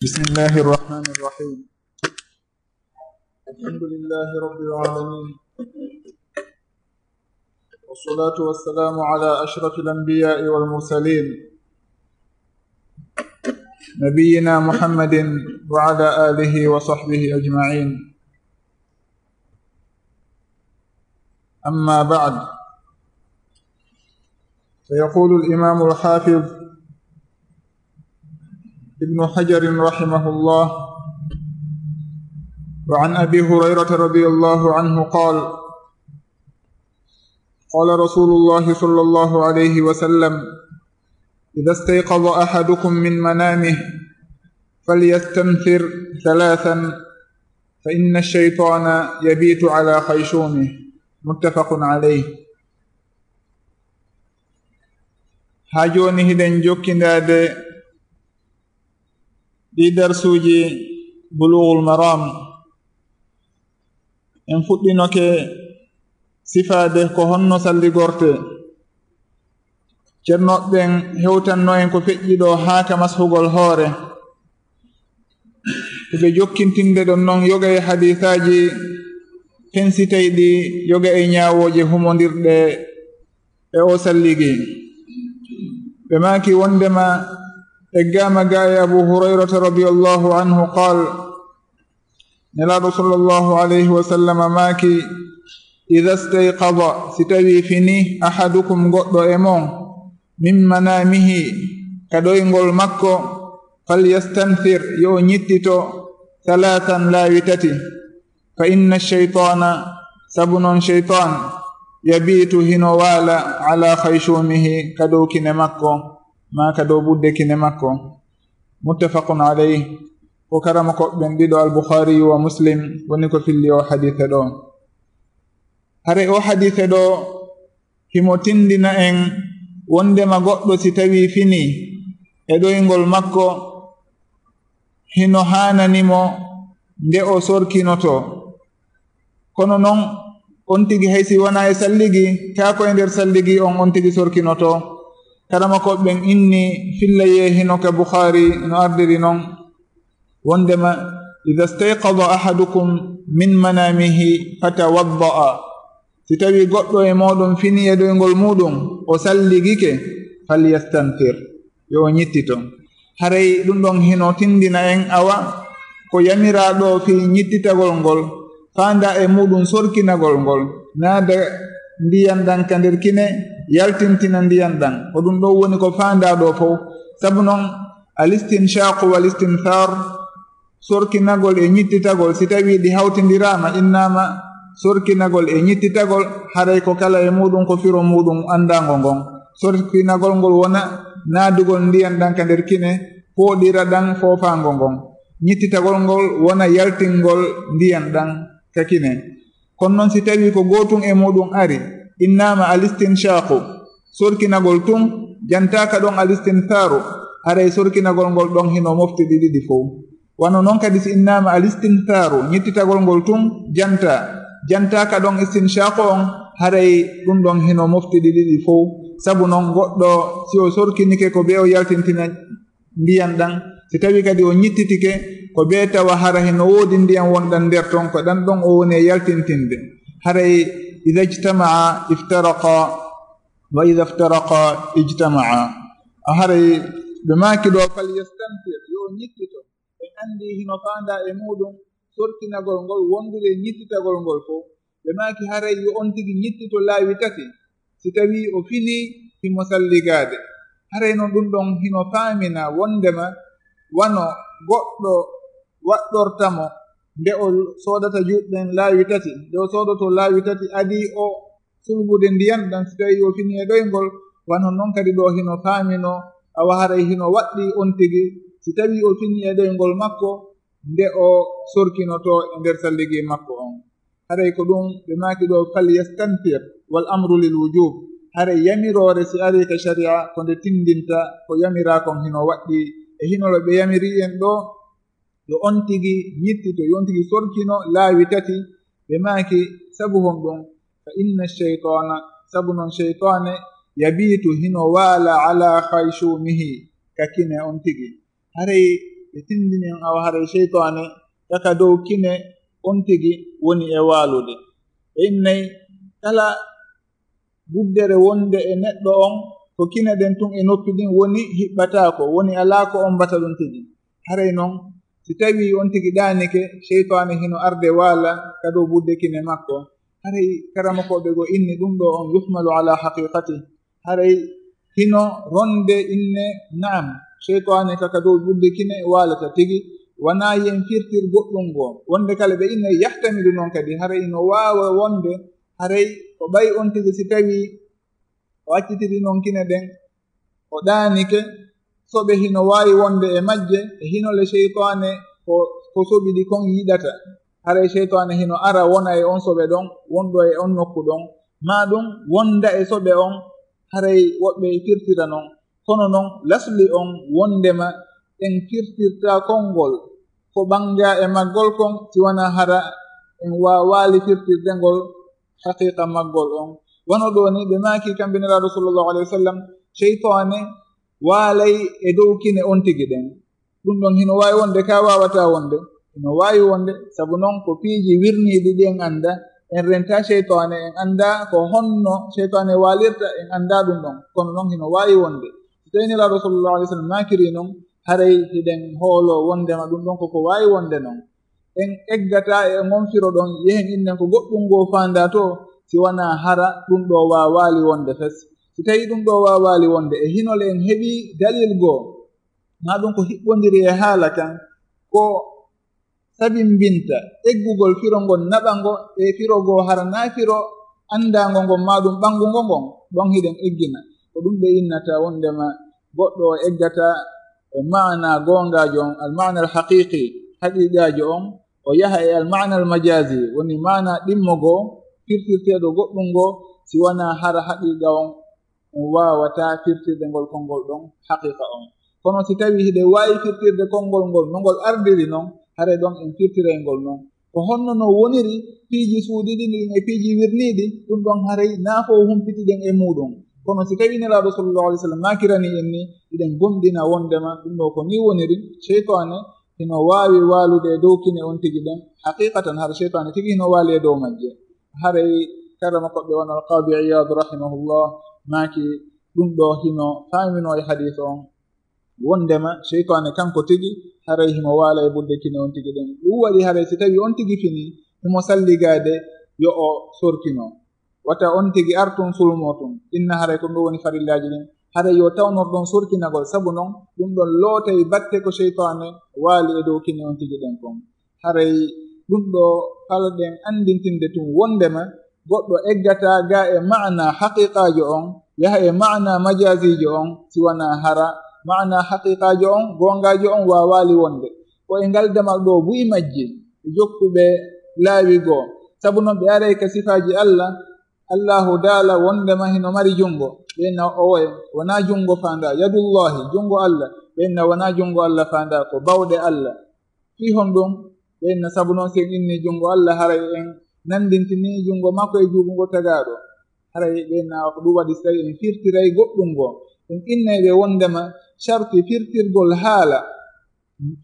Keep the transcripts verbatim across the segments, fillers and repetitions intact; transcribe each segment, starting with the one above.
بسم الله الرحمن الرحيم. الحمد لله رب العالمين. والصلاة والسلام على أشرف الأنبياء والمرسلين، نبينا محمد وعلى آله وصحبه أجمعين. أما بعد، فيقول الإمام الحافظ ابن حجر رحمه الله: وعن أبي هريرة رضي الله عنه قال: قال رسول الله صلى الله عليه وسلم: إذا استيقظ أحدكم من منامه فليستنثر ثلاثا، فإن الشيطان يبيت على خيشومه. متفق عليه. Haa jooni hiɗen jokkindaade ɗii darsuuji Buluugul Maraam. En fuɗɗinoke sifaade ko honno salligortee. Ceernooɓe ɓen hewtanno en ko feƴƴi ɗoo haa ka mashugol hoore. Ɓe jokkintinde ɗon non yoga e hadiisaaji fensitayɗi yoga e ñaawooje humondirɗe e oo salligi. Ɓe maaki wondema eggaama ga e Abu Hurayrata radiyallahu anhu qaal, Nelaaɗo sallallahu alayhi wa sallam maaki: إذا استيقظ, si tawii fini, أحدكم, goɗɗo e mon, من منامه, ka ɗoyngol makko, فليستنثر, yo o ñittito, ثلاثا, laawi tati, فإن الشيطان, sabu non seytaan, يبيت, hino waala, على خيشومه, ka dow kine makko, maa ka dow ɓudde kine makko. متفق عليه. Ko karamokooɓe ɓen ɗiɗo, Al-Bukhaari wa Muslim, woni ko filli oo hadiise ɗoo. Haray oo hadiise ɗoo himo tinndina en wondema goɗɗo si tawii fini e ɗoyngol makko, hino haanani mo nde o sorkinotoo. Kono non, on tigi hay si wonaa e salligi, kaa ko e nder salligi on, on tigi sorkinotoo. Karamokooɓe ɓen inni fillayee hino ka Bukhaari no ardiri non, wondema: إذا استيقظ أحدكم من منامه فتوضأ. Si tawii goɗɗo e mooɗon fini e ɗoyngol muuɗum, o salligike, فليستنثر, yo o ñittito. Haray ɗum ɗon hino tinndina en, awa, ko yamiraa ɗoo fii ñittitagol ngol, faandaa e muuɗum sorkinagol ngol, naada ndiyan ɗan ka nder kine, yaltintina ndiyan ɗan. Ko ɗum ɗon woni ko faandaa ɗoo fow. Sabu non, الاستنشاق والاستنثار, sorkinagol e ñittitagol, si tawii ɗi hawtindiraama, innaama sorkinagol e ñittitagol, haray ko kala e muuɗum ko firo muuɗum anndaango ngon. Sorkinagol ngol wona naadugol ndiyan ɗan ka nder kine, fooɗira ɗan foofaango ngon. Ñittitagol ngol wona yaltingol ndiyan ɗan ka kine. Kono non si tawii ko gootun e muuɗum ari, innaama الاستنشاق, sorkinagol tun, jantaaka ɗon الاستنثار, haray sorkinagol ngol ɗon hino mofti ɗi ɗiɗi fow. Wano non kadi si innaama الاستنثار, ñittitagol ngol tun, jantaa, jantaaka ɗon استنشاق on, haray ɗum ɗon hino mofti ɗi ɗiɗi fow. Sabu non goɗɗo si o sorkinike ko bee o yaltintina ndiyan ɗan, si tawii kadi o ñittitike, ko bee tawa hara hino woodi ndiyan wonɗan nder ton, ko ɗan ɗon o woni e yaltintinde. Haray: إذا اجتمعا افترقا وإذا افترقا اجتمعا. A haray ɓe maaki ɗoo: فليستنثر, yo o ñittito. En anndi hino faandaa e muuɗum sorkinagol ngol wondude e ñittitagol ngol fow. Ɓe maaki haray yo on tigi ñittito laawi tati, si tawii o finii himo salligaade. Haray non ɗum ɗon hino faamina wondema wano goɗɗo waɗɗorta mo nde o soodata juuɗe ɗen laawi tati, nde o soodotoo laawi tati adii o sulbude ndiyan ɗan si tawii o finii e ɗoyngol, wano non kadi ɗoo hino faaminoo, awa haray hino waɗɗii on tigi si tawii o finii e ɗoyngol makko nde o sorkinotoo e nder salligi makko on. Haray ko ɗum ɓe maaki ɗoo: فليستنثر, والأمر للوجوب. Haray yamiroore si arii ka sharia ko nde tinndinta ko yamiraa kon hino waɗɗii. E hino ɓe yamiri en ɗoo yo on tigi ñittito, yo on tigi sorkino laawi tati. Ɓe maaki sabu honɗum? فإن الشيطان, sabu non seytaane, يبيت, hino waala, على خيشومه, ka kine on tigi. Haray ɓe tindini en awa haray seytaane kaka dow kine on tigi woni e waalude. Ɓe innay kala guddere wonde e neɗɗo on, ko kine ɗen tun e noppi ɗin woni, hiɓɓataako, woni alaa ko ombata ɗum tigi. Haray non, si tawii on tigi ɗaanike, seytaane hino arde waala ka dow budde kine makko. Haray karamokooɓe goo inni ɗum ɗoo on yuhmalu ala haqiqati. Haray hino ronde inne, naam, seytaane ka, ka dow budde kine waalata tigi, wanaa yen firtir goɗɗum goo. Wonde kala ɓe inne yahtamilu non kadi, haray hino waawa wonde, haray ko ɓay on tigi si tawii o accitiri non kine ɗen, o ɗaanike, soɓe hino waawi wonde e majje, e hinole seytaane ko, ko soɓi ɗi kon yiɗata. Haray seytaane hino ara wona e on soɓe ɗon, wonɗo e on nokku ɗon, maa ɗum wonda e soɓe on, haray woɓɓe e firtira non. Kono non, lasli on wondema en firtirta konngol ko ɓannga e maggol kon, si wanaa hara en waawaali firtirde ngol haqiqa maggol on. Wano ɗoo ni ɓe maaki kamɓe Nelaaɗo sallallahu alayhi wa sallam, seytaane waalay e dow kine on tigi ɗen. Ɗum ɗon hino waawi wonde, ka waawataa wonde, hino waawi wonde, sabu non ko piiji wirniiɗi ɗi en annda, en renta seytaane, en annda ko honno seytaane waalirta, en annda ɗum ɗon. Kono non hino waawi wonde. Si tawii Nelaaɗo sallallahu alayhi wa sallam maakiri non, haray hiɗen hoolo wondema ɗum ɗon koko waawi wonde non. En eggataa e ngon firo ɗon, yehen innen ko goɗɗum ngoo faandaa to, si wanaa hara ɗum ɗoo waawaali wonde fes. Si tawii ɗum ɗoo waawaali wonde, e hinole en heɓii dalil goo, maa ɗum ko hiɓɓondiri e haala kan, ko sabimbinta eggugol firo ngon, naɓa ngo e firo goo hara naa firo anndaango ngon, maa ɗum ɓanngungo ngon, ɗon hiɗen eggina. Ko ɗum ɓe innata wondema goɗɗo o eggata e maana goongaajo on, al maana al haqiqi, haqiqaajo on, o yaha e al maana al majazi, woni maana ɗimmo goo, firtirteeɗo goɗɗum ngoo, si wanaa hara haqiqa on en waawataa firtirde ngol konngol ɗon haqiqa on. Kono si tawii hiɗen waawi firtirde konngol ngol no ngol ardiri non, haray ɗon en firtiray ngol non. Ko honno no woniri piiji suuɗiiɗi ɗin e piiji wirniiɗi, ɗum ɗon haray naa fow humpitiɗen e muuɗum. Kono si tawii Nelaaɗo sallallahu alayhi wa sallam maakirani en ni, hiɗen gomɗina wondema ɗum ɗoo ko nii woniri, seytaane hino waawi waalude e dow kine on tigi ɗen. Haqiqatan, hara seytaane tigi hino waali e dow majje. Haray karama koɓe wano Al-Qaadi Iyaad rahimahullah maaki ɗum ɗoo hino faaminoo e hadiis on, wondema seytaane kanko tigi haray himo waala e budde kine on tigi ɗen. Ɗum waɗi haray si tawii on tigi fini, himo salligaade yo o sorkino. Wata on tigi artun sulmoo tun. Inna haray ko ɗum woni farillaaji ɗin. Haray yo tawnor ɗon sorkinagol, sabu non ɗum ɗon lootay batte ko seytaane waali e dow kine on tigi ɗen kon. Haray ɗum ɗoo falaɗen anndintinde tun wondema goɗɗo eggataa ga e maana haqiqaajo on, yaha e maana majaziijo on, si wanaa hara maana haqiqaajo on, goongaajo on waawaali wonde. Ko e ngal damal ɗoo buy majji, e jokkuɓe laawi goo. Sabu non ɓe aray ka sifaaji Alla, Allahu daala wondema hino mari junngo. Ɓe inna owoye, wanaa junngo faandaa, yadullahi, junngo Alla. Ɓe inna wanaa junngo Alla faandaa, ko bawɗe Alla. Fii honɗum? Ɓe inna sabu non si en inni junngo Alla, haray en nanndintini junngo makko e junngo tagaaɗo. Haray ɓe inna ko ɗum waɗi si tawi en firtiray goɗɗum goo. En innay ɓe wondema sharti firtirgol haala,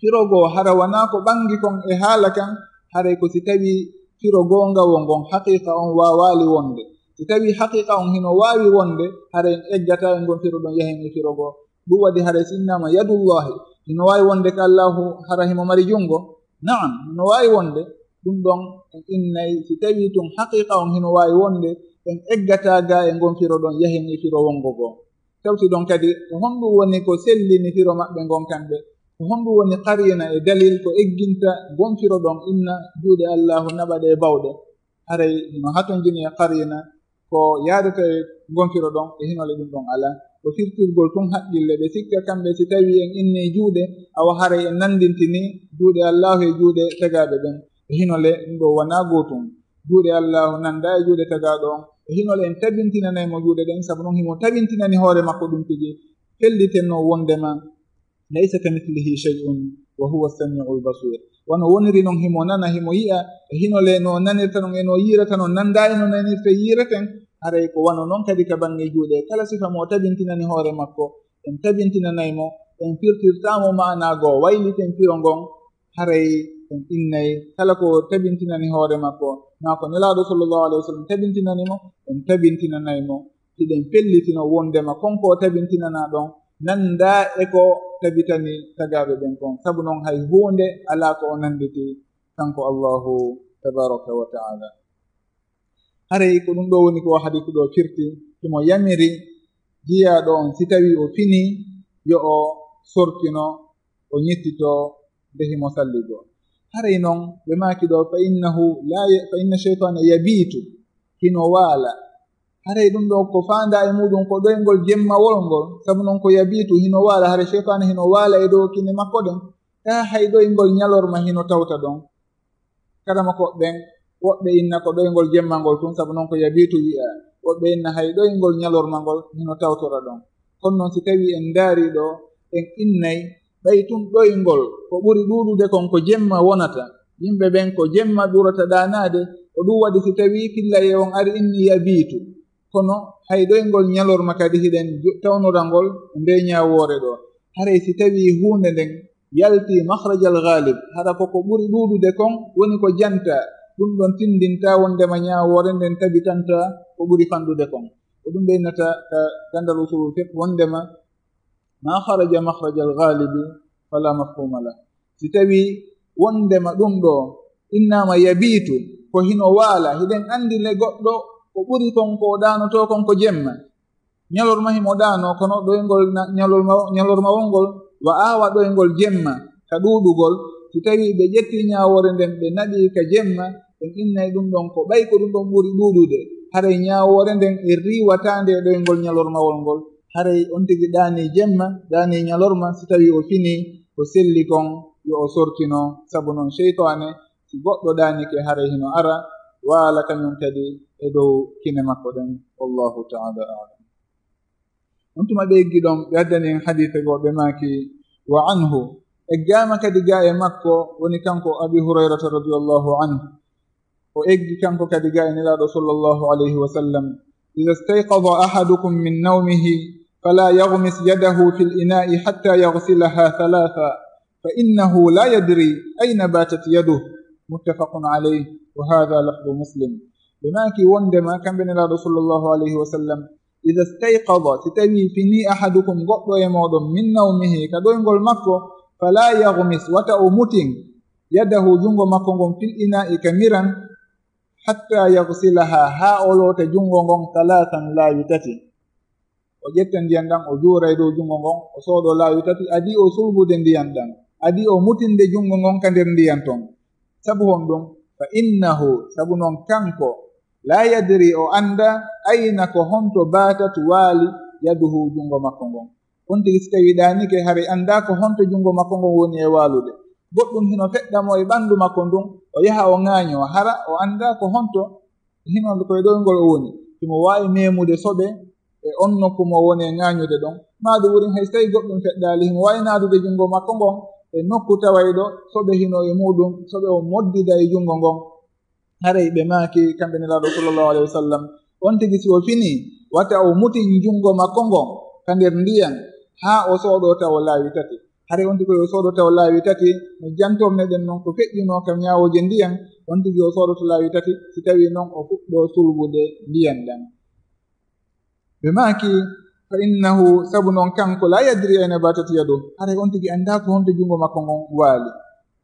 firo goo hara wanaa ko ɓanngi kon e haala kan, haray ko si tawii firo goongawo ngon, haqiqa on waawaali wonde. Si tawii haqiqa on hino waawi wonde, haray en eggataa e ngon firo ɗon, yahen e firo goo. Ɗum waɗi haray si innaama yadullahi, hino waawi wonde ko Allahu hara himo mari junngo? Naam, hino waawi wonde. Ɗum ɗon en innay si tawii tun haqiqa on hino waawi wonde, en eggataa ga e ngon firo ɗon, yahen e firo wonngo goo. Tawti ɗon kadi, ko honɗum woni ko sellini firo maɓɓe ngon kamɓe? Ko honɗum woni qariina e dalil ko egginta ngon firo ɗon inna juuɗe Allahu naɓa ɗe e bawɗe? Haray hino hatonjini e qariina ko yaadata e ngon firo ɗon, e hinole ɗum ɗon alaa. Ko firtirgol tun haqqille, ɓe sikka kamɓe si tawii en inni juuɗe, awa haray en nanndintini juuɗe Allahu e juuɗe tagaaɓe ɓen. E hinole ɗum ɗoo wanaa gootum. Juuɗe Allahu nanndaa e juuɗe tagaaɗo on. E hinole en tabintinanay mo juuɗe ɗen, sabu non himo tabintinani hoore makko ɗum tigi. Felliten non wondema, laysa kamithlihi shay'un wa huwa as-sami'ul basir. Wano woniri non himo nana, himo yi'a, e hinole no nanirta non e no yiirata non, nanndaa e no nanirta yiireten, haray ko wano non kadi ka bannge juuɗe. Kala sifa mo tabintinani hoore makko, en tabintinanay mo, en firtirtaamo maanaa goo, wayliten firo ngon, haray en innay kala ko tabintinani hoore makko, maa ko Nelaaɗo sallallahu alayhi wa sallam tabintinani mo, en tabintinanay mo. Hiɗen fellitino wondema kon ko o tabintinanaa ɗon nanndaa e ko tabitani tagaaɓe ɓen kon. Sabu non hay huunde alaa ko o nannditi kanko Allaahu tabaaraka wa ta'aala. Haray ko ɗum ɗoo woni ko o hadiisu ɗoo firti, himo yamiri jiyaaɗo on, si tawii o finii, yo o sorkino, o ñittitoo nde himo salligoo. Haray non ɓe maaki ɗoo, "Fa innahu la ya-, fa inna shaytaana yabiitu," hino waala. Haray ɗum ɗoo ko faandaa e muuɗum ko ɗoyngol jemmawol ngol, sabu non ko yabiitu, hino waala. Haray shaytaana hino waala e dow kine makko ɗen, taa hay ɗoyngol ñalorma hino tawta ɗon. Kadi mo ko ɓen, woɓɓe inna ko ɗoyngol jemma ngol tun, sabu non ko yabiitu wi'a. Woɓɓe inna hay ɗoyngol ñalorma ngol hino tawtora ɗon. Kono non si tawii en ndaarii ɗoo, en innay ɓay tun ɗoyngol ko ɓuri ɗuuɗude kon ko jemma wonata. Yimɓe ɓen ko jemma ɓurata ɗaanaade, ko ɗum waɗi si tawii fillay e on ari inni yabiitu. Kono hay ɗoyngol ñalorma kadi hiɗen jo-, tawnora ngol ndee ñaawoore ɗoo. Haray si tawii huunde nden yaltii makhrajal ghalib, hara ko ko ɓuri ɗuuɗude kon woni ko jantaa, ɗum ɗon tinndinta wondema ñaawoore nden tabitantaa ko ɓuri fanɗude kon. Ko ɗum ɓe innata ka ganndal usulul fiqh wondema ma kharaja makhrajal ghalibi fala mafhuma lah. Si tawii wondema ɗum ɗoo innaama yabiitu, ko hino waala, hiɗen anndi le goɗɗo ko ɓuri kon ko o ɗaanotoo kon ko jemma. Ñalorma himo ɗaanoo, kono ɗoyngol na-, ñalorma, ñalormawol ngol wa'aa wa ɗoyngol jemma ka ɗuuɗugol. Si tawii ɓe ƴettii ñaawoore nden ɓe naɓii ka jemma, en innay ɗum ɗon ko ɓay ko ɗum ɗon ɓuri ɗuuɗude. Haray ñaawoore nden e riiwataa nde ɗoyngol ñalormawol ngol. Haray on tigi ɗaanii jemma, ɗaanii ñalorma, si tawii o finii, ko selli kon yo o sorkino, sabu non seytaane, si goɗɗo ɗaanike, haray hino ara waala kañum kadi e dow kine makko ɗen. Wallahu ta'ala a'lam. On tuma ɓe eggi ɗon, ɓe addani en hadiise goo, ɓe maaki, "Wa anhu," eggaama kadi gaa e makko, woni kanko Abi Hurayrata radiyallahu anhu. O eggi kanko kadi gaa e Nelaaɗo sallallahu alayhi wa sallam, "Idha istayqadha ahadukum min nawmihi, fala yaghmis yadahu fil ina'i hatta yaghsilaha thalatha, fa innahu la yadri ayna batat yaduh." Muttafaqun alayh, wa hadha lafdu Muslim. Ɓe maaki wondema kamɓe Nelaaɗo sallallahu alayhi wa sallam, "Idha istayqadha," si tawii finii, "ahadukum," goɗɗo e mooɗon, "min nawmihi," ka ɗoyngol makko, "fala yaghmis," wata o mutin, "yadahu," junngo makko ngon, "fil ina'i," ka miran, "hatta yaghsilaha," haa o loota junngo ngon, "thalathan," laawi tati. O ƴetta ndiyan ɗan, o juura e dow junngo ngon, o sooɗo laawi tati, adii o sulbude ndiyan ɗan, adii o mutinde junngo ngon ka nder ndiyan ton. Sabu honɗum? "Fa innahu," sabu non kanko, "la yadri," o anndaa, "ayna," ko honto, "batat," waali, "yaduhu," junngo makko ngon. On tigi si tawii ɗaanike, haray anndaa ko honto junngo makko ngon woni e waalude. Goɗɗum hino feɗɗa mo e ɓanndu makko ndun, o yaha o ŋaañoo, hara o anndaa ko honto hino ko e ɗoyngol o woni. Himo waawi meemude soɓe e on nokku mo woni e ŋaañude ɗon. Maa ɗum wurin hay si tawii goɗɗum feɗɗaali, himo waawi naadude junngo makko ngon e nokku tawayɗo soɓe hino e muuɗum, soɓe o moddida e junngo ngon. Haray ɓe maaki, kamɓe Nelaaɗo sallallahu alayhi wa sallam, on tigi si o finii, wata o mutin junngo makko ngon ka nder ndiyan, haa o sooɗoo tawa laawi tati. Haray on tigi ko yo sooɗoo tawa laawi tati, no jantorneɗen non ko feƴƴunoo ka ñaawooje ndiyan, on tigi o sooɗoto laawi tati, si tawii non o fuɗɗoo sulbude ndiyan ɗan. Ɓe maaki, "Fa innahu," sabu non kanko, "la yadri ayna batat yaduh." Haray on tigi anndaa ko honto junngo makko ngon waali.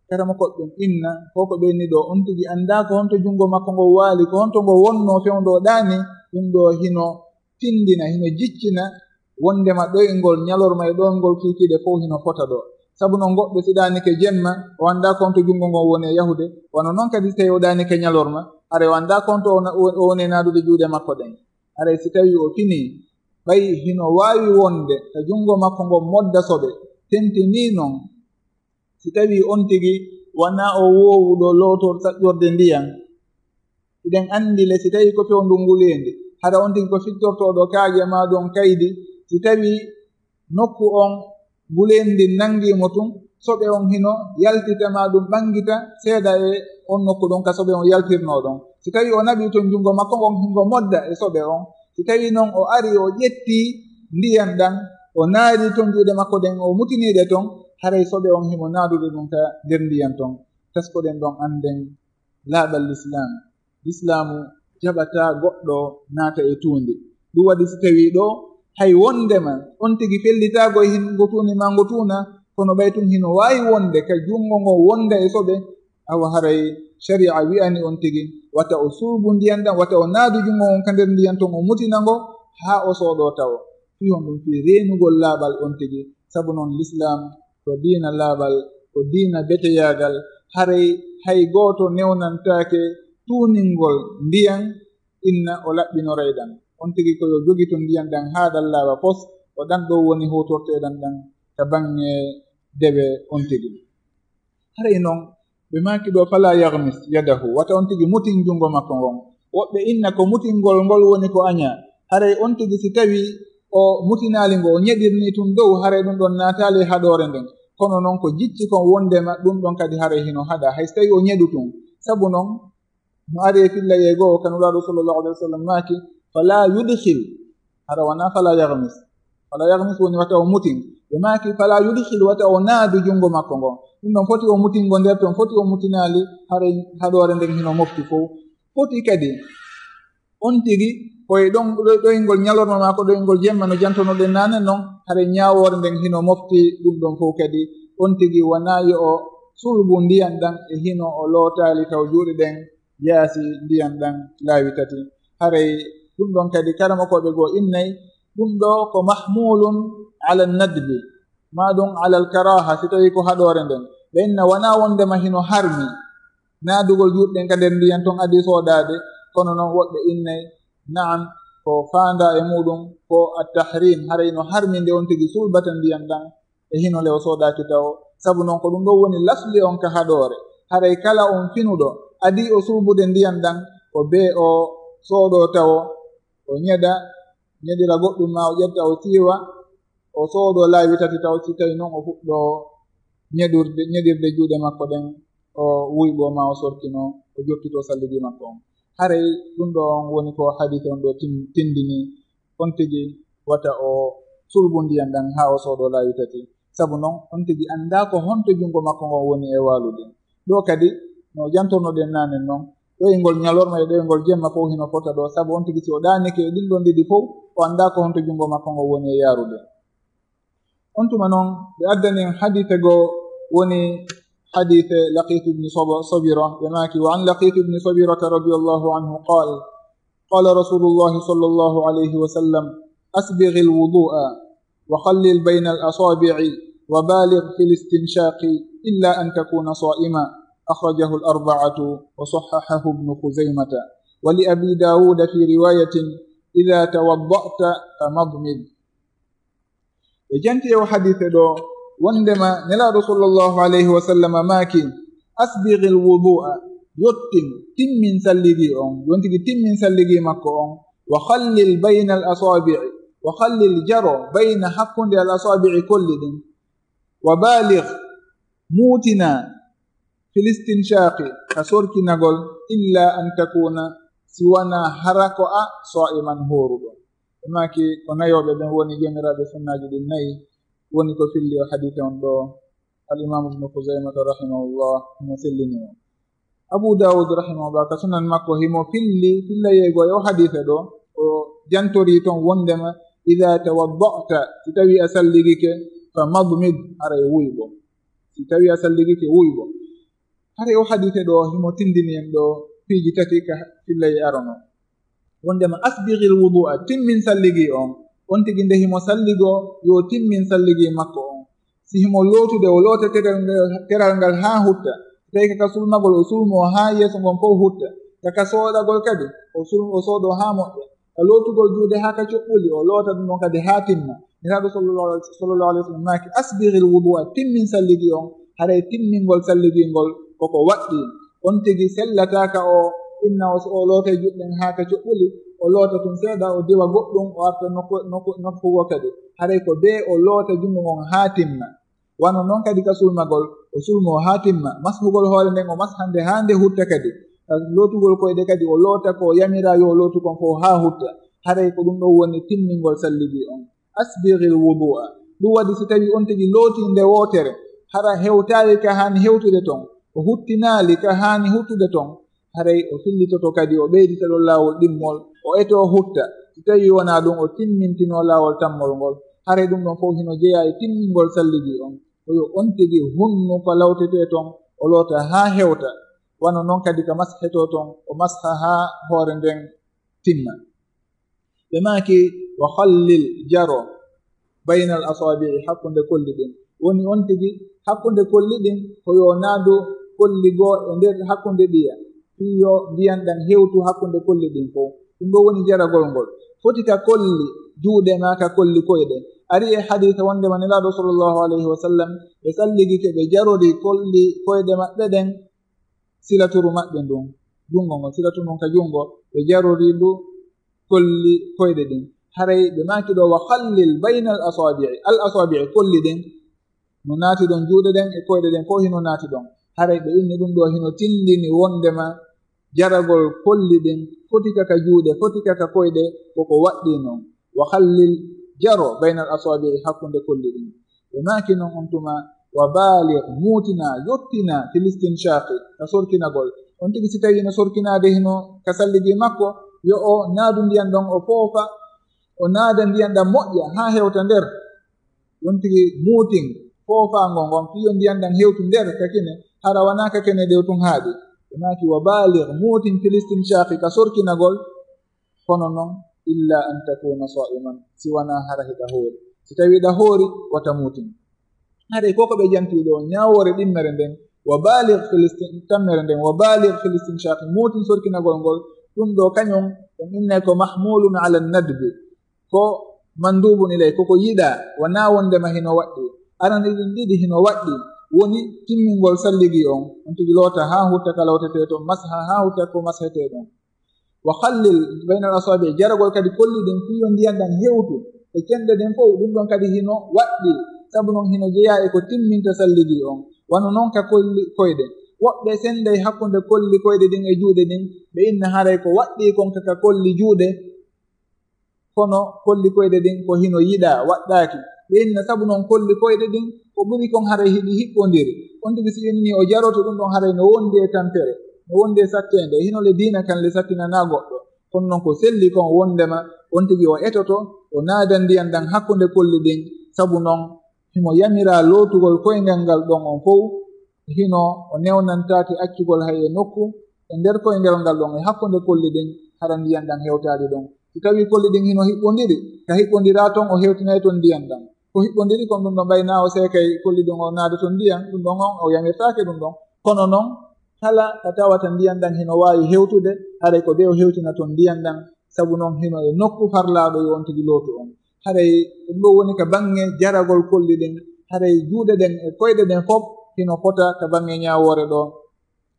Karamokooɓe ɓen inna, ko ko ɓe inni ɗoo, on tigi anndaa ko honto junngo makko ngon waali, ko honto ngo wonnoo fewndo ɗaani, ɗum ɗoo hino tinndina, hino jiccina wondema ɗoyngol ñalorma e ɗoyngol kiikiiɗe fow hino fota ɗoo. Sabu non goɗɗo si ɗaanike jemma, o anndaa ko honto junngo ngon woni e yahude, wano non kadi si tawii o ɗaanike ñalorma, haray o anndaa ko honto o na-, o woni e naadude juuɗe makko ɗen. Haray si tawii o finii, ɓay hino waawi wonde ka junngo makko ngon modda soɓe, tentinii non, si tawii on tigi wanaa o woowuɗo lootor saƴƴorde ndiyan, hiɗen anndi le, si tawii ko fewndo nguleendi, hara on tigi ko fittortooɗo kaaƴe maa ɗon kaydi, si tawii nokku on nguleendi nanngii mo tun, soɓe on hino yaltita maa ɗum ɓanngita seeɗa e on nokku ɗon ka soɓe on yaltirnoo ɗon. Si tawii o naɓii ton junngo makko ngon, hingo modda e soɓe on. Si tawii non o arii o ƴettii ndiyan ɗan, o naadi ton juuɗe makko ɗen, o mutiniiɗe ton, haray soɓe on himo naadude ɗum ka nder ndiyan ton. Taskoɗen ɗon annden laaɓal Lislaam. Lislaamu jaɓataa goɗɗo naata e tuundi. Ɗum waɗi si tawii ɗoo, hay wonndema on tigi fellitaagol hin ngo tuuni maa ngo tuuna, kono ɓay tun hino waawi wonde ka junngo ngon wonda e soɓe, awa haray sharia wi'ani on tigi, wata o sulbu ndiyan ɗan, wata o naadu junngo ngon ka nder ndiyan ton, o mutina ngo, haa o soodoo tawo. Fii honɗum? Fii reenugol laaɓal on tigi. Sabu non Lislaam ko diina laaɓal, ko diina beteyaagal. Haray hay gooto newnantaake tuuningol ndiyan inna o laɓɓinoray ɗan. On tigi ko yo jogitu ndiyan ɗan haa ɗan laaɓa pos, ko ɗan ɗoo woni huutorteeɗan ɗan ka baŋŋe dewe on tigi. Haray non, ɓe maaki ɗoo, "Fala yaghmis yadahu," wata on tigi mutin junngo makko ngon. Woɓɓe inna ko mutingol ngol woni ko aɲaa. Haray on tigi si tawii o mutinaali ngo, o ɲeɗirnii tun dow, haray ɗum ɗon naataali e haɗoore nden. Kono non ko jicci kon wonndema ɗum ɗon kadi haray hino haɗaa, hay si tawii o ɲeɗu tun. Sabu non, no ari e fillayee goo, ka Nulaaɗo sallallahu alayhi wa sallam maaki, "Fala yudkhil," hara wanaa "fala yaghmis." "Fala yaghmis" woni wata o mutin. Ɓe maaki, "Fala yudkhil," wata o naadu junngo makko ngon. Ɗum ɗon foti o mutin ngo nder ton, foti o mutinaali, haray haɗoore nden hino mofti fow. Foti kadi on tigi, ko e ɗon, ɗo-, ɗoyngol ɲalorma maa ko ɗoyngol jemma, no jantonoɗen naane non, haray ɲaawoore nden hino mofti ɗum ɗon fow kadi. On tigi wanaa yo o sulbu ndiyan ɗan e hino o lootaali taw juuɗe ɗen yaasi ndiyan ɗan laawi tati. Haray ɗum ɗon kadi karamokooɓe goo innay, ɗum ɗoo ko mahmulun ala nadbi, maa ɗum alal karaha, si tawii ko haɗoore nden. Ɓe inna wanaa wonndema hino harmi naadugol juuɗe ɗen ka nder ndiyan ton adii soodaade, kono non woɓɓe innay, na'am, ko faandaa e muuɗum ko at-tahrim, haray no harmi nde on tigi sulbata ndiyan ɗan e hino le o soodaaki tawo. Sabu non ko ɗum ɗoo woni lasli on ka haɗoore. Haray kala on finuɗo adii o sulbude ndiyan ɗan, ko bee o soodoo tawo, o ɲeɗa, ɲeɗira goɗɗum maa o ƴetta o siiwa, o soodoo laawi tati taw, si tawii non o fuɗɗoo ɲeɗurde, ɲeɗirde juuɗe makko ɗen, o wuyɓoo maa o sorkinoo, o jokkitoo salligi makko on. Haray ɗum ɗoo on woni ko hadiise on ɗoo tin-, tindini, on tigi wata o sulbu ndiyan ɗan haa o soodoo laawi tati. Sabu non, on tigi anndaa ko honto junngo makko ngon woni e waalude. Ɗoo kadi, no jantornoɗen naane non, ɗoyngol ɲalorma e ɗoyngol jemma fow hino fota ɗoo, sabu on tigi si o ɗaanike e ɗin ɗon ɗiɗi fow, o anndaa ko honto junngo makko ngon woni e yaarude. On tuma non, ɓe addani en hadiise goo, woni hadiise Laqit ibn Sab-, Sabira, ɓe maaki, "Wa an Laqit ibn Sabirata radiyallahu anhu qal, qala Rasulullahi sallallahu alayhi wa sallam, asbighil wudu'a wa khallil baynal asabi'i wa baligh fil istinshaqi illa an takuna sa'ima." Akhrajahu al-arba'atu wa sahhahahu Ibn Khuzaymata. Wa li Abi Dawuda fi riwayatin, "Idha tawadda'ta famadmid." Ɓe janti e o hadiise ɗoo, wonndema Nelaaɗo sallallahu alayhi wa sallam maaki, "Asbighil wudu'a," yottin, timmin salligi on, yontigi timmin salligi makko on, "wa khallil baynal asabi'i," wa khallil, jaro, "bayna," hakkunde, "al asabi'i," kolli ɗin, "wa baligh," muutina, "fil istinshaqi," ka sorkinagol, "illa an takuna," si wanaa hara ko a sa'iman, hooruɗo. Ɓe maaki ko nayooɓe ɓen woni joomiraaɓe sunnaaji ɗin nayi, woni ko filli o hadiise on ɗoo. Al Imaamu Ibnu Khuzaymata rahimahullah himo sellini mo. Abu Dawud rahimahullah ka sunan makko himo filli, fillayee goo e o hadiise ɗoo, o jantorii ton wonndema, "Idha tawadda'ta," si tawii a salligike, "famadmid," haray wuyɓo. Si tawii a salligike, wuyɓo. Haray o hadiise ɗoo himo tindini en ɗoo piiji tati ka fillayee arono. Wonndema asbighil wudu'a, timmin salligi on. On tigi nde himo salligoo, yo timmin salligi makko on. Si himo lootude, o loota teral ngal, teral ngal haa hutta. Tawi ka ka sulmagol, o sulmoo haa yeeso ngon fow hutta. Ka ka soodagol kadi, o sul-, o soodoo haa moƴƴa. Ka lootugol juuɗe haa ka coɓɓuli, o loota ɗum ɗon kadi haa timma. Nelaaɗo sallallahu, sallallahu alayhi wa sallam maaki, "Asbighil wudu'a," timmin salligi on, haray timmingol salligi ngol koko waɗɗii. On tigi sellataa ka o inna o, o loota e juuɗe ɗen haa ka coɓɓuli, o loota tun seeɗa, o diwa goɗɗum, o arta nokku, nokku, nokku goo kadi. Haray ko bee o loota junngo ngon haa timma. Wano non kadi ka sulmagol, o sulmoo haa timma. Mashugol hoore nden, o masha nde haa nde hutta kadi. Ka lootugol koyɗe kadi, o loota ko yamiraa yo o lootu kon fow haa hutta. Haray ko ɗum ɗon woni timmingol salligi on. asbighil wudu'a. Ɗum waɗi si tawi on tigi looti nde wootere, hara hewtaali ka haani hewtude ton, o huttinaali ka haani huttude ton, haray o fillitoto kadi, o ɓeydita ɗon laawol ɗimmol, o eto o hutta. Si tawi wonaa ɗum, o timmintinoo laawol tammol ngol. Haray ɗum ɗon fof hino jeyaa e timmingol salligi on. Ko yo on tigi hunnu ko lawtetee ton, o loota haa hewta. Wano non kadi ka mashetoo ton, o masha haa hoore nden timma. Ɓe maaki, wa khallil, jaro, baynal asaabi'i, hakkunde kolli ɗin. Woni on tigi, hakkunde kolli ɗin, ko yo naadu kolli goo e nder hakkunde ɗiya, fii yo ndiyan ɗan hewtu hakkunde kolli ɗin fow. Ɗum ɗoo woni jaragol ngol. Foti ka kolli juuɗe maa ka kolli koyɗe. Ari e hadiisa wondema Nelaaɗo sallallahu alayhi wa sallam, ɓe salligike ɓe jarori kolli koyɗe maɓɓe ɗen, silaturu maɓɓe ndun, junngo ngon, silaturu ndun ka junngo, ɓe jarori ndu kolli koyɗe ɗin. Haray ɓe maaki ɗoo, wa khallil baynal asaabi'i, al asaabi'i, kolli ɗin, no naati ɗon, juuɗe ɗen e koyɗe ɗen fow hino naati ɗon. Haray ɓe inni ɗum ɗoo hino tindini wondema jaragol kolli ɗin, foti ka ka juuɗe, foti ka ka koyɗe, koko waɗɗii non. Wa khallil, jaro, baynal asaabi'i, hakkunde kolli ɗin. Ɓe maaki non on tuma, wa baaligh, muutina, yottina, fil istinshaqi, ka sorkinagol. On tigi si tawi hino sorkinaade hino ka salligi makko, yo o naadu ndiyan ɗon, o foofa, o naada ndiyan ɗan moƴƴa haa hewta nder. On tigi muutin foofaango ngon, fii yo ndiyan ɗan hewtu nder ka kine, hara wanaa ka kene ɗew tun haaɗi. Ɓe maaki, wa baaligh, muutin, fil istinshaqi, ka sorkinagol, kono non, illa an takuna saa'iman, si wanaa hara hiɗa hoori. Si tawi hiɗa hoori, wata muutin. Haray ko ko ɓe janti ɗoo, ñaawoore ɗimmere nden, wa baaligh fil istin-, tammere nden, wa baaligh fil istinshaqi, muutin sorkinagol ngol, ɗum ɗoo kañum, ɗum innay ko mahmulun ala nadbi, ko mandubun ilay, ko ko yiɗaa, wanaa wondema hino waɗɗii. Arani ɗin ɗiɗi hino waɗɗii, woni timmingol salligi on, on tigi loota haa hutta ka lawtetee ton, masha haa hutta ko mashetee ɗon. Wa khallil baynal asaabi', jaragol kadi kolli ɗin fii yo ndiyan ɗan hewtu e cenɗe ɗen fow, ɗum ɗon kadi hino waɗɗii, sabu non hino jeyaa e ko timminta salligi on. Wano non ka kolli koyɗe. Woɓɓe senday hakkunde kolli koyɗe ɗin e juuɗe ɗin, ɓe inna haray ko waɗɗii kon ka, ka kolli juuɗe, kono kolli koyɗe ɗin ko hino yiɗaa, waɗɗaaki. Ɓe inna sabu non kolli koyɗe ɗin ko ɓuri kon haray hiɗi hiɓɓondiri. On tigi si inni o jaroto ɗum ɗon haray no wondi e tampere, no wondi e satteende. Hino le diina kan le sattinanaa goɗɗo. Kono non ko selli kon wondema on tigi o etoto, o naada ndiyan ɗan hakkunde kolli ɗin. Sabu non himo yamiraa lootugol koyngal ngal ɗon on fow. Hino o newnantaake accugol hay e nokku e nder koyngal ngal ɗon e hakkunde kolli ɗin, hara ndiyan ɗan hewtaali ɗon. Si tawii kolli ɗin hino hiɓɓondiri, ka hiɓɓondiraa ton, o hewtinay ton ndiyan ɗan. Ko hiɓɓondiri kon ɗum ɗon, ɓay naa o seekay kolli ɗin o naada ton ndiyan, ɗum ɗon on o yamirtaake ɗum ɗon. Kono non, kala ka tawata ndiyan ɗan hino waawi hewtude, haray ko bee o hewtina ton ndiyan ɗan, sabu non hino e nokku farlaaɗo yo on tigi lootu on. Haray ɗum ɗoo woni ka baŋŋe jaragol kolli ɗin, haray juuɗe ɗen e koyɗe ɗen fof hino fota ka baŋŋe ñaawoore ɗoo.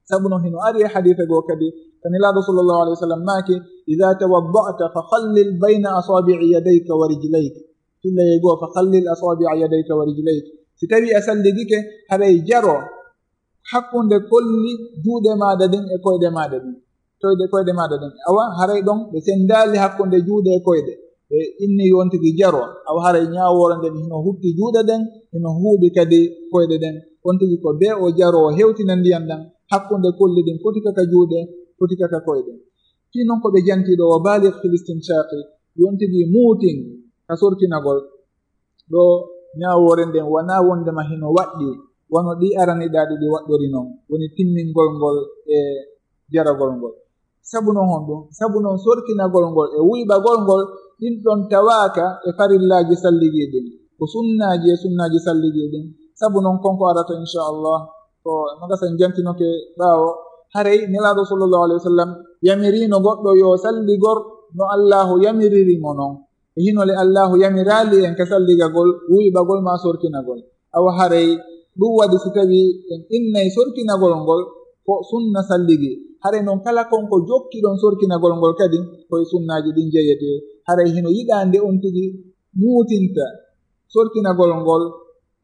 Sabu non hino ari e hadiisa goo kadi, ka Nelaaɗo sallallahu alayhi wa sallam maaki, "Idha tawadda'ta fa khallil bayna asabi'i yadayka wa rijlayk." Fillay goo, "Fa khallil asabi'a yadayka wa rijlayk." Si tawii a salligike, haray jaro hakkunde kolli juuɗe maaɗa ɗin e koyɗe maaɗa ɗin. Koyɗe, koyɗe maaɗa ɗin. Awa, haray ɗon ɓe sendaali hakkunde juuɗe e koyɗe. Ɓe inni yo on tigi jaro. Awa, haray ñaawoore nden hino hutti juuɗe ɗen, hino huuɓi kadi koyɗe ɗen. On tigi ko bee o jaro, o hewtina ndiyan ɗan hakkunde kolli ɗin, foti ka ka juuɗe, foti ka ka koyɗe. Fii non ko ɓe janti ɗoo, wa baaligh fil istinshaqi, yo on tigi muutin ka sorkinagol. Ɗoo ñaawoore nden wanaa wondema hino waɗɗii, wano ɗi araniɗaaɗi ɗi waɗɗori non, woni timmingol ngol e jaragol ngol. Sabu non honɗum? Sabu non sorkinagol ngol e wuyɓagol ngol, ɗin ɗon tawaaka e farillaaji salligii ɗin. Ko sunnaaji e sunnaaji salligii ɗin. Sabu non kon ko arata, inchallah, ko no gasa en jantinoke ɓaawo. Haray Nelaaɗo sallallahu alayhi wa sallam yamiriino goɗɗo yo salligor no Allaahu yamiriri mo non. E hino le Allaahu yamiraali en ka salligagol, wuyɓagol maa sorkinagol. Awa haray ɗum waɗi si tawii en innay sorkinagol ngol ko sunna salligi. Haray non kala kon ko jokki ɗon sorkinagol ngol kadi ko e sunnaaji ɗin jeyetee. Haray hino yiɗaa nde on tigi muutinta sorkinagol ngol,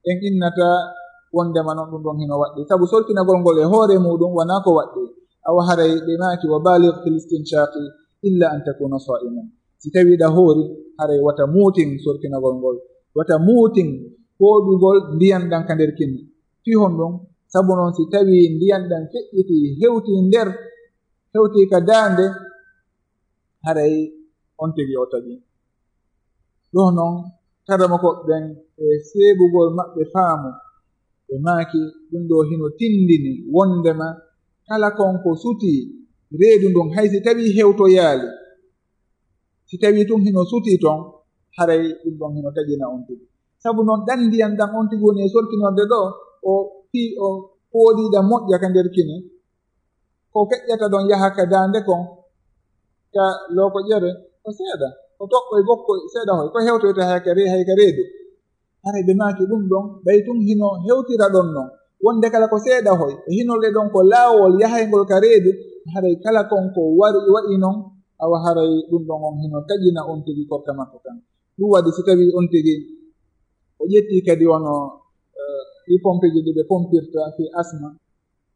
en innata wondema non ɗum ɗon hino waɗɗii. Sabu sorkinagol ngol e hoore muuɗum wanaa ko waɗɗii. Awa haray ɓe maaki, "Wa baaligh fil istinshaqi illa an takuna saa'iman." Si tawii ɗa hoori, haray wata muutin sorkinagol ngol, wata muutin fooɗugol ndiyan ɗan ka nder kinne. Fii honɗun? Sabu non, si tawii ndiyan ɗan feƴƴitii, hewtii nder, hewtii ka daande, haray on tigi o taƴii. Ɗoo non, karamokoɓe ɓen e seeɓugol maɓɓe faamu, ɓe maaki, ɗun ɗoo hino tindini wonndema kala kon ko sutii reedu ndun, hay si tawii hewtoyaali, si tawii tun hino sutii ton, haray ɗun ɗon hino taƴina on tigi. Sabu non, ɗan ndiyan ɗan on tigi woni e sorkinorde ɗoo, o fii o fooɗiiɗa moƴƴa ka nder kine, ko feƴƴata ɗon yaha ka daande kon, ka lookoƴere, ko seeɗa, ko toɓɓoy bokkoy seeɗa hoy, ko hewtoyta hay ka re-, hay ka reedu. Haray ɓe maaki ɗun ɗon, ɓay tun hino hewtira ɗon non, wonnde kala ko seeɗa hoy, e hinorde ɗon ko laawol yahayngol ka reedu, haray kala kon ko wari, wa'i non, awa haray ɗun ɗon on hino taƴina on tigi korka makko kan. Ɗun waɗi si tawii on tigi o ƴettii kadi wano, eh, ɗii pompeeji ɗi ɓe pompirta fii asma,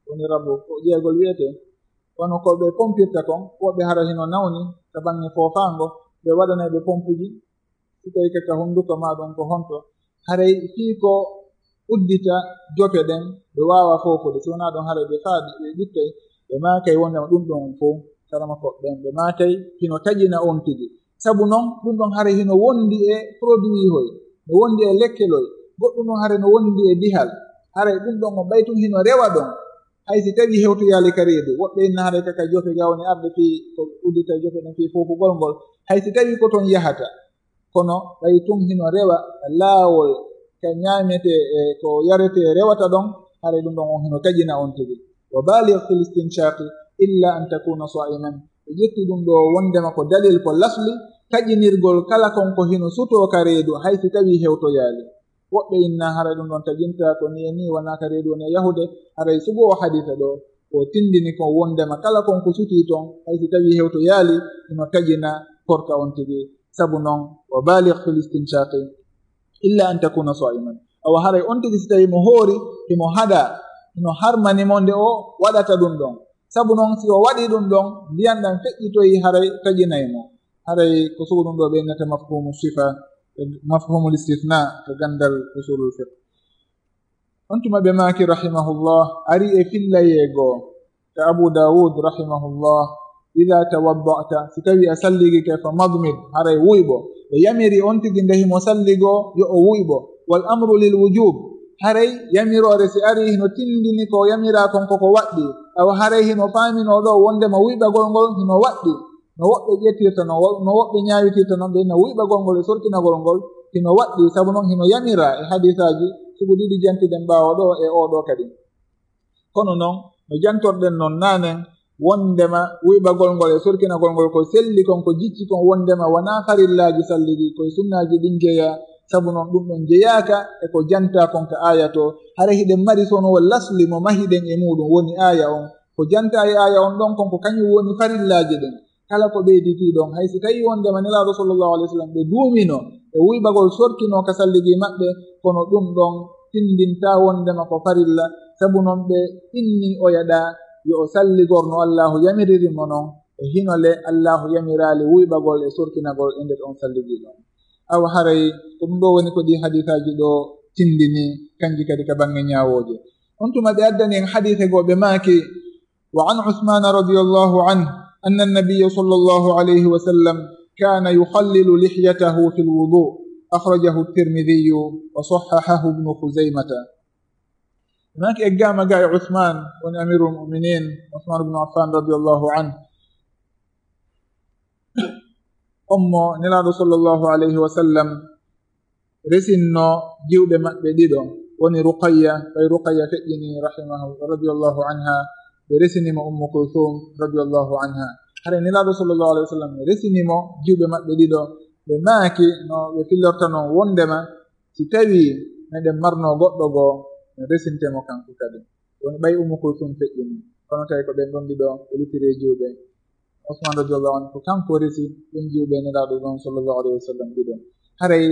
woni rabu ko jeegol wi'etee, wano ko ɓe pompirta kon, woɓɓe hara hino nawni ka baŋŋe foofaango, ɓe waɗanay ɓe pompuuji, si tawii ka, ka hunnduko maa ɗun ko honto, haray fii ko uddita jope ɗen, ɓe waawa foofude, si wonaa ɗun haray ɓe faaɗi, ɓe ɓittay, ɓe maakay wonndema ɗun ɗon fow, karamokoɓe ɓen, ɓe maakay hino taƴina on tigi. Sabu non, ɗun ɗon haray hino wondi e produit hoy, no wondi e lekkeloy, goɗɗun ɗon haray no wondi e dihal, haray ɗun ɗon on ɓay tun hino rewa ɗon. Hay si tawii hewtoyaali ka reedu, woɓɓe inna haray ka, ka jope ga woni arde fii ko uddita jope ɗen fii foofugol ngol, hay si tawii ko ton yahata, kono ɓay tun hino rewa laawol ka ñaametee e ko yaretee rewata ɗon, haray ɗun ɗon on hino taƴina on tigi. Wa baligh fil istinshaqi illa an takuna sa'iman. Ɓe ƴetti ɗun ɗoo wonndema ko dalil ko lasli taƴinirgol kala kon ko hino sutoo ka reedu, hay si tawii hewtoyaali. Woɓɓe inna haray ɗun ɗon taƴintaa, ko nii e nii, wonaa ka reedu woni e yahude. Haray sugu oo hadiisa ɗoo, o tindini kon wonndema kala kon ko sutii ton, hay si tawii hewtoyaali, hino taƴina korka on tigi. Sabu non, wa baligh fil istinshaqi illa an takuna sa'iman. Awa haray on tigi si tawii mo hoori, himo haɗaa, hino harmani mo nde o waɗata ɗun ɗon. Sabu non, si o waɗii ɗun ɗon, ndiyan ɗan feƴƴitoyi, haray taƴinay mo. Haray ko sugu ɗun ɗoo ɓe innata mafhumu sifa, mafhumul istithna, ka ganndal usulul fiqh. On tuma ɓe maaki, rahimahullah, ari e fillayee goo ka Abu Dawud, rahimahullah, idha tawadda'ta, si tawii a salligike, fa madmid, haray wuyɓo. Ɓe yamiri on tigi nde himo salligoo, yo o wuyɓo. Wal amru lil wujub, haray yamiroore si arii hino tindini ko yamiraa kon ko ko waɗɗii. Awa haray hino faaminoo ɗoo wonndema wuyɓagol ngol hino waɗɗii. No woɓɓe ƴettirta, no wo-, no woɓɓe ñaawitirta non, ɓe inna wuyɓagol ngol e sorkinagol ngol hino waɗɗii, sabu non hino yamiraa e hadiisaaji sugu ɗiɗi jantiɗen ɓaawo ɗoo e oo ɗoo kadi. Kono non, no jantorɗen non naanen, wonndema wuyɓagol ngol e sorkinagol ngol ko selli kon, ko jicci kon, wonndema wonaa farillaaji salligi, ko e sunnaaji ɗin jeyaa, sabu non ɗun ɗon jeyaaka e ko jantaa kon ka aaya too. Haray hiɗen mari sonowol lasli mo mahiɗen e muuɗun, woni aaya on. Ko jantaa e aaya on ɗon kon, ko kañun woni farillaaji ɗin. Kala ko ɓeyditii ɗon, hay si tawii wonndema Nelaaɗo, sallallahu alayhi wa sallam, ɓe duumino e wuyɓagol sorkinoo ka salligi maɓɓe, kono ɗun ɗon tindintaa wonndema ko farilla, sabu non ɓe inni oya ɗaa yo o salligor no Allaahu yamiriri mo non, e hino le Allaahu yamiraali wuyɓagol e sorkinagol e nder on salligi ɗon. Awa haray ko ɗun ɗoo woni ko ɗii hadiisaaji ɗoo tindini, kanji kadi ka baŋŋe ñaawooje. On tuma ɓe addani en hadiise goo, ɓe maaki, وعن عثمان رضي الله عنه أن النبي صلى الله عليه وسلم كان يخلل لحيته في الوضوء. أخرجه الترمذي وصححه ابن خزيمة. Ɓe maaki eggaama ga e Usmaan, woni Amirul Mu'minin, Usmaan ibn Affan radiyallahu anhu. On mo Nelaaɗo sallallahu alayhi wa sallam resinno jiwɓe maɓɓe ɗiɗo, woni Ruqayya, ɓay Ruqayya feƴƴini rahimahu, radiyallahu anha, ɓe resini mo Ummu Kulthum radiyallahu anha. Hare Nelaaɗo sallallahu alayhi wa sallam resini mo jiwɓe maɓɓe ɗiɗo, ɓe maaki no ɓe fillorta non wondema si tawii meɗen marno goɗɗo goo, mi resinte mo kanko kadi. Woni ɓay Ummu Kulthum feƴƴini, kono tawi ko ɓen ɗon ɗiɗo ɓe luttiri e jiwɓe. Usmaan radiyallahu anhu ko kanko resi ɓen jiwɓe Nelaaɗo ɗon sallallahu alayhi wa sallam ɗiɗo. Haray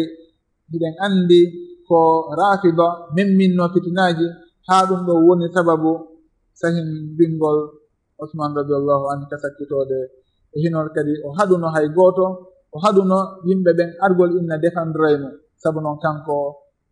hiɗen anndi ko Raafida memminno fitinaaji, haa ɗum ɗo woni sababu sahimbingol Usmaan radiyallahu anhu ka sakkitoode. E hinol kadi o haɗuno hay gooto O haɗuno yimɓe ɓen argol inna defandray mo. Sabu non kanko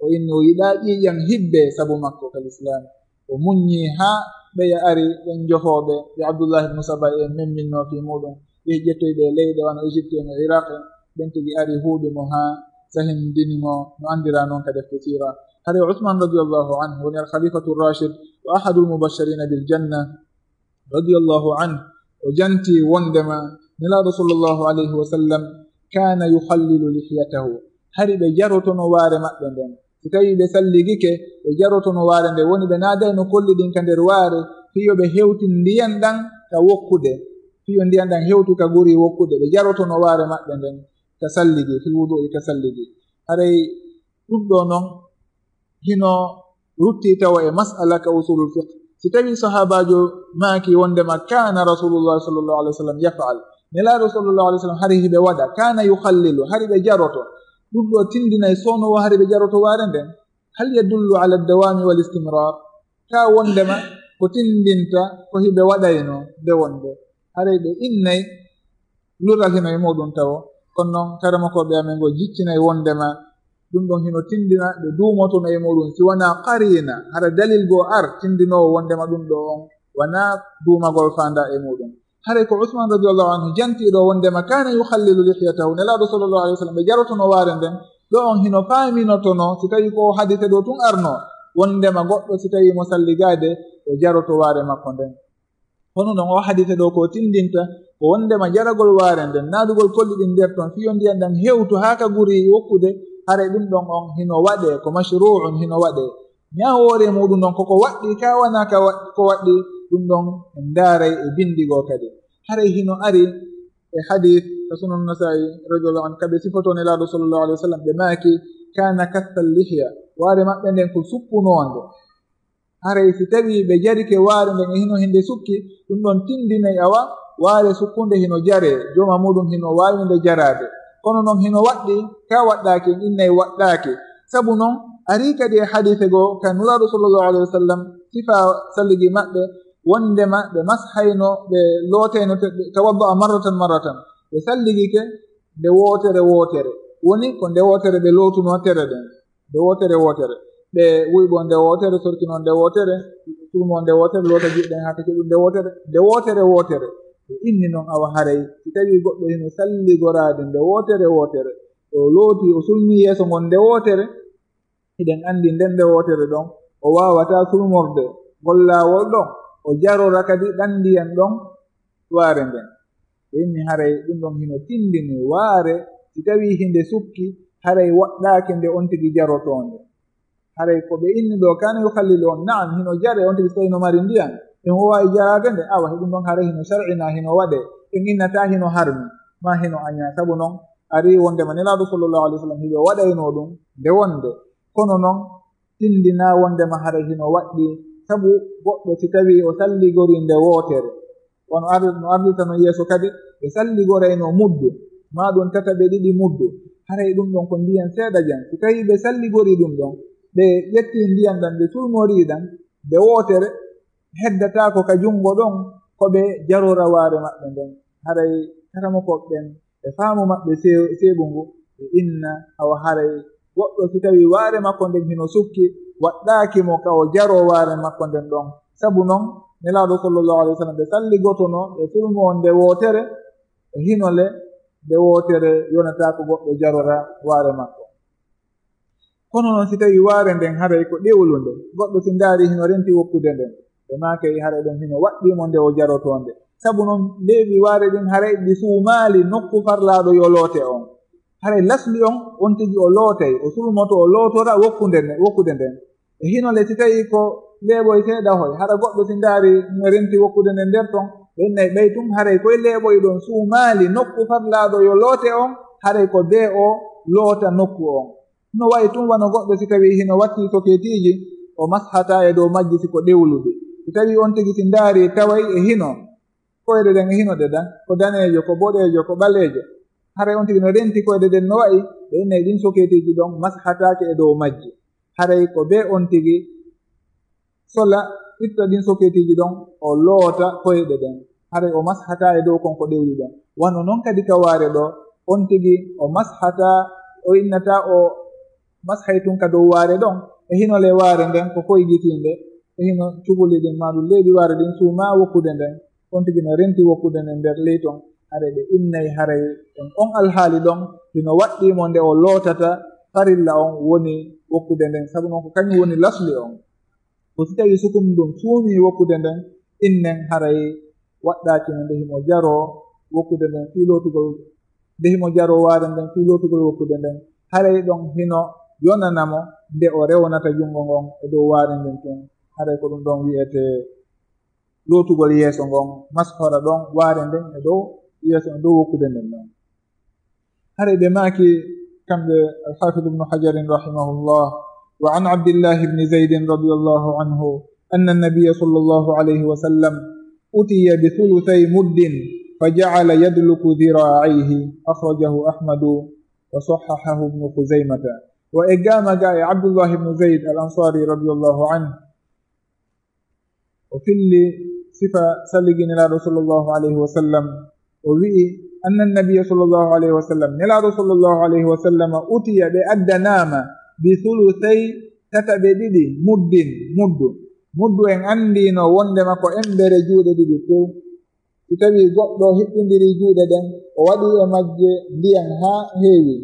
o inni o yiɗaa ƴiiƴan hibbe sabu makko ka lislaam. O muññi haa ɓeya ari ɓen jofooɓe ɓe Abdullah ibn Saba en memminnoo fii muuɗum. Ɓe ƴettoyi ɓe leyɗe wano Égypte en e Iraq en, ɓen tigi ari huuɓi mo haa sahindini mo no anndiraa non ka defte siira. Hari Usman radiyallahu anhu woni al-khalifatu rashid wa ahadul mubashirina bil janna radiyallahu anhu, o janti wondema Nelaaɗo sallallahu alayhi wa sallam kana yukhallilu lihyatahu, hari ɓe jarotono waare maɓɓe nden. Si tawii ɓe salligike, ɓe jarotono waare nden, woni ɓe naadayno kolli ɗin ka nder waare, fii yo ɓe hewtin ndiyan ɗan ka wokkude, fii yo ndiyan ɗan hewtu ka guri wokkude, ɓe jarotono waare maɓɓe nden ka salligi, fil wudu'i ka salligi. Haray ɗum ɗoo non hino rutti tawa e mas'ala ka usulul fiqh. Si tawii sahaabaajo maaki wondema kana Rasulullah sallallahu alayhi wa sallam yaf'al, Nelaaɗo sallallahu alayhi wa sallam hari hiɓe waɗa, kana yukhallilu, hari ɓe jaroto, ɗum ɗoo tindinay soono o hari ɓe jaroto waare nden. Hal yadullu ala dawami wal istimrar? Ka wondema ko tindinta ko hiɓe waɗayno nde wonde. Haray ɓe innay lural hino e muɗum tawo. Kono non, karamokooɓe amen ngo jiccinay wondema ɗum ɗon hino tindina ɓe duumotono e muɗum, si wanaa qariina, hara dalil goo ar tindinoowo wondema ɗum ɗoo on wanaa duumagol faandaa e muɗum. Haray ko Usman radiyallahu anhu jantii ɗoo wondema kana yukhallilu lihyatahu, Nelaaɗo sallallahu alayhi wa sallam ɓe jarotono waare nden, ɗoo on hino faaminotono, si tawii ko o hadise ɗoo tun arno, wondema goɗɗo si tawii mo salligaade, o jaroto waare makko nden. Hono non oo hadise ɗoo ko tindinta, ko wondema jaragol waare nden, naadugol kolli ɗin nder ton, fii yo ndiyan ɗan hewtu haa ka guri wokkude, haray ɗum ɗon on hino waɗee, ko mashru'un, hino waɗee. Ñaawoore muɗum ɗon koko waɗɗii, ka wanaa ka wa-, ko waɗɗii, ɗum ɗon en ndaaray e binndi goo kadi. Haray hino ari e hadis ka Sunan Nasaa'i radiyallahu anhu, ka ɓe sifotoo Nelaaɗo sallallahu alayhi wa sallam, ɓe maaki, kana kathal lihya, waare maɓɓe nden ko sukkunoonde. Haray si tawii ɓe jarike waare nden e hino hinde sukki, ɗum ɗon tindinay awa waare sukkunde hino jaree, jooma muɗum hino waawi nde jaraade. Kono non hino waɗɗii, ka waɗɗaaki, en innay waɗɗaaki. Sabu non, arii kadi e hadise goo ka Nulaaɗo sallallahu alayhi wa sallam, sifaa salligi maɓɓe, wondema ɓe mashayno, ɓe lootayno, te-, ɓe tawadda'a marratan marratan. Ɓe salligike nde wootere wootere. Woni ko nde wootere ɓe lootunoo tere ɗen. Nde wootere wootere. Ɓe wuyɓoo nde wootere, sorkinoo nde wootere, sulmoo nde wootere, loota juuɗe ɗen haa ka keɓu nde wootere, nde wootere wootere. Ɓe inni non awa haray, si tawii goɗɗo hino salligoraade nde wootere wootere, o looti, o sulmii yeeso ngon nde wootere, hiɗen anndi nden nde wootere ɗon, o waawataa sulmorde ngol laawol ɗon, o jarora kadi ɗan ndiyan ɗon waare nden. Ɓe inni haray ɗum ɗon hino tindini waare, si tawii hinde sukki, haray waɗɗaaki nde on tigi jarotoonde. Haray ko ɓe inni ɗoo, kana yukhallilu on, na'am, hino jaree on tigi si tawii no mari ndiyan, en woowaa e jaraade nde, awa, he ɗum ɗon haray hino shar'inaa, hino waɗee, en innataa hino harmi, maa hino añaa, sabu non arii wondema Nelaaɗo sallallahu alayhi wa sallam hiɓe waɗaynoo ɗum nde wonde. Kono non, tindinaa wondema haray hino waɗɗii, sabu goɗɗo si tawii o salligorii nde wootere, wano ar-, no ardita non yeeso kadi, ɓe salligoraynoo muddu, maa ɗum tataɓe ɗiɗi muddu, haray ɗum ɗon ko ndiyan seeɗa jan. Si tawii ɓe salligorii ɗum ɗon, ɓe ƴettii ndiyan ɗan, ɓe sulmorii ɗan, nde wootere, heddataako ka junngo ɗon, ko ɓe jarora waare maɓɓe nden. Haray karamokooɓe ɓen, e faamu maɓɓe see-, seeɓungu, ɓe inna, awa haray goɗɗo si tawii waare makko nden hino sukki, waɗɗaaki mo ka o jaroo waare makko nden ɗon. Sabu non, Nelaaɗo sallallahu alayhi wa sallam, ɓe salligotono, ɓe sulmoo nde wootere, e hino le, nde wootere yonataa ko goɗɗo jarora waare makko. Kono non, si tawii waare nden haray ko ɗewlunde, goɗɗo si ndaari hino renti wokkude nden, ɓe maakay haray ɗon hino waɗɗii mo nde o jarotoo nde. Sabu non, leeɓi waare ɗin haray ɗi suumaali nokku farlaaɗo yo loote on. Haray lasli on, on tigi o lootay, o sulmoto, o lootora wokkude nden, wokkude nden. E hino le, si tawii ko leeɓoy seeɗa hoy, hara goɗɗo si ndaari no renti wokkude nden nder ton, ɓe innay ɓay tun haray koye leeɓoy ɗon suumaali nokku farlaaɗo yo loote on, haray ko bee o loota nokku on. No wayi tun wano goɗɗo si tawii hino wattii soketiiji, o mashataa e dow majji si ko ɗewluɗi. Si tawii on tigi si ndaari taway e hino, koyɗe ɗen e hino ɗe ɗan, ko daneejo, ko boɗeejo, ko ɓaleejo. Haray on tigi no renti koyɗe ɗen no wayi, ɓe innay ɗin soketiiji ɗon mashataake e dow majji. Haray ko bee on tigi sola, itta ɗin soketiiji ɗon, o loota koyɗe ɗen. Haray o mashataa e dow kon ko ɗewli ɗon. Wano non kadi ka waare ɗoo, on tigi o mashataa, o innataa o mashay tun ka dow waare ɗon, e hino le waare nden ko koygitiinde, e hino cubuli ɗin maa ɗum leeɓi waare ɗin suumaa wokkude nden, on tigi no renti wokkude nden nder ley ton. Haray ɓe innay haray on, on alhaali ɗon hino waɗɗii mo nde o lootata farilla on woni wokkude nden, sabu non ko kañum woni lasli on. Ko si tawii sukundu ndun suumii wokkude nden, innen haray waɗɗaaki mo nde himo jaroo wokkude nden fii lootugol, nde himo jaroo waare nden fii lootugol wokkude nden, haray ɗon hino yonana mo nde o rewnata junngo ngon e dow waare nden tun. Haray ko ɗum ɗon wi'etee lootugol yeeso ngon, mashora ɗon waare nden e dow yeeso, e dow wokkude nden ɗon. Haray ɓe maaki kamɓe Al-Hafiz Ibnu Hajarin rahimahullah: وعن عبد الله بن زيد رضي الله عنه أن النبي صلى الله عليه وسلم أتي بثلثي مد فجعل يدلك ذراعيه. أخرجه أحمد وصححه ابن خزيمة. Wa e gaama ga e Abdullah ibnu Zayd al-Ansari radiyallahu anhu, o filli sifa salligi Nelaaɗo sallallahu alayhi wa sallam, o wi'i: أن النبي صلى الله عليه وسلم, Nelaaɗo sallallahu alayhi wa sallam, أتي, ɓe addanaama, بثلثي, tataɓe ɗiɗi, مد, muddu. Muddu en anndino wondema ko embere juuɗe ɗiɗi tew. Si tawii goɗɗo hiɓɓindirii juuɗe ɗen, o waɗii e majje ndiyan haa heewi,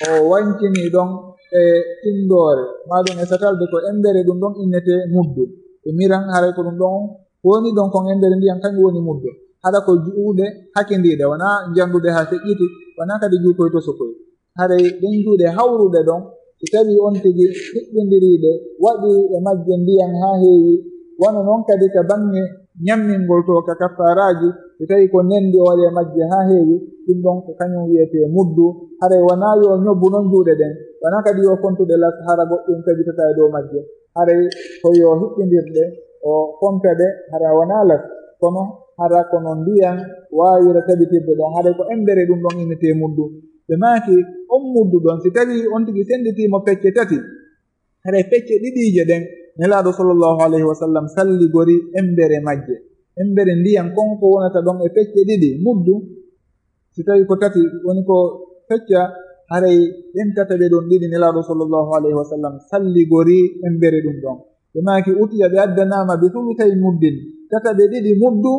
o wancinii ɗon e tinndoore, maa ɗum e satalde, ko embere ɗum ɗon innetee muddu. E miran, haray ko ɗum ɗon ko woni ɗon kon embere ndiyan, kañum woni muddu. Hara ko juuɗe hakindiiɗe, wanaa njannduɗe haa feƴƴiti, wanaa kadi juukoy tosokoy. Haray ɗen juuɗe hawruɗe ɗon, si tawii on tigi hiɓɓindirii ɗe, waɗii e majje ndiyan haa heewi, wano non kadi ka baŋŋe ñammingol to ka kaffaaraaji, si tawii ko nendi o waɗi e majje haa heewi, ɗum ɗon ko kañum wi'etee muddu. Haray wanaa yo ñobbu non juuɗe ɗen, wanaa kadi yo fontude las hara goɗɗum tabitataa e dow majje. Haray ko yo hiɓɓindir ɗe, o fonta ɗe, hara wanaa las, kono hara kono ndiyan waawira tabitirde ɗon. Haray ko embere ɗum ɗon innetee muddu. Ɓe maaki, on muddu ɗon, si tawii on tigi senditii mo pecce tati, haray pecce ɗiɗiije ɗen, Nelaaɗo sallallahu alayhi wa sallam salligori embere majje. Embere ndiyan kon ko wonata ɗon e pecce ɗiɗi, muddu, si tawii ko tati woni ko fecca, haray ɗen tataɓe ɗon ɗiɗi Nelaaɗo sallallahu alayhi wa sallam salligori embere ɗum ɗon. Ɓe maaki, utiya, ɓe addanaama, bi sulusay muddin, tataɓe ɗiɗi muddu,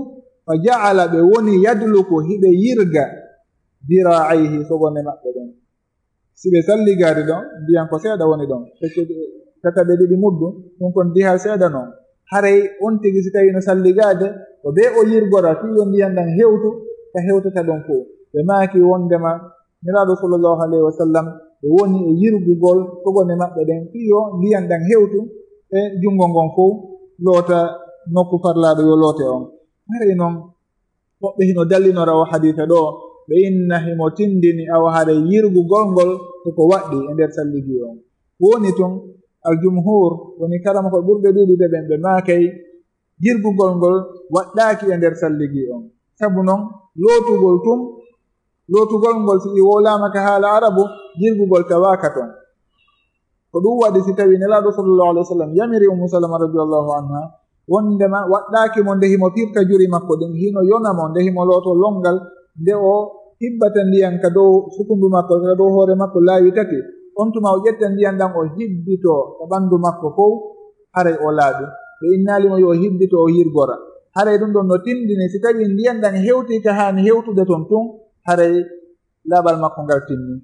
fa ja'ala, ɓe woni, yadluku, hiɓe yirga, diraa'ayhi, sogone maɓɓe ɗen. Si ɓe salligaade ɗon, ndiyan ko seeɗa woni ɗon, pecce tataɓe ɗiɗi muddu, ɗum kon diha seeɗa non. Haray on tigi si tawii no salligaade, ko bee o yirgora fii yo ndiyan ɗan hewtu ka hewtata ɗon fow. Ɓe maaki wondema Nelaaɗo sallallahu alayhi wa sallam, ɓe woni e yirgugol sogone maɓɓe ɗen fii yo ndiyan ɗan hewtu e junngo ngon fow, loota nokku farlaaɗo yo loote on. Haray non, woɓɓe hino dallinora o hadiisa ɗoo, ɓe inna himo tindini awa haray yirgugol ngol ko ko waɗɗii e nder salligi on. Ko woni tun, al-jumhuur, woni karamoko ɓurɓe ɗuuɗude ɓen, ɓe maakay yirgugol ngol waɗɗaaki e nder salligi on. Sabu non, lootugol tun, lootugol ngol si i wowlaama ka haala arabu, yirgugol tawaaka ton. Ko ɗum waɗi si tawii Nelaaɗo sallallahu alayhi wa sallam yamiri Ummu Salama radiyallahu anha wondema waɗɗaaki mo nde himo firta juri makko ɗin, hino yona mo nde himo looto lonngal, nde o hibbata ndiyan ka dow sukundu makko, ka dow hoore makko laawi tati. On tuma o ƴetta ndiyan ɗan o hibbitoo ka ɓandu makko fow, haray o laaɓi. Ɓe innaali mo yo o hibbito o yirgora. Haray ɗum ɗon no tindini si tawii ndiyan ɗan hewtii ka haani hewtude ton tun, haray laaɓal makko ngal timmi.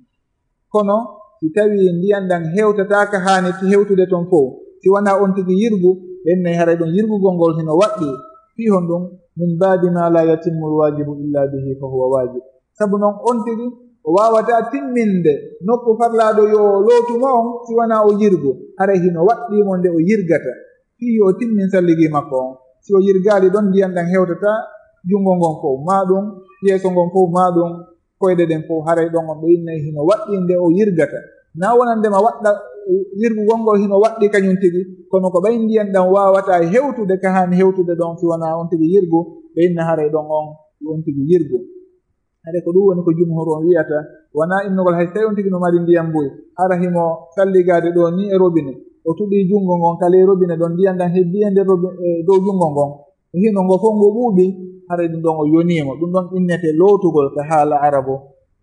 Kono si tawii ndiyan ɗan hewtataa ka haani hewtude ton fow, si wanaa on tigi yirgu, ɓe innay haray ɗon yirgugol ngol hino waɗɗii. Fii honɗum? Min baabi maa laa yatimmul waajibu illaa bihi fa huwa waajib. Sabu non on tigi o waawataa timminde nokku farlaaɗo yo lootu mo on si wanaa o yirgu, haray hino waɗɗii mo nde o yirgata fii yo o timmin salligi makko on. Si o yirgaali ɗon, ndiyan ɗan hewtataa junngo ngon fow, maa ɗum yeeso ngon fow, maa ɗum koyɗe ɗen fow, haray ɗon on ɓe innay hino waɗɗii nde o yirgata. Naa wonandema waɗɗa, yirgugol ngol hino waɗɗii kañum tigi, kono ko ɓay ndiyan ɗan waawataa hewtude ka haani hewtude ɗon si wanaa on tigi yirgu, ɓe inna haray ɗon on yo on tigi yirgu. Haray ko ɗum woni ko jumhur on wi'ata, wanaa innugol hay si tawii on tigi no mari ndiyan buy, hara himo salligaade ɗoo nii e robine, o tuɗii junngo ngon ka ley robine ɗon, ndiyan ɗan hebbii e nder robi-, e dow junngo ngon, e hino ngo fow ngo ɓuuɓi, haray ɗum ɗon o yonii mo. Ɗum ɗon innete lootugol ka haala arabu.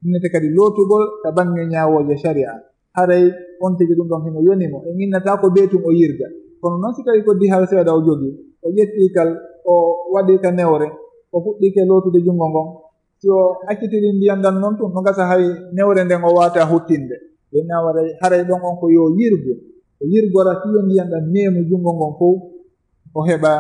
Innete kadi lootugol ka baŋŋe ñaawooje shari'a. Haray on tigi ɗum ɗon hino yoni mo. En innata ko bee tun o yirga. Kono non si tawi ko dihal seeɗa o jogi, o ƴetti kal, o waɗi ka newre, o fuɗɗike lootude junngo ngon. Si o accitiri ndiyan ɗan non tun, no gasa hay newre nden o waata huttinde. Ɓe nawaray, haray ɗon on ko yo yirgu. O yirgora fii yo ndiyan ɗan meemu junngo ngon fow, o heɓa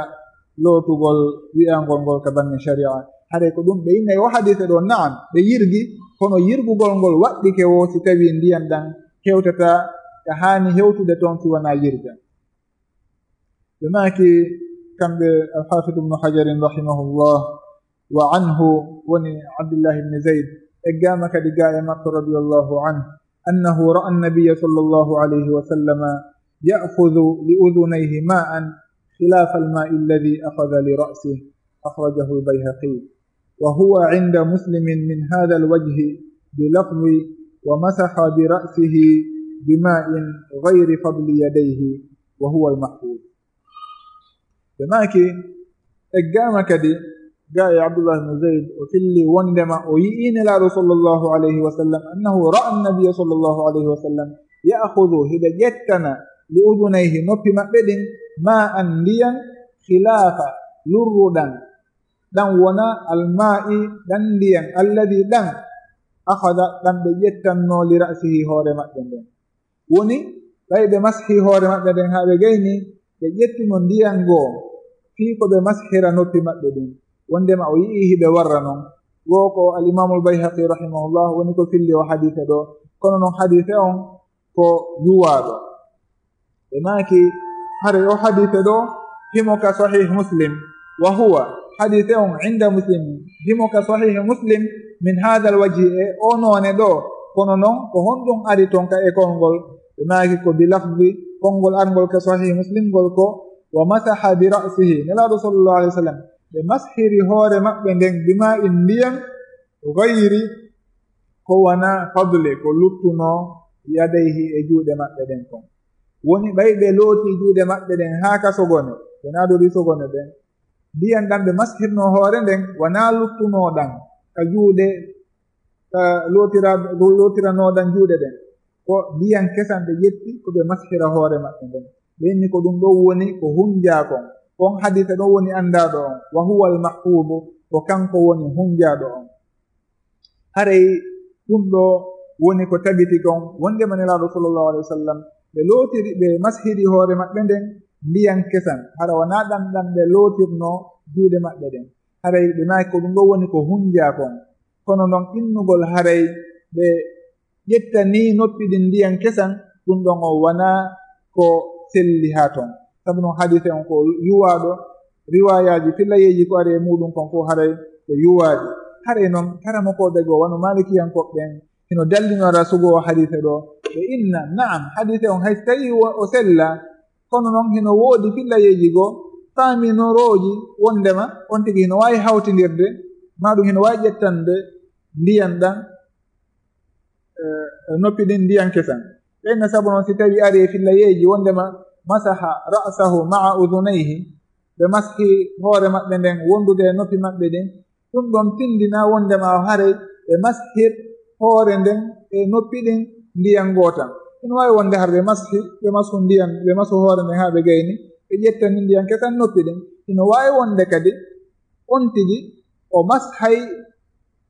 lootugol wi'angol ngol ka baŋŋe shari'a. Haray ko ɗum ɓe innay o hadiise ɗo, na'am, ɓe yirgi, kono yirgugol ngol waɗɗike wo si tawi ndiyan ɗan hewtata ka haani hewtude ton si wanaa yirga. Ɓe maaki kamɓe Al-Hafiz Ibn Hajarin rahimahullah, wa anhu, woni Abdullah ibn Zayd, eggaama kadi gaa e makko radiyallahu anhu, annahu ra'a an-nabiyya sallallahu alayhi wa sallam ya'khudhu li udhunayhi ma'an khilafa al-ma'i alladhi akhadha li ra'sihi. Akhrajahu al-Bayhaqi. Wa huwa inda Muslimin min hadha al-wajhi bi lafzi wa masaha bi ra'sihi bi ma'in ghayri fadli yadayhi wa huwa al-mahfuz. Ɓe maaki, eggaama kadi gaa e Abdullah ibn Zayd, o filli wondema o yi'ii Nelaaɗo sallallahu alayhi wa sallam, annahu ra'a an-nabiyya sallallahu alayhi wa sallam ya'khudhu, hiɓe ƴettana, li udhunayhi, noppi maɓɓe ɗin, ma'an, ndiyan, khilafa, lurruɗan, ɗan wona al-ma'i, ɗan ndiyan, alladhi, ɗan, akhadha, ɗan ɓe ƴettanno, li ra'sihi, hoore maɓɓe nden. Woni, ɓay ɓe mashi hoore maɓɓe nden haa ɓe gayni, ɓe ƴettuno ndiyan goo, fii ko ɓe mashira noppi maɓɓe ɗin. Wondema o yi'ii hiɓe warra non. Goo ko al-Imaamul Bayhaqi rahimahullah woni ko filli o hadiise ɗo. Kono non hadiise on ko yuwaaɗo. Ɓe maaki, haray o hadiise ɗo, himo ka Sahih Muslim. Wa huwa, hadiise on inda Muslim, himo ka Sahih Muslim, min hadha al-wajhi, e o noone ɗo. Kono non, ko honɗum ari ton ka e konngol? Ɓe maaki ko bi lafzi, konngol arngol ka Sahih Muslim ngol ko, wa masaha bi ra'sihi. Nelaaɗo sallallahu alayhi wa sallam, ɓe mashiri hoore maɓɓe nden bi ma'in, ndiyan, ghayri, ko wona fadli, ko luttuno, yadayhi, e juuɗe maɓɓe ɗen kon. Woni ɓay ɓe looti juuɗe maɓɓe ɗen haa ka sogone, ɓe naadori sogone ɗen, ndiyan ɗan ɓe mashirno hoore nden, wonaa luttuno ɗan ka juuɗe, ka lootira-, lootirano ɗan juuɗe ɗen. Ko ndiyan kesan ɓe ƴetti, ko ɓe mashira hoore maɓɓe nden. Ɓe inni ko ɗum ɗon woni ko hunjaa kon. Kon hadiise ɗon woni anndaaɗo on. Wa huwa al-mahfuudu, ko kanko woni hunjaaɗo on. Haray ɗum ɗo woni ko tabiti kon, wondema Nelaaɗo sallallahu alayhi wa sallam, ɓe lootiri, ɓe mashiri hoore maɓɓe nden ndiyan kesan, hara wonaa ɗan ɗan ɓe lootirno juuɗe maɓɓe ɗen. Haray ɓe maaki ko ɗum ɗo woni ko hunjaa kon. Kono non innugol haray ɓe ƴettanii noppi ɗin ndiyan kesan, ɗum ɗon o wonaa ko selli haa ton. Sabu non hadiise on ko yuwaaɗo, riwaayaaji fillayeeji ko ari e muuɗum kon fof haray ko yuwaaɗi. Haray non karamokooɓe goo wano maalikiyankooɓe ɓen hino dallinora sugo o hadiise ɗo. Ɓe inna, na'am, hadiise on hay so tawii wo-, o sella, kono non hino woodi fillayeeji goo faaminorooji wondema on tigi hino waawi hawtindirde, maa ɗum hino waawi ƴettande ndiyan ɗan, eh, noppi ɗin ndiyan kesan. Ɓe inna sabu non si tawi ari e fillayeeji wondema masaha ra'sahu ma'a udhunayhi, ɓe mashi hoore maɓɓe nden wondude e noppi maɓɓe ɗin, ɗum ɗon tindina wondema haray ɓe mashir hoore nden e noppi ɗin ndiyan gootan. Hino waawi wonde hara ɓe mashi, ɓe mashu ndiyan, ɓe mashu hoore nden haa ɓe gayni, ɓe ƴettani ndiyan kesan noppi ɗin. Hino waawi wonde kadi on tigi o mashay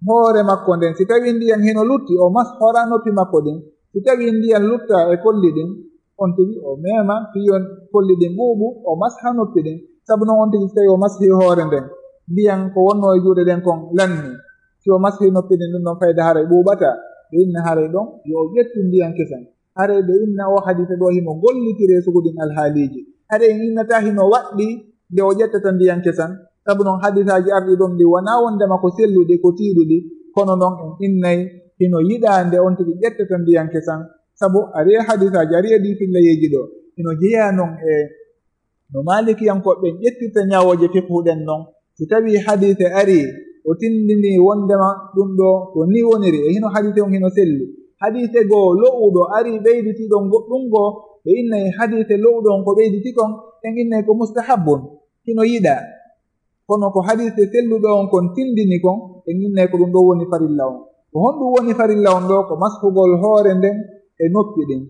hoore makko nden, si tawi ndiyan hino lutti, o mashora noppi makko ɗin. Si tawi ndiyan lutta e kolli ɗin, on tigi o meema fii yo kolli ɗin ɓuuɓu, o masha noppi ɗin. Sabu non on tigi si tawi o mashi hoore nden, ndiyan ko wonno e juuɗe ɗen kon lanni. Si o mashi noppi ɗin, ɗum ɗon fayda haray ɓuuɓata. Ɓe inna haray ɗon yo o ƴettu ndiyan kesan. Haray ɓe inna o hadiise ɗo himo gollitire sugu ɗin alhaaliiji. Haray en innata hino waɗɗi nde o ƴettata ndiyan kesan. Sabu non hadiisaaji arɗi ɗon ɗi wonaa wondema ko selluɗi, ko tiiɗuɗi, kono non en innay hino yiɗaa nde on tigi ƴettata ndiyan kesan. Sabu ari e hadiisaaji, ari e ɗii fillayeeji ɗo, hino jeyaa non e no maalikiyankooɓe ɓen ƴettirta ñaawooje fiqhu ɗen non. Si tawii hadiise arii, o tindinii wondema ɗum ɗo ko nii woniri, e hino hadiise on hino selli. Hadiise goo lo'uɗo arii ɓeyditiiɗo goɗɗum goo, ɓe innay hadiise lo'uɗo on ko ɓeyditi kon, en innay ko mustahabbun, hino yiɗaa. Kono ko hadiise selluɗo on kon tindini kon, en innay ko ɗum ɗo woni farilla on. Ko honɗum woni farilla on ɗoo? Ko mashugol hoore nden e noppi ɗin.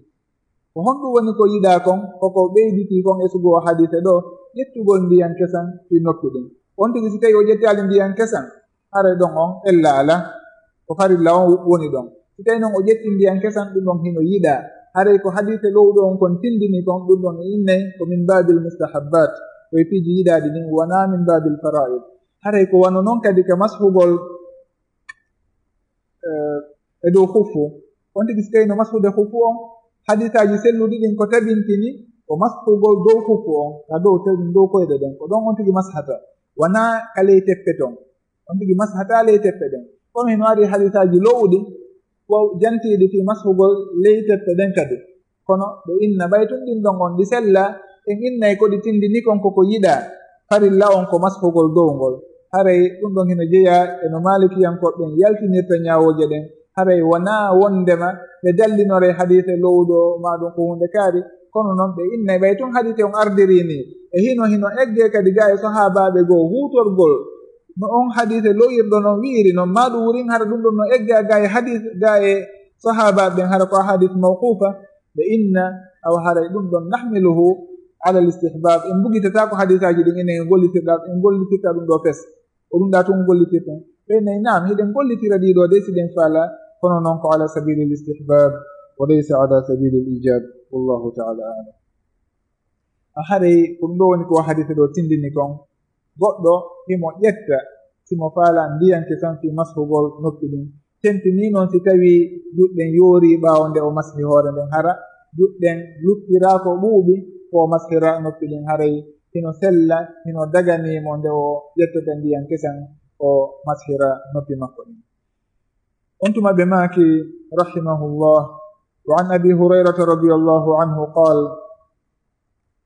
Ko honɗum woni ko yiɗaa kon? Koko ɓeyditii kon e sugoo hadiise ɗoo, ƴettugol ndiyan kesan fii noppi ɗin. On tigi, si tawii o ƴettaali ndiyan kesan, haray ɗon on ella alaa, ko farilla on woni ɗon. Si tawii non o ƴetti ndiyan kesan, ɗum ɗon hino yiɗaa. Haray ko hadiise lowɗo on kon tindini kon, ɗum ɗon e innay ko min baabil mustahabbaat, ko e piiji yiɗaaɗi ɗin, wanaa min baabil faraa'id. Haray ko wano non kadi ka mashugol eh, e dow khuffu. On tigi si tawii no mashude khuffu on, hadiisaaji selluɗi ɗin ko tabintini ko mashugol dow khuffu on, ka dow, dow koyɗe ɗen, ko ɗon on tigi mashata, wanaa ka ley teppe ton. On tigi mashata ley teppe ɗen. Kono hino ari hadiisaaji lowɗi, ko jantiiɗi fii mashugol ley teppe ɗen kadi. Kono ɓe inna, ɓay tun ɗin ɗon on ɗi sella, en innay ko ɗi tindini kon ko ko yiɗaa, farilla on ko mashugol dow ngol. Haray ɗum ɗon hino jeyaa e no maalikiyankooɓe ɓen yaltinirta ñaawooje ɗen. Haray wonaa wondema ɓe dallinoray hadiise lowɗo maa ɗum ko huunde kaari, kono non ɓe innay ɓay tun hadiise on ardirii nii. E hino, hino eggee kadi gaa e sahaabaaɓe goo huutorgol no on hadiise loyirɗo non wi'iri non, maa ɗum wurin hara ɗum ɗon no eggaa gaa e hadiis, gaa e sahaabaaɓe ɓen, hara ko ahadis mawquufa, ɓe inna, awa haray ɗum ɗon nahmiluhu ala al istihbab, en mbugitata ko hadiisaaji ɗin enen en gollitirɗa, en gollitirta ɗum ɗoo fes. Ko ɗum ɗaa tun gollitirten. Ɓe innay, naam, hiɗen gollitira ɗii ɗoo de si ɗen faalaa, kono non ko ala sabili al istihbab wa laysa ala sabili al ijab. Wallahu ta'ala a'lam. A haray ko ɗum ɗoo woni ko hadiise ɗoo tindini kon. Goɗɗo himo ƴetta, si mo faalaa ndiyan kesan fii mashugol noppi ɗin. Tentinii non si tawii juuɗe ɗen yoorii ɓaawo nde o mashi hoore nden, hara juuɗe ɗen luttiraa ko ɓuuɓi, ko o mashira noppi ɗin, haray hino sella, hino daganii mo nde o ƴettata ndiyan kesan o mashira noppi makko ɗin. On tuma ɓe maaki, rahimahullah, wa an Abi Hurayrata radiyallahu anhu qaal,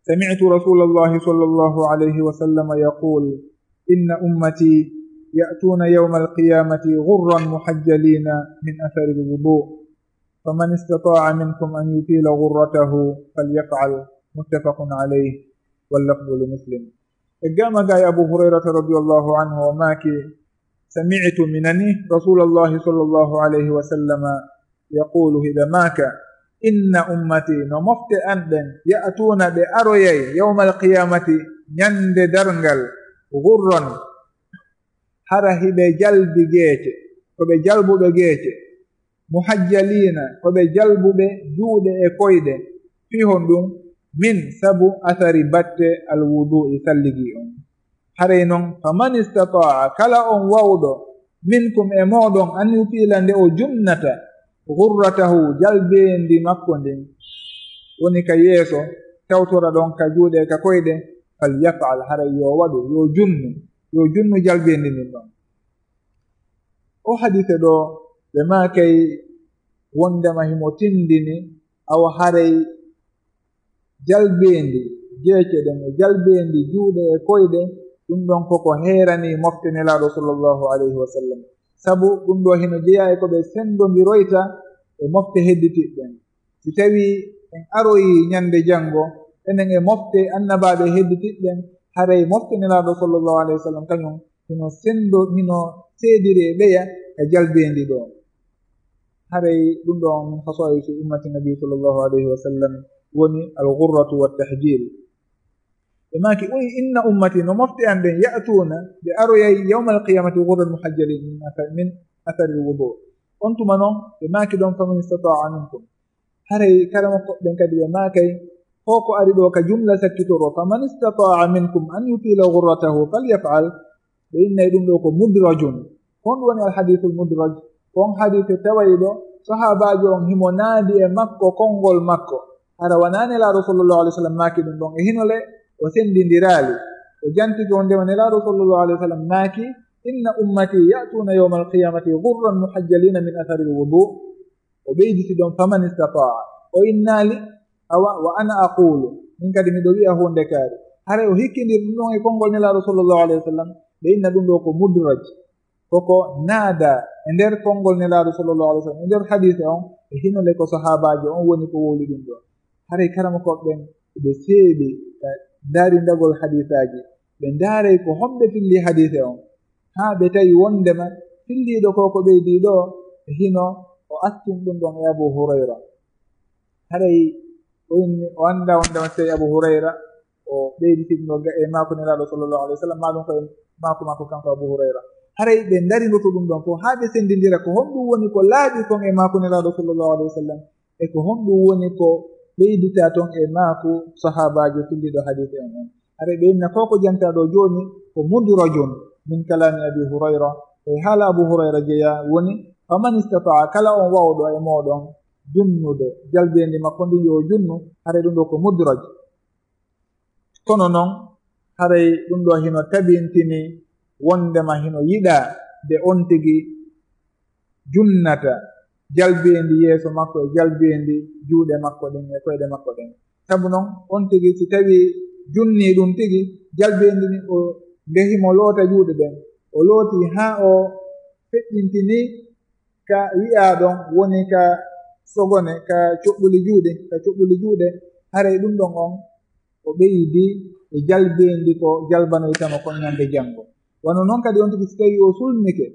سمعت رسول الله صلى الله عليه وسلم يقول: إن أمتي يأتون يوم القيامة غرا محجلين من أثر الوضوء، فمن استطاع منكم أن يطيل غرته فليفعل. متفق عليه، واللفظ لمسلم. Eggaama gaa e Abu Hurayrata radiyallahu anhu, o maaki, سمعت, mi nani, رسول الله صلى الله عليه وسلم يقول, hiɗa maaka, إن أمتي, no mofte an ɗen, يأتون, ɓe aroyay, يوم القيامة, ñande darngal, غرا, hara hiɓe jalbi geece, ko ɓe jalbuɓe geece, محجلين, ko ɓe jalbuɓe juuɗe e koyɗe, fii honɗum? من, sabu, أثر, batte, الوضوء, salligi on. Haray non, فمن استطاع, kala on wawɗo, منكم, e mooɗon, أن يطيل, nde o junnata, غرته, jalbeendi makko ndin, woni ka yeeso, tawtora ɗon ka juuɗe, ka koyɗe, فليفعل, haray yo waɗu, yo junnu, yo junnu jalbeendi ndin ɗon. O hadiise ɗoo, ɓe maakay wondema himo tindini, awa haray jalbeendi geece ɗen e jalbeendi juuɗe e koyɗe, ɗum ɗon koko heeranii mofte Nelaaɗo sallallahu alayhi wa sallam. Sabu ɗum ɗoo hino jeyaa e ko ɓe senndondiroyta e mofte hedditiiɗe ɗen. Si tawii en aroyii ñande janngo, enen e mofte annabaaɓe hedditiiɗe ɗen, haray mofte Nelaaɗo sallallahu alayhi wa sallam kañum hino senndo, hino seediri e ɓeya ka jalbeendi ɗoo. Haray ɗum ɗoo min khasaa'isi ummati Nabi sallallahu alayhi wa sallam woni al-ghurratu wat tahjil. Ɓe maaki, o wi'i, إن أمتي, no mofte an ɗen, يأتون, ɓe aroyay, يوم القيامة غرا محجلين من أثر، من أثر الوضوء. On tuma non, ɓe maaki ɗon, فمن استطاع منكم. Haray karamokooɓe ɓen kadi ɓe maakay, ko ko ari ɗoo ka jumla sakkitoro, فمن استطاع منكم أن يطيل غرته فليفعل. Ɓe innay ɗum ɗoo ko mudrajun. Ko honɗum woni al-hadiisul mudraj? Ko on hadiise tawayɗo sahaabaajo on himo naadi e makko konngol makko. Hara wanaa Nelaaɗo sallallahu alayhi wa sallam maaki ɗum ɗon. E hino le o senndindiraali. O jantike wondema Nelaaɗo sallallahu alayhi wa sallam maaki, إن أمتي يأتون يوم القيامة غرا محجلين من أثر الوضوء. O ɓeyditi ɗon, فمن استطاع. O innaali, awa, وأنا أقول, min kadi miɗo wi'a huunde kaari. Haray o hikkindiri ɗum ɗon e konngol Nelaaɗo sallallahu alayhi wa sallam, ɓe inna ɗum ɗoo ko mudraj. Koko naada e nder konngol Nelaaɗo sallallahu alayhi wa sallam, e nder hadiise on, e hino le ko sahaabaajo on woni ko wowli ɗum ɗoo. Haray karamokooɓe ɓen, ɓe seeɓi ka ndaarindagol hadiisaaji, ɓe ndaaray ko homɓe filli hadiise on. Haa ɓe tawi wondema filliiɗo ko ko ɓeydii ɗoo, hino o attin ɗum ɗon e Abu Hurayra. Haray o inni, o anndaa wonde on tawi Abu Hurayra o ɓeyditi ɗum ɗo ga-, e maako Nelaaɗo sallallahu alaihi wasallam, maa ɗum ko e maako, maako kanko Abu Hurayra. Haray ɓe ndarindoto ɗum ɗon fof haa ɓe senndindira ko honɗum woni ko laaɓi kon e maako Nelaaɗo sallallahu alaihi wasallam, e ko honɗum woni ko ɓeyditaa ton e maako sahaabaajo filliiɗo hadiis en on. Haray ɓe inna ko ko jantaa ɗo jooni ko mudrajun min kalaami Abi Hurayra, e haala Abu Hurayra jeyaa woni, "Faman istata'a", kala on waawɗo e mooɗon junnude, jalbeendi makko ndin yo o junnu, haray ɗum ɗo ko mudraj. Kono non, haray ɗum ɗo hino tabintini wondema hino yiɗaa nde on tigi junnata jalbeendi yeeso makko e jalbeendi juuɗe makko ɗen e koyɗe makko ɗen. Sabu non, on tigi si tawii junnii ɗum tigi, jalbeendi ni o, nde himo loota juuɗe ɗen, o looti haa o feƴƴintinii ka wi'aa ɗon woni ka sogone, ka coɓɓuli juuɗe, ka coɓɓuli juuɗe, haray ɗum ɗon on o ɓeydi e jalbeendi ko jalbanoytamo kon ñande janngo. Wano non kadi on tigi si tawii o sulmike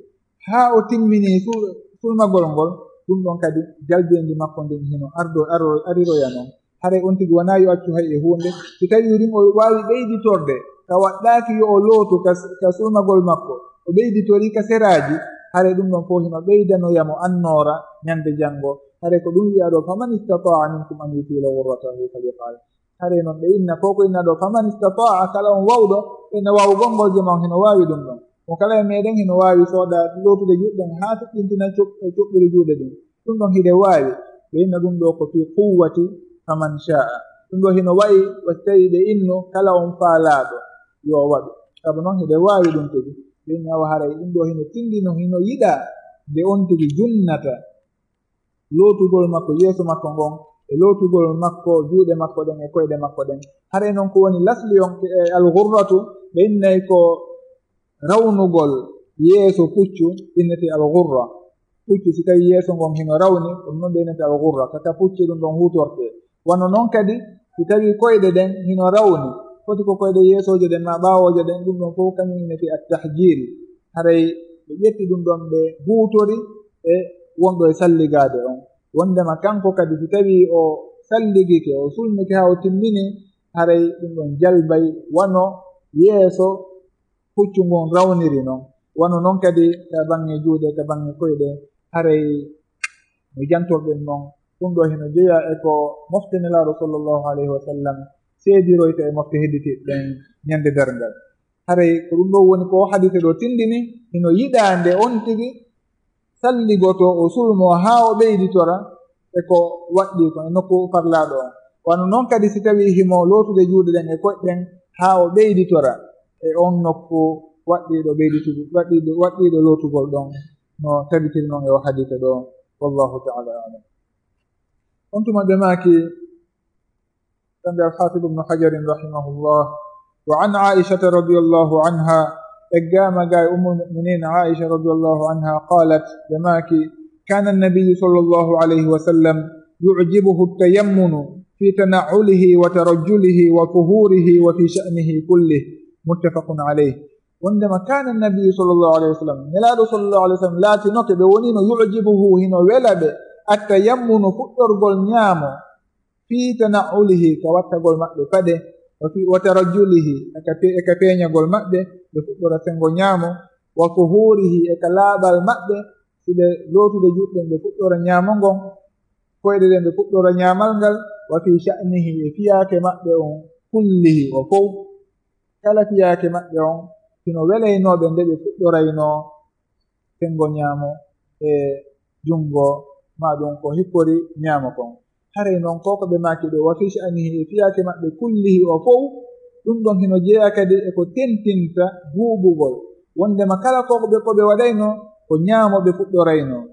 haa o timminii sul-, sulmagol ngol, ɗum ɗon kadi jalbeendi makko ndin hino ardo-, aro-, ariroya non. Haray on tigi wanaa yo accu hay e huunde. Si tawii ɗum o waawi ɓeyditorde, ka waɗɗaaki yo o lootu ka, ka sulmagol makko, o ɓeyditorii ka seraaji, haray ɗum ɗon fof hino ɓeydanoya mo annoora ñande janngo. Haray ko ɗum wi'aa ɗo, "Faman istata'a minkum an yutila ghurratahu falyaf'al." Haray non ɓe inna, ko ko inna ɗo, "Faman istata'a", kala on waawɗo, ɓe inna waawugol ngol jema on hino waawi ɗum ɗon. Mo kala e meɗen hino waawi sooda lootude juuɗe ɗen haa feƴƴintina coɓ-, coɓɓuli juuɗe ɗin. Ɗum ɗon hiɗe waawi. Ɓe inna ɗum ɗo ko fi quwwati faman sha'a. Ɗum ɗo hino wa'i wa si tawii ɓe inno kala on faalaaɗo yo o waɗu. Sabu non hiɗe waawi ɗum tigi. Ɓe inna wa haray ɗum ɗo hino tindino, hino yiɗaa nde on tigi junnata lootugol makko yeeso makko ngon, e lootugol makko juuɗe makko ɗen, e koyɗe makko ɗen. Haray non ko woni lasli on, e al-ghurratu, ɓe innay ko rawnugol yeeso puccu, innete al-ghurra. Puccu, si tawii yeeso ngon hino rawni, ɗum non ɓe innete al-ghurra, kaka puccu ɗum ɗon huutortee. Wano non kadi, si tawii koyɗe ɗen hino rawni, foti ko koyɗe yeesooje ɗen maa ɓaawooje ɗen, ɗum ɗon fof kañum innete at-tahjil. Haray ɓe ƴetti ɗum ɗon ɓe huutori e wonɗo e salligaade on. Wondema kanko kadi si tawii o salligike, o sulmike haa o timmini, haray ɗum ɗon jalbay wano yeeso puccu ngun rawniri non. Wano non kadi ka baŋŋe juuɗe, ka baŋŋe koyɗe, haray no jantorɗen non. Ɗum ɗo hino jeyaa e ko mofte Nelaaɗo sallallahu alayhi wa sallam seediroyta e mofte hedditiiɗe ɗen ñande darngal. Haray ko ɗum ɗo woni ko hadiise ɗo tindini, hino yiɗaa nde on tigi salligotoo, o sulmoo haa o ɓeyditora e ko waɗɗii kon e nokku farlaaɗo on. Wano non kadi si tawii himo lootude juuɗe ɗen e koyɗe ɗen haa o ɓeyditora e on nokku waɗɗiiɗo ɓeyditugo-, waɗɗiiɗo, waɗɗiiɗo lootugol ɗon, no tabitiri non e o hadiise ɗo. Wallahu ta'ala a'lam. On tuma ɓe maaki, kamɓe Al-Hafiz Ibn Hajar rahimahullah, wa an Aisha radiyallahu anha, eggaama ga e Ummul Mu'minin Aisha radiyallahu anha, qalat, ɓe maaki, kana an-nabiyyu sallallahu alayhi wa sallam yu'jibuhu at-tayammunu fi tana'ulihi wa tarajjulihi wa fuhurihi wa fi sha'nihi kullih. Muttafaqun alayh. Wondema kana an-nabiyyu sallallahu alayhi wa sallam, Nelaaɗo sallallahu alayhi wa sallam laatinoke ɓe wonino yu'jibuhu, hino wela ɓe, at-tayammunu, fuɗɗorgol ñaamo, fi tana'ulihi, ka wattagol maɓɓe paɗe, wa fi, wa tarajjulihi, e ka pe-, e ka peeñagol maɓɓe, ɓe fuɗɗora sengo ñaamo, wa fuhurihi, e ka laaɓal maɓɓe, si ɓe lootude juuɗe ɗen, ɓe fuɗɗora ñaamo ngon, koyɗe ɗen, ɓe fuɗɗora ñaamal ngal, wa fi sha'nihi, e fiyaake maɓɓe on, kullihi, o fow. Kala fiyaake maɓɓe on, hino welaynoo ɓe nde ɓe fuɗɗoraynoo sengo ñaamo e junngo, maa ɗum ko hikkori ñaamo kon. Haray non ko ko ɓe maaki ɗo, wa fi sha'nihi, e fiyaake maɓɓe kullihi o fow, ɗum ɗon hino jeyaa kadi e ko tentinta buuɓugol. Wondema kala ko ɓe, ko ɓe waɗaynoo, ko ñaamo ɓe fuɗɗoraynoo.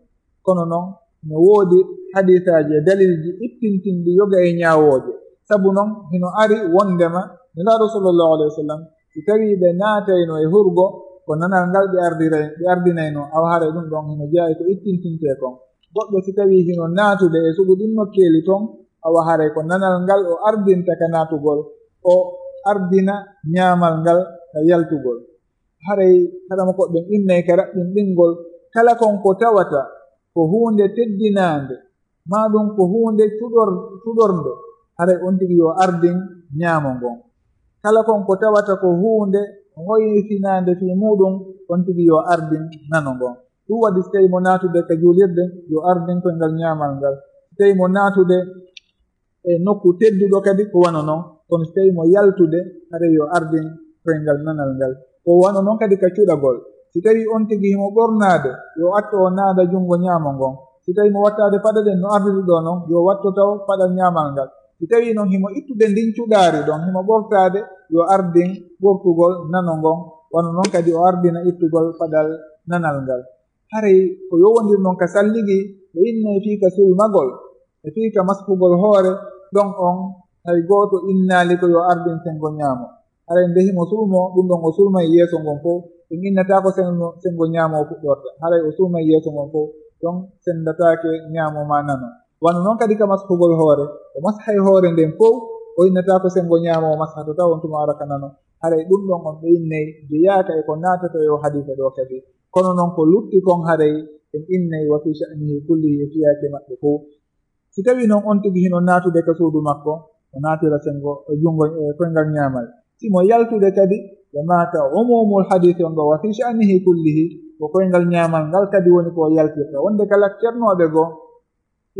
Kono non, no woodi hadiisaaji e dalilji ittintinɗi yoga e ñaawooje. Sabu non, hino ari wondema Nelaaɗo sallallahu alayhi wa sallam, si tawii ɓe naatayno e hurgo, ko nanal ngal ɓe ardiray-, ɓe ardinaynoo, awa haray ɗum ɗon hino jeyaa e ko ittintintee kon. Goɗɗo si tawii hino naatude e sugu ɗin nokkeeli ton, awa haray ko nanal ngal o ardinta ka naatugol, o ardina ñaamal ngal ka yaltugol. Haray haɗama ko ɓen innay ka raɓɓinɗingol kala kon ko tawata ko huunde teddinaande, maa ɗum ko huunde cuɗor-, cuɗornde, haray on tigi yo ardin ñaamo ngon. Kala kon ko tawata ko huunde hoyfinaande fii muuɗum, on tigi yo ardin nano ngon. Ɗum waɗi, si tawii mo naatude ka juulirde, yo ardin koyngal ñaamal ngal. Si tawii mo naatude e nokku tedduɗo kadi, ko wano non. Kono si tawii mo yaltude, haray yo ardin koyngal nanal ngal. Ko wano non kadi ka cuɗagol. Si tawii on tigi himo ɓornaade, yo atto o naada junngo ñaamo ngon. Si tawii mo wattaade paɗe ɗen no ardiri ɗoo non, yo watto taw paɗal ñaamal ngal. Si tawii non himo ittude ndin cuɗaari ɗon, himo ɓortaade, yo ardin ɓortugol nano ngon. Wano non kadi o ardina ittugol paɗal nanal ngal. Haray ko yowondir non ka salligi, ɓe innay fii ka sulmagol, e fii ka mashugol hoore, ɗon on hay gooto innaali ko yo ardin senngo ñaamo. Haray nde himo sulmoo, ɗum ɗon o sulmay yeeso ngon fow, en innataa ko senngo, senngo ñaamo o fuɗɗorta. Haray o sulmay yeeso ngon fow, ɗon senndataake ñaamo maa nano. Wano non kadi ka mashugol hoore, o mashay hoore nden fow, o innataa ko senngo ñaamo o mashata, taw on tuma ara ka nano. Haray ɗum ɗon on ɓe innay jeyaaka e ko naatata e oo hadiisa ɗoo kadi. Kono non ko lutti kon haray en innay wa fii sha'nihi kullihi e fiyaake maɓɓe fow. Si tawii non on tigi hino naatude ka suudu makko, o naatira senngo, e junngo, e koyngal ñaamal. Si mo yaltude kadi, ɓe maaka umumul hadiisi on ɗoo, wa fii sha'nihi kullihi, ko koyngal ñaamal ngal kadi woni ko o yaltirta. Wonde kala cernooɓe goo,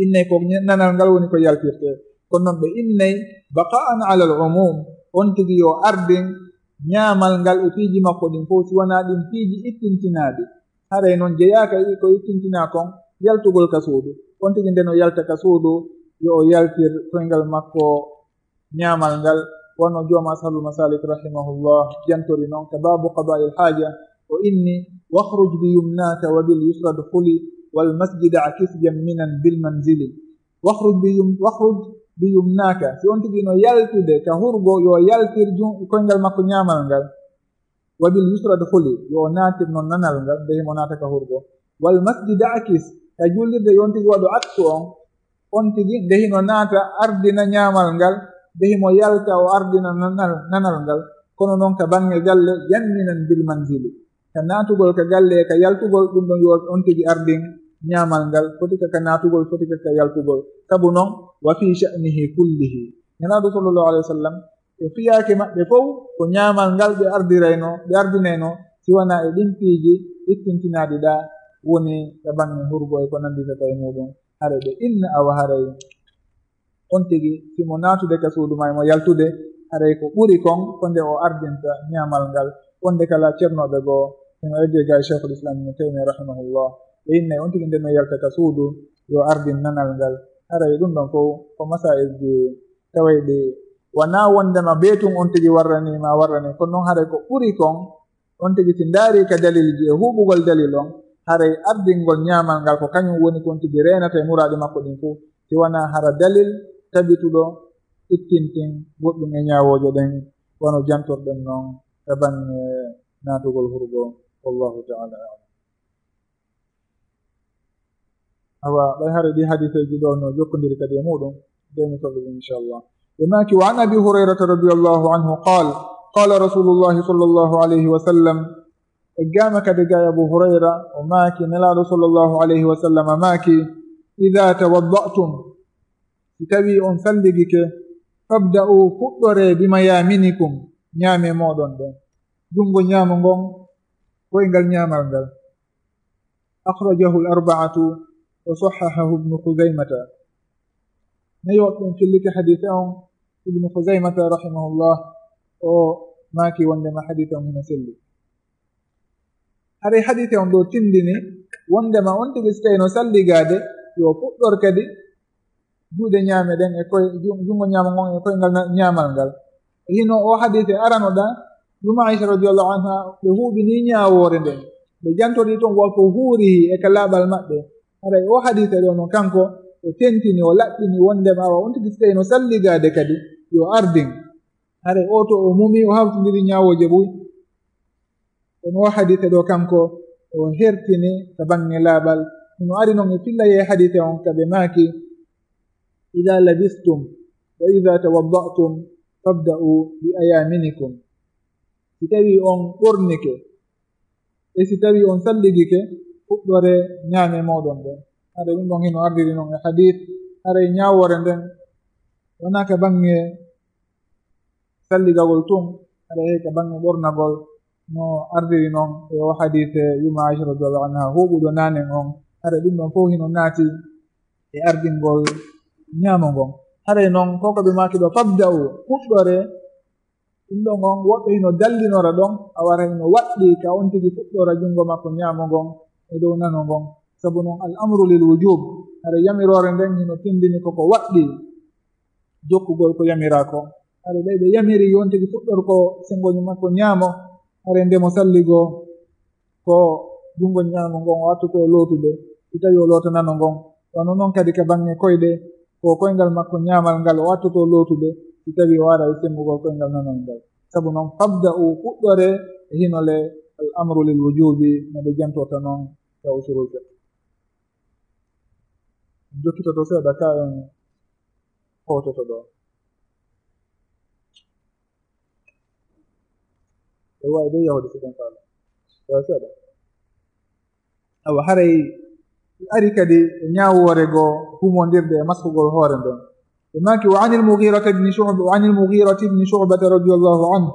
innay ko ña-, nanal ngal woni ko yaltirtee. Kono non ɓe innay baqa'an alal umum, on tigi yo ardin ñaamal ngal e piiji makko ɗin fow, si wanaa ɗin piiji ittintinaaɗi. Haray non jeyaaka e ko ittintinaa kon, yaltugol ka suudu. On tigi nde no yalta ka suudu, yo o yaltir koyngal makko ñaamal ngal, wano joom Ashabul Masalik rahimahullah jantori non ka baabu qada'il haaja, o inni: "Wakhruj bi yumnaka wa bil yusra dkhuli, wal masjida akis jamminan bil manzili." Wakhruj bi yum-, wakhruj bi yumnaka. Si on tigi no yaltude ka hurgo, yo yaltir jun-, koyngal makko ñaamal ngal. "Wa bil yusra dkhuli", yo o naatir non nanal ngal, nde himo naata ka hurgo. "Wal masjida akis", ka juulirde yo on tigi waɗu aksu on, on tigi nde hino naata ardina ñaamal ngal, nde himo yalta o ardina nanal, nanal ngal. Kono non ka baŋŋe galle, jamminan bil manzili. Ka naatugol ka galle, ka yaltugol, ɗum ɗon yo on tigi ardin ñaamal ngal, foti ka, ka naatugol, foti ka, ka yaltugol. Sabu non, wa fi sha'nihi kullihi. Nelaaɗo sallallahu alaihi wasallam, e fiyaake maɓɓe fow, ko ñaamal ngal ɓe ardiraynoo, ɓe ardinaynoo, si wanaa e ɗin piiji ittintinaaɗi ɗaa, woni e baŋŋe hurgo e ko nannditata e muuɗum. Haray ɓe inna awa haray on tigi, si mo naatude ka suudu maa e mo yaltude, haray ko ɓuri kon ko nde o ardinta ñaamal ngal. Wonde kala cernooɓe goo, hino eggee ga e Sheikhul Islam Ibn Taymiyya rahimahullah, ɓe innay on tigi nde no yalta ka suudu, yo ardin nanal ngal. Haray ɗum ɗon fow ko masaa'ilji tawayɗi wanaa wondema beetun on tigi warranii maa warranii, kono non haray ko ɓuri kon, on tigi si ndaarii ka dalilji e huuɓugol dalil on, haray ardingol ñaamal ngal ko kañum woni kon tigi reenata e muraaɗi makko ɗin fow, si wanaa hara dalil tabituɗo ittintin goɗɗum e ñaawooje ɗen, wano jantorɗen non e baŋŋe naatugol hurgo. Wallahu ta'ala a'lam. Awa, ɓay hara ɗi hadiseeji ɗoo no jokkondiri kadi e muuɗum, de mi fawi ɗum, inchallah. Ɓe maaki, wa an Abi Hurayrata radiyallahu anhu qaal, qaala Rasulullahi sallallahu alayhi wa sallam, eggaama kadi ga e Abu Hurayra, o maaki, Nelaaɗo sallallahu alayhi wa sallam maaki, "Idha tawadda'tum", si tawii on salligike, "fabda'u", fuɗɗoree, "bi mayaminikum", ñaame mooɗon ɗen. Junngo ñaamo ngon, koyngal ñaamal ngal. Akhrajahu al-arba'atu wa sahhahahu Ibnu Khuzaymata. Nayo ɓen filliti hadiise on, Ibnu Khuzaymata rahimahullah, o maaki wondema hadiise on hino selli. Haray hadiise on ɗoo tindini wondema on tigi si tawii no salligaade, yo fuɗɗor kadi juuɗe ñaame ɗen e koy-, ju-, junngo ñaamo ngon e koyngal na-, ñaamal ngal. E hino oo hadiise arano ɗaa, Ummu Aisha radiyallahu anha, ɓe huuɓinii ñaawoore nden. Ɓe jantorii ton wa ko huurihi e ka laaɓal maɓɓe. Haray oo hadiise ɗoo non kanko, o tentini, o laɓɓini wondema awa on tigi si tawii no salligaade kadi, yo ardin. Haray oo to o mumii, o hawtindiri ñaawooje buy. Kono oo hadiise ɗoo kanko, o hertini ka baŋŋe laaɓal. Hino ari non e fillayee hadiise on ka ɓe maaki, "Idha labistum wa idha tawadda'tum fabda'u bi ayaminikum." Si tawii on ɓornike, e si tawii on salligike, fuɗɗoree ñaame mooɗon ɗen. Haray ɗum ɗon hino ardiri non e hadith, haray ñaawoore nden wonaa ka baŋŋe salligagol tun, haray hay ka baŋŋe ɓornagol, no ardiri non e o hadith yumma Aisha radiyallahu anha huuɓuɗo naanen on. Haray ɗum ɗon fow hino naati e ardingol ñaamo ngon. Haray non ko ko ɓe maaki ɗo, "Fabda'u, fuɗɗore." Ɗum ɗon on woɓɓe hino dallinora ɗon, a wara hino waɗɗi ka on tigi fuɗɗora junngo makko ñaamo ngon e dow nano ngon. Sabu non al amru lil wujub, haray yamiroore nden hino tindini ko ko waɗɗi jokkugol ko yamiraa kon. Haray ɓay ɓe yamiri yo on tigi fuɗɗor ko senngo makko ñaamo, haray nde mo salligoo ko junngo ñaamo ngon o attoto lootude, si tawi o loota nano ngon. Wano non kadi ka baŋŋe koyɗe, ko koyngal makko ñaamal ngal o attoto lootude, si tawi o ara e semmbugol koyngal nanal ngal. Sabu non, fabda'u, fuɗɗore e hinole, al amru lil wujubi, no ɓe jantorta non ka usulul fiqh. Jokkitoto seeɗa ka en hoototo ɗo. E wawi de yahude si ken faala. Yo seeɗa. Awa, haray ari kadi e ñaawoore goo humondirde e masfugol hoore nden. Ɓe maaki, wa anil Mughirata ibn Shu'ba, wa anil Mughirata ibn Shu'bata radiyallahu anhu,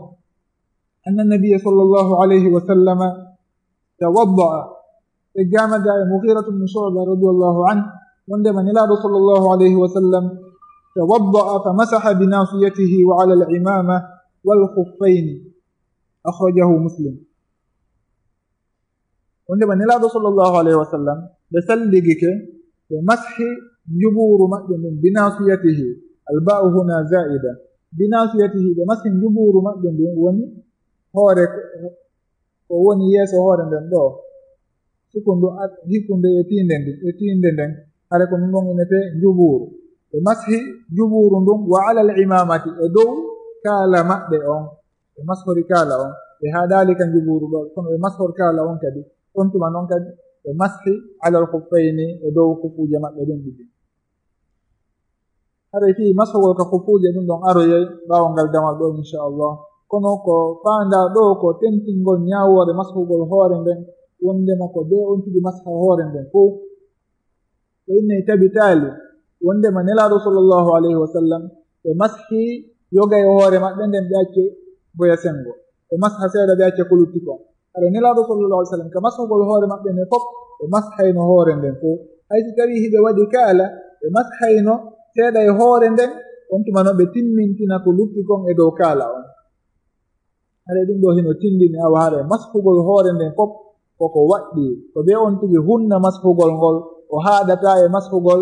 anna nabiyya sallallahu alayhi wa sallama tawadda'a. Ɓe gaama ga e Mughiratu ibn Shu'ba radiyallahu anhu, wondema Nelaaɗo sallallahu alayhi wa sallam tawadda'a fa masaha bi nasiyatihi wa ala al-imama wal khuffayni. Akhrajahu Muslim. Wondema Nelaaɗo sallallahu alayhi wa sallam, ɓe salligike, ɓe mashi njubuuru maɓɓe ndun, bi nasiyatihi, al ba'u huna za'ida, bi nasiyatihi, ɓe mashi njubuuru maɓɓe ndun, woni hoore ko, ko woni yeeso hoore nden ɗo, sukundu, a-, hikkunde e tiinde ndi, e tiinde nden, hare ko ɗum ɗon innete njubuuru. Ɓe mashi njubuuru ndun, wa alal imamati, e dow kaala maɓɓe on. Ɓe mashori kaala on, ɓe haaɗaali ka njubuuru ɗo, kono ɓe mashor kaala on kadi. On tuma non kadi, ɓe mashi alal khuffayni, e dow kufuuje maɓɓe ɗen ɗiɗi. Haray fii mashogol ka kufuuje ɗum ɗon aroyay ɓaawo ngal damal ɗo, inchallah. Kono ko faandaa ɗo ko tentingol ñaawoore mashugol hoore nden, wondema ko bee on tigi masha hoore nden fow. Ɓe innay tabitaali wondema Nelaaɗo sallallahu alayhi wa sallam, ɓe mashi yoga e hoore maɓɓe nden, ɓe acce boya sengo. Ɓe masha seeɗa, ɓe acce ko lutti kon. Hara Nelaaɗo sallallahu alayhi wa sallam, ka mashugol hoore maɓɓe nden fof, ɓe mashayno hoore nden fof. Hay si tawii hiɓe waɗi kaala, ɓe mashayno seeɗa e hoore nden, on tuma no ɓe timmintina ko lutti kon e dow kaala on. Hara ɗum ɗo hino tindini awa hara mashugol hoore nden fof koko waɗɗi. Ko bee on tigi hunna mashugol ngol, o haaɗata e mashugol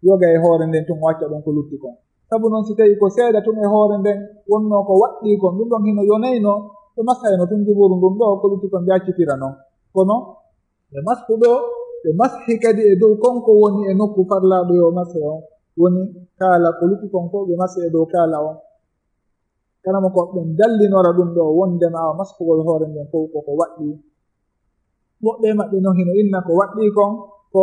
yoga e hoore nden tun, o acca ɗon ko lutti kon. Sabu non, si tawii ko seeɗa tun e hoore nden wonnoo ko waɗɗii kon, ɗum ɗon hino yonayno, ɓe mashayno tun njubuuru ndun ɗo, ko lutti kon ɓe accitira non. Kono ɓe mashu ɗo, ɓe mashi kadi e dow kon ko woni e nokku farlaaɗo yo mashe on, woni kaala, ko lutti kon fof ɓe mashi e dow kaala on. Kala mo ko ɓen dallinora ɗum ɗo, wondema awa mashugol hoore nden fof koko waɗɗii. Woɓɓe maɓɓe non hino inna ko waɗɗii kon ko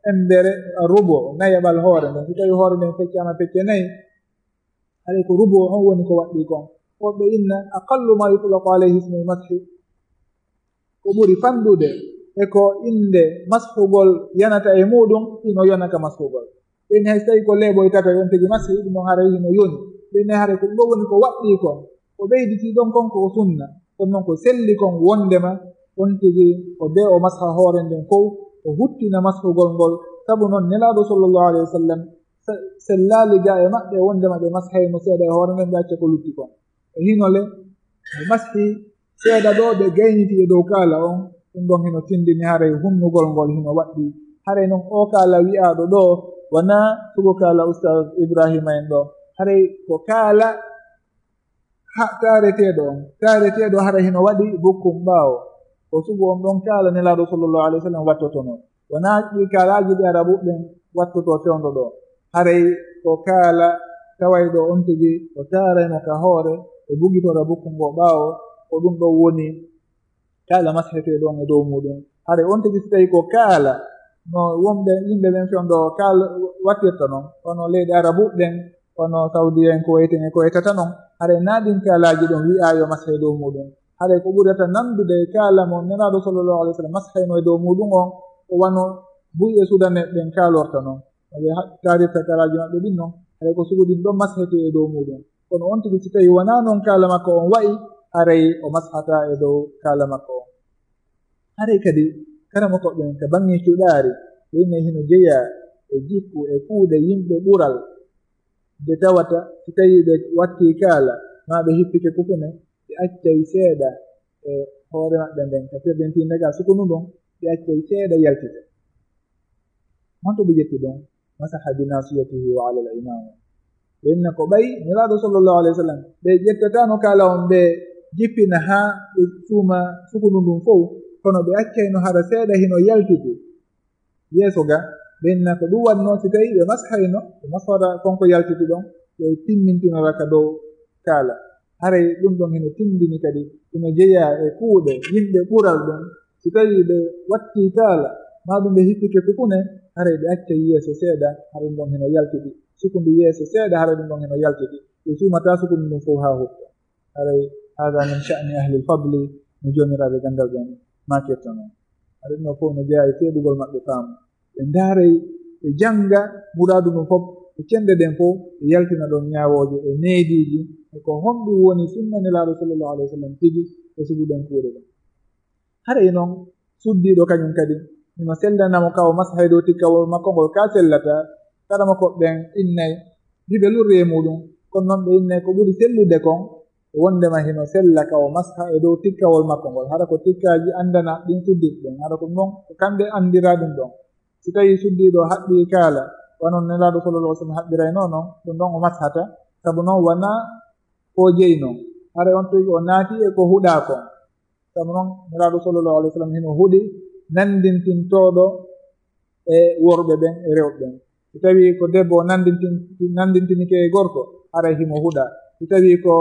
embere rubo, nayaɓal hoore nden. Si tawii hoore nden feccaama pecce nayi, haray ko rubo on woni ko waɗɗii kon. Woɓɓe inna aqallu ma yutlaqu alayhi ismul mashi, ko ɓuri fanɗude e ko innde mashugol yanata e muɗum, hino yona ka mashugol. Ɓen hay so tawii ko leeɓoy tatoy on tigi mashi, ɗum on haray hino yoni. Ɓen hay haray ko ɗum ɗo woni ko waɗɗii kon. Ko ɓeyditii ɗon kon ko sunna. Kono non ko selli kon wondema on tigi ko bee o masha hoore nden fow, o huttina mashugol ngol. Sabu non Nelaaɗo sallallahu alayhi wa sallam se-, sellaali ga e maɓɓe wondema ɓe mashayno seeɗa e hoore nden, ɓe acca ko lutti kon. E hinole, ɓe mashi seeɗa ɗo, ɓe gayniti e dow kaala on, ɗum ɗon hino tindini haray hunnugol ngol hino waɗɗii. Haray non oo kaala wi'aaɗo ɗo, wanaa sugu kaala Ustaz Ibrahima en ɗo. Haray ko kaala ha-, taareteeɗo on. Taareteeɗo haray hino waɗi bukkum ɓaawo. Ko sugu on ɗon kaala Nelaaɗo sallallahu alayhi wa sallam wattotono. Wanaa ɗi kaalaaji ɗi Arabuɓe ɓen wattotoo fewndo ɗo. Haray ko kaala tawayɗo on tigi, o taarayno ka hoore, o bugitora bukku ngo ɓaawo, ko ɗum ɗo woni kaala mashetee ɗon e dow muɗum. Haray on tigi, si tawii ko kaala, no wonɓe yimɓe ɓen fewndo kaala wattirta non, kono leyɗe Arabuɓe ɓen, kono Saudiya en, Kuwait en e ko wayata non, haray naa ɗin kaalaaji ɗon wi'aa yo mashe dow muɗum. Haray ko ɓurata nandude e kaala mo Nelaaɗo sallallahu alayhi wa sallam mashayno e dow muɗum on, ko wano buy e sudanee ɓen kaalorta non, no ɓe ha-, kaarirta kaalaaji maɓɓe ɗin non, haray ko sugu ɗin ɗon mashetee e dow muuɗum. Kono on tigi, si tawii wonaa non kaala makko on wa'i, haray o mashataa e dow kaala makko on. Haray kadi, karamokooɓe ɓen ka baŋŋe cuɗaari, ɓe innay hino jeyaa e jikku e kuuɗe yimɓe ɓural, nde tawata si tawii ɓe wattii kaala, maa ɓe hippike kufune, ɓe accay seeɗa e hoore maɓɓe nden, ka firrintiinde ka sukunu ndun, ɓe accay seeɗa yaltita. Honto ɓe ƴetti ɗun? Masaha bi nasiyatihi wa ala al imama. Ɓe inna ko ɓay Nelaaɗo sallallahu alayhi wa sallam, ɓe ƴettataano kaala on, ɓe jippina haa ɓe suuma sukunu ndun fow, kono ɓe accayno hara seeɗa hino yaltiti yeeso ga. Ɓe inna ko ɗun waɗnoo, si tawii ɓe mashayno, ɓe mashata kon ko yaltiti ɗon, ɓe timmintinora ka dow kaala. Haray ɗun ɗon hino tinndini kadi, hino jeyaa e kuuɗe yimɓe ɓural ɗun. Si tawii ɓe wattii kaala, maa ɗun ɓe hippike kufune, haray ɓe accay yeeso seeɗa, haray ɗun ɗon hino yaltiti. Sukundu yeeso seeɗa, haray ɗun ɗon hino yaltiti. Ɓe suumataa sukundu ndun fow haa hutta. Haray, hada min sha'ni ahli al-fadli, no joomiraaɓe ganndal ɓen maakirta non. Haray ɗun ɗon fow no jeyaa e seeɗugol maɓɓe faamu. Ɓe ndaaray, ɓe jannga muraadu ndun fow, e cenɗe ɗen fow, ɓe yaltina ɗon ñaawooje e neediiji, e ko honɗun woni sunna Nelaaɗo sallallahu alayhi wa sallam tigi e sugu ɗen kuuɗe ɗen. Haray non, suddiiɗo kañun kadi, hino sellana mo ka o masha e dow tikkawol makko ngol, ka sellataa. Karamokooɓe ɓen innay, hiɓe lurri e muuɗum, kono non ɓe innay ko ɓuri sellude kon, wonndema hino sella ka o masha e dow tikkawol makko ngol. Hara ko tikkaaji anndanaa ɗin suddiiɓe ɓen, hara ko non ko kamɓe anndiraa ɗum ɗon. Si tawii suddiiɗo haɓɓii kaala, wano Nelaaɗo sallallahu alaihi wasallam haɓɓiraynoo non, ɗum ɗon o mashata, sabu non wanaa ko jeyi non. Haray on tigi o naati e ko huɗaa kon. Sabu non Nelaaɗo sallallahu alaihi wasallam hino huɗi nanndintintooɗo e worɓe ɓen e rewɓe ɓen. Si tawii ko debbo o nanndintin-, nanndintinike e gorko, haray himo huɗaa. Si tawii ko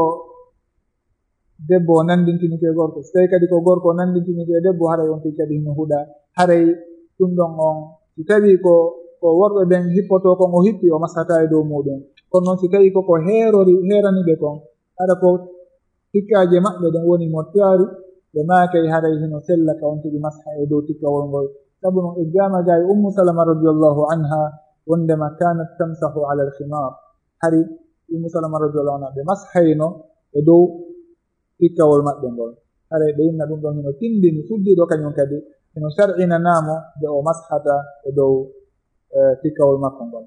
debbo o nanndintinike e gorko, si tawii kadi ko gorko o nanndintinike e debbo, haray on tigi kadi hino huɗaa. Haray ɗum ɗon on, si tawii ko, ko worɓe ɓen hippotoo kon o hippi, o mashataa e dow muuɗum. Kono non si tawii ko ko heerori, heerani ɓe kon, hara ko tikkaaje maɓɓe ɗen woni mo taari, ɓe maakay haray hino sella ka on tigi masha e dow tikkawol ngol. Sabu non eggaama gaa e Ummu Salama radiyallahu anha, wonndema kanat tamsahu ala al-khimar. Hari Ummu Salama radiyallahu anha, ɓe mashayno e dow tikkawol maɓɓe ngol. Haray ɓe inna ɗum ɗon hino tinndini suddiiɗo kañum kadi, hino shar'inanaa mo nde o mashata e dow, eh, tikkawol makko ngol.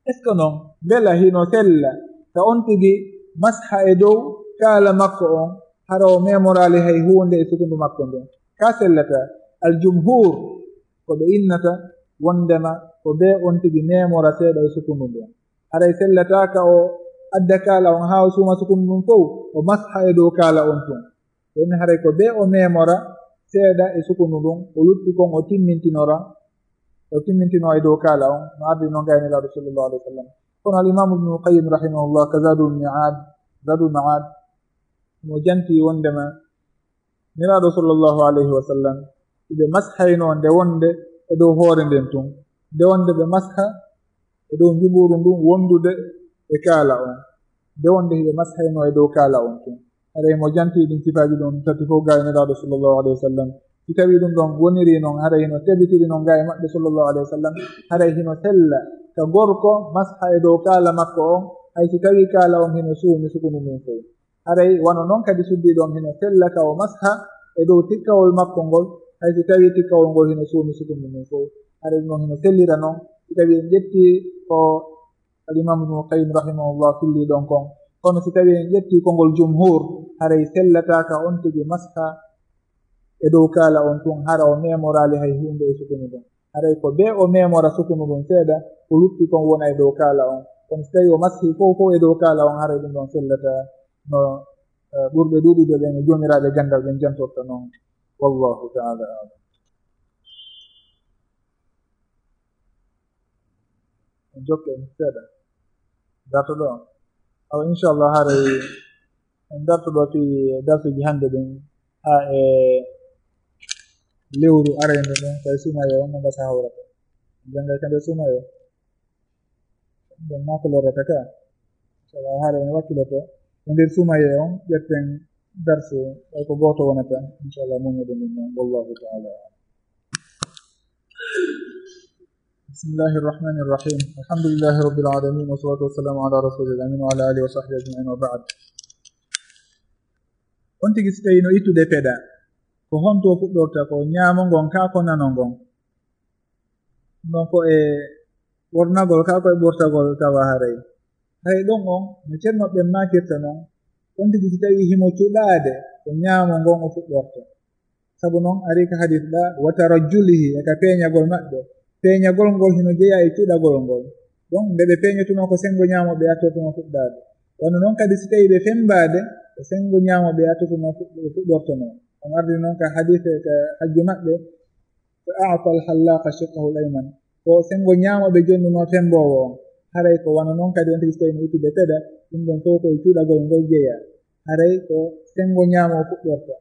Est-ce que non, mbela hino sella ka on tigi masha e dow kaala makko on, hara o memoraali hay huunde e sukundu makko ndun? Ka sellata, al-jumhur, ko ɓe innata wonndema ko bee on tigi memora seeɗa e sukundu ndun. Haray sellataa ka o adda kaala on haa o suuma sukundu ndun fow, o masha e dow kaala on tun. Ɓen haray ko bee o memora seeɗa e sukundu ndun, o lutti kon o timmintinora, o timmintinoo e dow kaala on, no ardi non gaa e Nelaaɗo sallallahu alaihi wasallam. Kono al-Imam Ibn Qayyim rahimahullah ka Zadul Mi'ad, Zadul Ma'ad, mo janti wonndema Nelaaɗo sallallahu alaihi wasallam, hiɓe mashaynoo nde wonnde e dow hoore nden tun, nde wonnde ɓe masha e dow njuɓuuru ndun wonndude e kaala on, nde wonnde hiɓe mashaynoo e dow kaala on tun. Haray mo janti ɗin sifaaji ɗon tati fow gaa e Nelaaɗo sallallahu alaihi wasallam. Si tawii ɗum ɗon wonirii non, haray hino tabitiri non gaa e maɓɓe sallallahu alaihi wasallam, haray hino sella ka gorko masha e dow kaala makko on, hay si tawii kaala on hino suumi sukundu ndun fow. Haray wano non kadi suddiiɗo on hino sella ka o masha e dow tikkawol makko ngol, hay si tawii tikkawol ngol hino suumi sukundu ndun fow. Haray ɗum ɗon hino sellira non, si tawii en ƴettii ko Al-Imam Ibnul Qayyim rahimahullah filli ɗon kon. Kono si tawii en ƴettii konngol jumhur, haray sellataa ka on tigi masha e dow kaala on tun, hara o memoraali hay huunde e sukunu ndun. Haray ko bee o memora sukunu ndun seeɗa, ko lutti kon wona e dow kaala on. Kono si tawii o mashi fow fow e dow kaala on, haray ɗum ɗon sellataa no, eh, ɓurɓe ɗuuɗude ɓen e joomiraaɓe ganndal ɓen jantorta non. Wallahu ta'ala a'lam. En jokka en seeɗa. Darto ɗo. Awa, inchallah, haray en darto ɗo fii darsuuji hannde ɗin, haa e lewru arayndi ndin, ko e suumayee on, no ngasa hawrata. En janngay ka nder suumayee. Ɗon maa ko lorrata ka. Inchallah, haray en wakkiloto e nder suumayee on, ƴetten darsu, ɓay ko gooto wonata. Inchallah, muññoɗen ɗum noon. Wallahu ta'ala a'lam. بسم الله الرحمن الرحيم. الحمد لله رب العالمين، والصلاة والسلام على رسول الأمين وعلى آله وصحبه أجمعين، وبعد. On tigi, si tawii no ittude peɗa, ko honto o fuɗɗorta? Ko ñaamo ngon kaa ko nano ngon? Non ko e ɓornagol kaa ko e ɓortagol tawa haray? Haray ɗon on, no ceerno ɓen maakirta non, on tigi si tawii himo cuɗaade, ko ñaamo ngon o fuɗɗorta. Sabu non arii ka hadis ɗa, "Wa tarajjulihi", e ka peeñagol maɓɓe. Peeñagol ngol hino jeyaa e cuɗagol ngol. Ɗon, nde ɓe peeñotunoo, ko senngo ñaamo ɓe attortunoo fuɗɗaade. Wano non kadi si tawii ɓe femmbaade, ko senngo ñaamo ɓe attortunoo fuɗ-, ɓe fuɗɗortonoo. On ardii non ka hadis, ka hajju maɓɓe, "Fa a'ta al-hallaqa shiqqahu al-ayman." Ko senngo ñaamo ɓe jonnunoo femmboowo on. Haray ko wano non kadi on tigi si tawii no ittude peɗa, ɗum ɗon fow ko e cuɗagol ngol jeyaa. Haray ko senngo ñaamo o fuɗɗorta.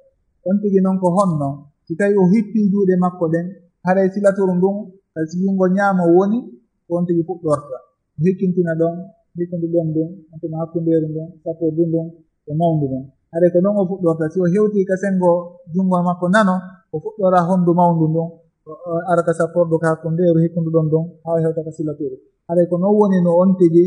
On tigi non ko honno? Si tawii o hippii juuɗe makko ɗen, haray silaturu ndun ka si junngo ñaamo woni, ko on tigi fuɗɗorta. O hikkintina ɗon, hikkundu ɗon ndun, on tuma hakkundeeru ndun, sappordu ndun, e mawndu ndun. Haray ko non o fuɗɗorta. Si o hewtii ka senngo junngo makko nano, o fuɗɗora honndu mawndu ndun, o, o ara ka sappordu, ka hakkundeeru, hikkundu ɗon ndun, haa o hewta ka silaturu. Haray ko non woni no on tigi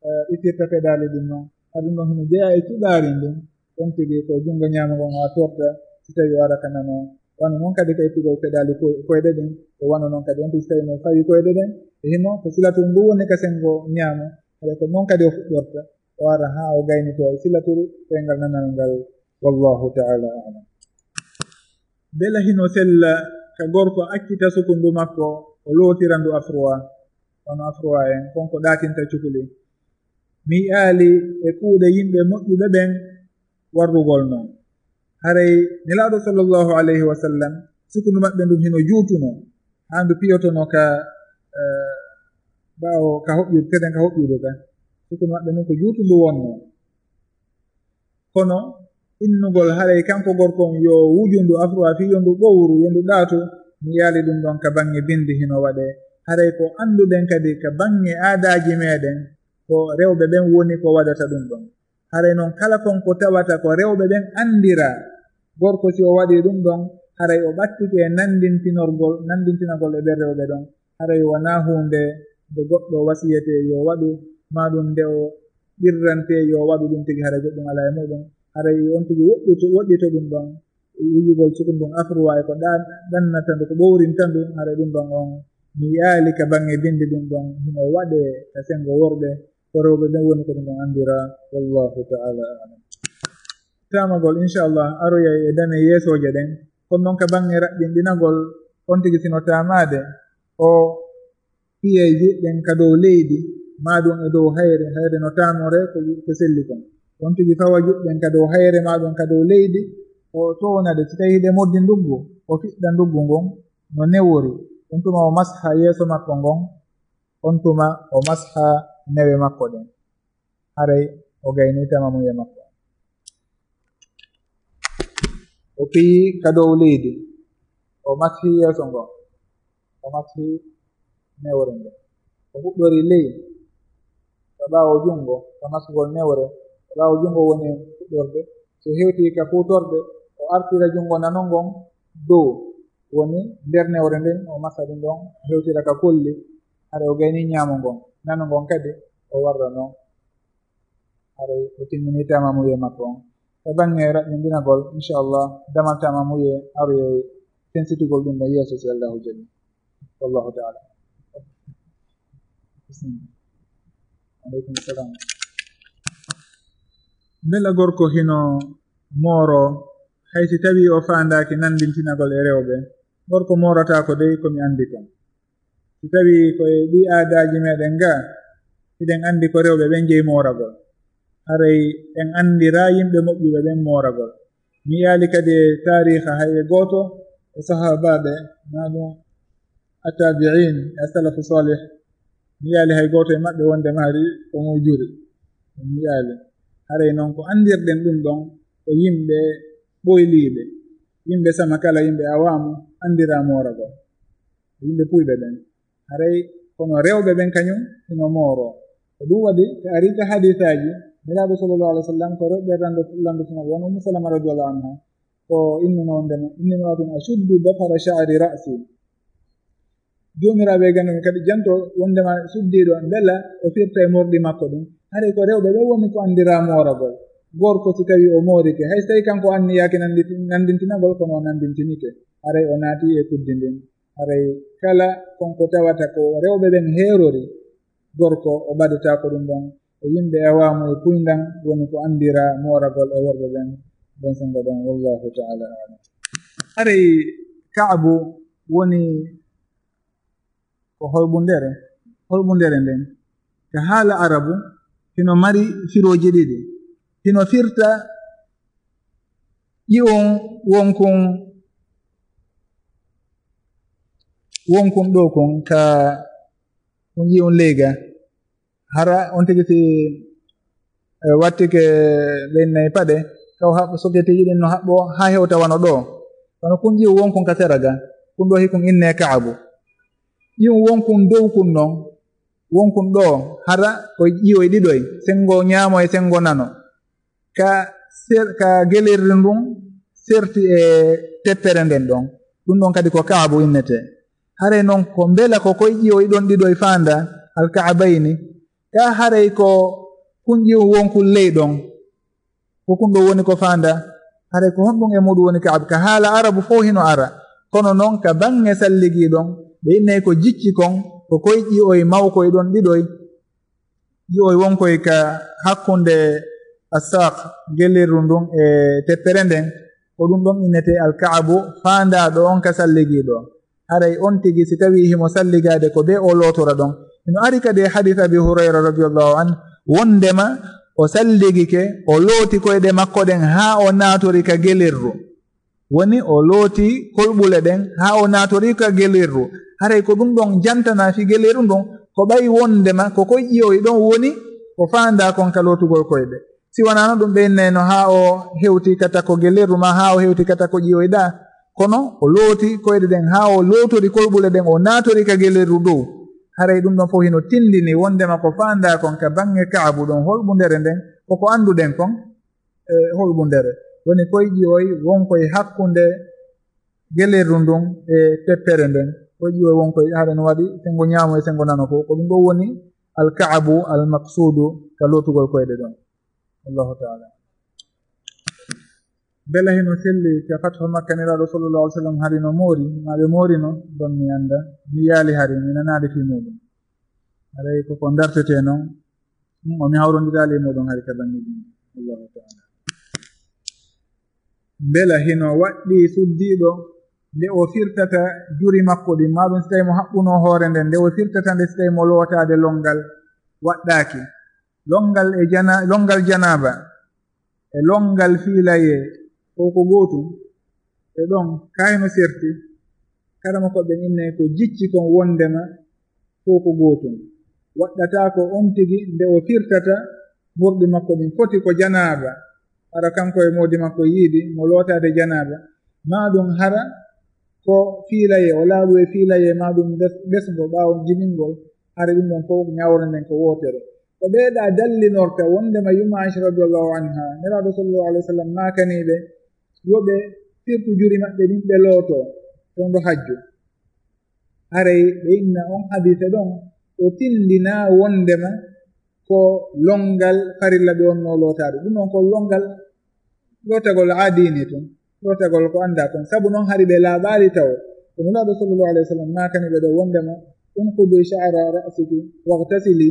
eh, ittirta peɗaali ɗin non. Ka ɗum ɗon hino jeyaa e cuɗaari ndin, on tigi ko junngo ñaamo ngon o attorta, si tawii o ara ka nano. Wano non kadi ka ittugol peɗaali koy-, koyɗe ɗin, ko wano non kadi on tigi si tawii no fawi koyɗe ɗen, e hino ko silaturu ndu woni ka senngo ñaamo, haray ko non kadi o fuɗɗorta, o ara haa o gaynitoo e silaturu koyngal nanal ngal. Wallahu ta'ala a'lam. Mbela hino sella ka gorko accita sukundu makko, o lootira ndu afruwa, wano afruwa en, kon ko ɗaatinta cukuli? Mi yi'aali e kuuɗe yimɓe moƴƴuɓe ɓen warrugol non. Haray Nelaaɗo sallallahu alayhi wa sallam, sukundu maɓɓe ndun hino juutunoo, haa ndu piyotonoo ka, eh, ɓaawo ka hoƴƴude, teten ka hoƴƴude ka. Sukundu maɓɓe ndun ko juutundu wonnoo. Kono innugol haray kanko gorko on yo wuju ndu afruwa fii yo ndu ɓowru, yo ndu ɗaatu, mi yi'aali ɗum ɗon ka baŋŋe binndi hino waɗee. Haray ko annduɗen kadi ka baŋŋe aadaaji meɗen, ko rewɓe ɓen woni ko waɗata ɗum ɗon. Haray non kala kon ko tawata ko rewɓe ɓen anndiraa, gorko si o waɗii ɗum ɗon, haray o ɓattike e nanndintinorgol, nanndintinagol e ɓen rewɓe ɗon. Haray wonaa huunde nde goɗɗo wasiyetee yo waɗu, maa ɗum nde o ɓirrantee yo waɗu ɗum tigi, haray goɗɗum alaa e muɗum. Haray on tigi woɗɗito, woɗɗito ɗum ɗon, wujugol sukun ɗum afruwa e ko ɗan-, ɗannata ndu, ko ɓowrinta ndu, haray ɗum ɗon on mi yi'aali ka baŋŋe binndi ɗum ɗon hino waɗee ka senngo worɓe, ko rewɓe ɓen woni ko ɗum ɗon anndiraa. Wallahu ta'ala a'lam. Taamagol, inchallah, aroyay e dame yeesooje ɗen. Kono non ka baŋŋe raɓɓinɗinagol, on tigi sino taamaade, o fiyay juuɗe ɗen ka dow leydi, maa ɗum e dow hayre, hayre no taamoree ko, ko selli kon. On tigi fawa juuɗe ɗen ka dow hayre, maa ɗum ka dow leydi, o toowna ɗe. Si tawii hiɗe moddi nduggu, o fiɗɗa nduggu ngun no newori. On tuma o masha yeeso makko ngon, on tuma o masha newe makko ɗen. Haray o gaynii tamamuye makko. O fiyii ka dow leydi, o mashi yeeso ngon, o mashi newre nden. O fuɗɗori ley, ka ɓaawo junngo, ka masugol newre, ka ɓaawo junngo woni fuɗɗorde. So hewtii ka fuutorde, o artira junngo nano ngon dow, woni nder newre nden, o masa ɗum ɗon, hewtira ka kolli, haray o gaynii ñaamo ngon, nano ngon kadi o warra non. Haray o timminii tamamuye makko on. Ka baŋŋe raɓɓinɗinagol, inchallah, damal tamamuye aroyay sensitugol ɗum ɗon yeeso, si Allahu jaɓi. Wallahu ta'ala. Bismillah. Aleykum salam. Mbela gorko hino mooroo, hay si tawii o faandaaki nanndintinagol e rewɓe? Gorko moorataa ko dey ko mi anndi kon. Si tawii ko e ɗii aadaaji meɗen ga, hiɗen anndi ko rewɓe ɓen jeyi mooragol. Haray en anndiraa yimɓe moƴƴuɓe ɓen mooragol. Mi yi'aali kadi e taariiha hay e gooto e sahaabaaɓe, maa ɗum attabi'in e salafu salih, mi yi'aali hay gooto e maɓɓe wonde maari ko mo juri. Mi yi'aali. Haray non ko anndirɗen ɗum ɗon ko yimɓe ɓoyliiɓe, yimɓe sama kala, yimɓe awaamu anndiraa mooragol. Yimɓe puyɓe ɓen. Haray kono rewɓe ɓen kañum hino mooroo. Ko ɗum waɗi, ko arii ka hadiisaaji, Nelaaɗo sallallahu alaihi wasallam ko rewɓe lanndo-, lanndotoo, wano Ummu Salama radiyallahu anha, ko innunoo wonde, "Inni imra'atun ashuddu dafara sha'ri ra'si." Joomiraaɓe e ganndal kadi janto wondema suddiiɗo mbela o firta e morɗi makko ɗin. Haray ko rewɓe ɓe woni ko anndiraa mooragol. Gorko si tawii o moorike, hay so tawii kanko anniyaaki nannditi-, nanndintinagol, kono o nanndintinike. Haray o naati e kuddi ndin. Haray kala kon ko tawata ko rewɓe ɓen heerori, gorko o ɓadata ko ɗum ɗon. Ko yimɓe awaamu e puyndan woni ko anndiraa mooragol e worɓe ɓen ɗon senngo ɗon. Wallahu ta'ala a'lam. Haray Ka'bu woni ko holɓundere, holɓundere nden. Ka haala Arabu, hino mari firooji ɗiɗi. Hino firta ƴi'un wonkun, wonkun ɗoo kun ka kun ƴi'un leyga. Hara on tigi si, eh, wattike ɓe innay paɗe, taw haɓ-, soketeeji ɗin no haɓɓo haa hewta wano ɗoo. Kono kun ƴi'u wonkun ka sera ga, kun ɗoo hikun innee Ka'abu. Ƴi'u wonkun dow kun non, wonkun ɗoo, hara ko ƴi'oy ɗiɗoy, senngo ñaamo e senngo nano. Ka ser-, ka gelirɗi ndun serti e teppere nden ɗon. Ɗum ɗon kadi ko Ka'abu innetee. Haray non ko mbela ko koy ƴi'oy ɗon ɗiɗoy faanda, al Ka'abayni. Ka haray ko kun ƴi'u wonkun ley ɗon. Ko kun ɗo woni ko faanda. Haray ko honɗum e muɗum woni Ka'abu? Ka haala Arabu fow hino ara. Kono non ka baŋŋe salligi ɗon, ɓe innay ko jicci kon, ko koy ƴi'oy mawkoy ɗon ɗiɗoy. Ƴi'oy wonkoy ka hakkunde assaaq, gelirru ndun e teppere nden, ko ɗum ɗon innetee al Ka'abu, faandaaɗo on ka salligiiɗo. Haray on tigi, si tawii himo salligaade ko bee o lootora ɗon. Hino ari kadi e hadiis Abi Hurayra radiyallahu anhu, wondema o salligike, o looti koyɗe makko ɗen haa o naatori ka gelirru. Woni o looti kolɓule ɗen haa o naatori ka gelirru. Haray ko ɗum ɗon jantanaa fii gelirru ndun, ko ɓay wondema ko koy ƴi'oy ɗon woni ko faandaa kon ka lootugol koyɗe. Si wanaano ɗum, ɓe innayno haa o hewti ka takko gelirru maa haa o hewti ka takko ƴi'oy ɗaa. Kono o looti koyɗe ɗen haa o lootori kolɓule ɗen, o naatori ka gelirru dow. Haray ɗum ɗon fow hino tindini wondema ko faandaa kon ka baŋŋe Ka'abu ɗon, holɓundere nden, ko ko annduɗen kon, e holɓundere. Woni koy ƴi'oy wonkoy hakkunde gelirru ndun e teppere nden. Koy ƴi'oy wonkoy, haɗa no waɗi senngo ñaamo e senngo nano fow. Ko ɗum ɗon woni al Ka'abu al maqsuudu ka lootugol koyɗe ɗon. Allahu ta'ala. Mbela hino selli ka Fathu Makka, Nelaaɗo sallallahu alaihi wasallam hari no moori, maa ɓe moorino, ɗon mi annda, mi yaali hari, mi nanaali fii muuɗum. Haray ko ko dartetee non, ɗum o mi hawrondiraali e muuɗum hari ka baŋŋeeji ɗin. Allahu ta'ala. Mbela hino waɗɗii suddiiɗo nde o firtata juri makko ɗin, maa ɗum si tawii mo haɓɓunoo hoore nden, nde o firtata nde si tawii mo lootaade lonngal waɗɗaaki. Lonngal e jana-, lonngal janaaba e lonngal fiilayee fow ko gootum. E ɗon, kaa hino serti, karamokooɓe ɓen innay ko jicci kon wondema fow ko gootum. Waɗɗataa ko on tigi nde o firtata morɗi makko ɗin foti ko janaaba, hara kanko e moodi makko yiidi mo lootaade janaaba, maa ɗum hara ko fiilayee, o laaɓu e fiilayee, maa ɗum bes-, besngo ɓaawo jibingol, hari ɗum ɗon fow ñaawre nden ko wootere. Ko ɓee ɗaa dallinorta wondema yumma Aisha radiyallahu anha, Nelaaɗo sallallahu alaihi wasallam maakanii ɓe yo ɓe firtu juri maɓɓe ɗin ɓe lootoo fewndo hajju. Haray ɓe inna on hadiise ɗon, o tindinaa wondema ko lonngal farilla ɓe wonnoo lootaade. Ɗum ɗon ko lonngal lootagol aadiini tun, lootagol ko anndaa kon. Sabu non hari ɓe laaɓaali tawo. Ko Nulaaɗo sallallahu alaihi wasallam maakani ɓe ɗo wondema, "Unqudi sha'ra ra'siki waghtasili."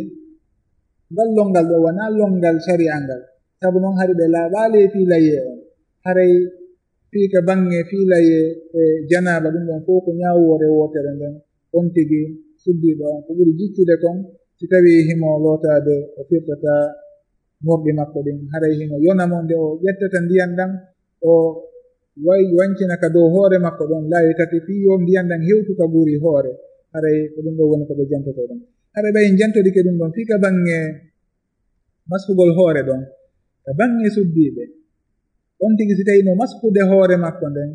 Ngal lonngal ɗo wanaa lonngal shari'a ngal. Sabu non hari ɓe laaɓaali e fiilayee on. Haray fii ka baŋŋe fiilayee e janaaba, ɗum ɗon fow ko ñaawoore wootere nden. On tigi suddiiɗo on, ko ɓuri jiccude kon, si tawii himo lootaade, o firtata morɗi makko ɗin. Haray hino yona mo nde o ƴettata ndiyan ɗan, o way-, wancina ka dow hoore makko ɗon laawi tati, fii yo ndiyan ɗan hewtu ka guri hoore. Haray ko ɗum ɗon woni ko ɓe jantotoo ɗon. Haray ɓay en jantodike ɗum ɗon fii ka baŋŋe maskugol hoore ɗon, ka baŋŋe suddiiɓe, on tigi si tawii no maskude hoore makko nden,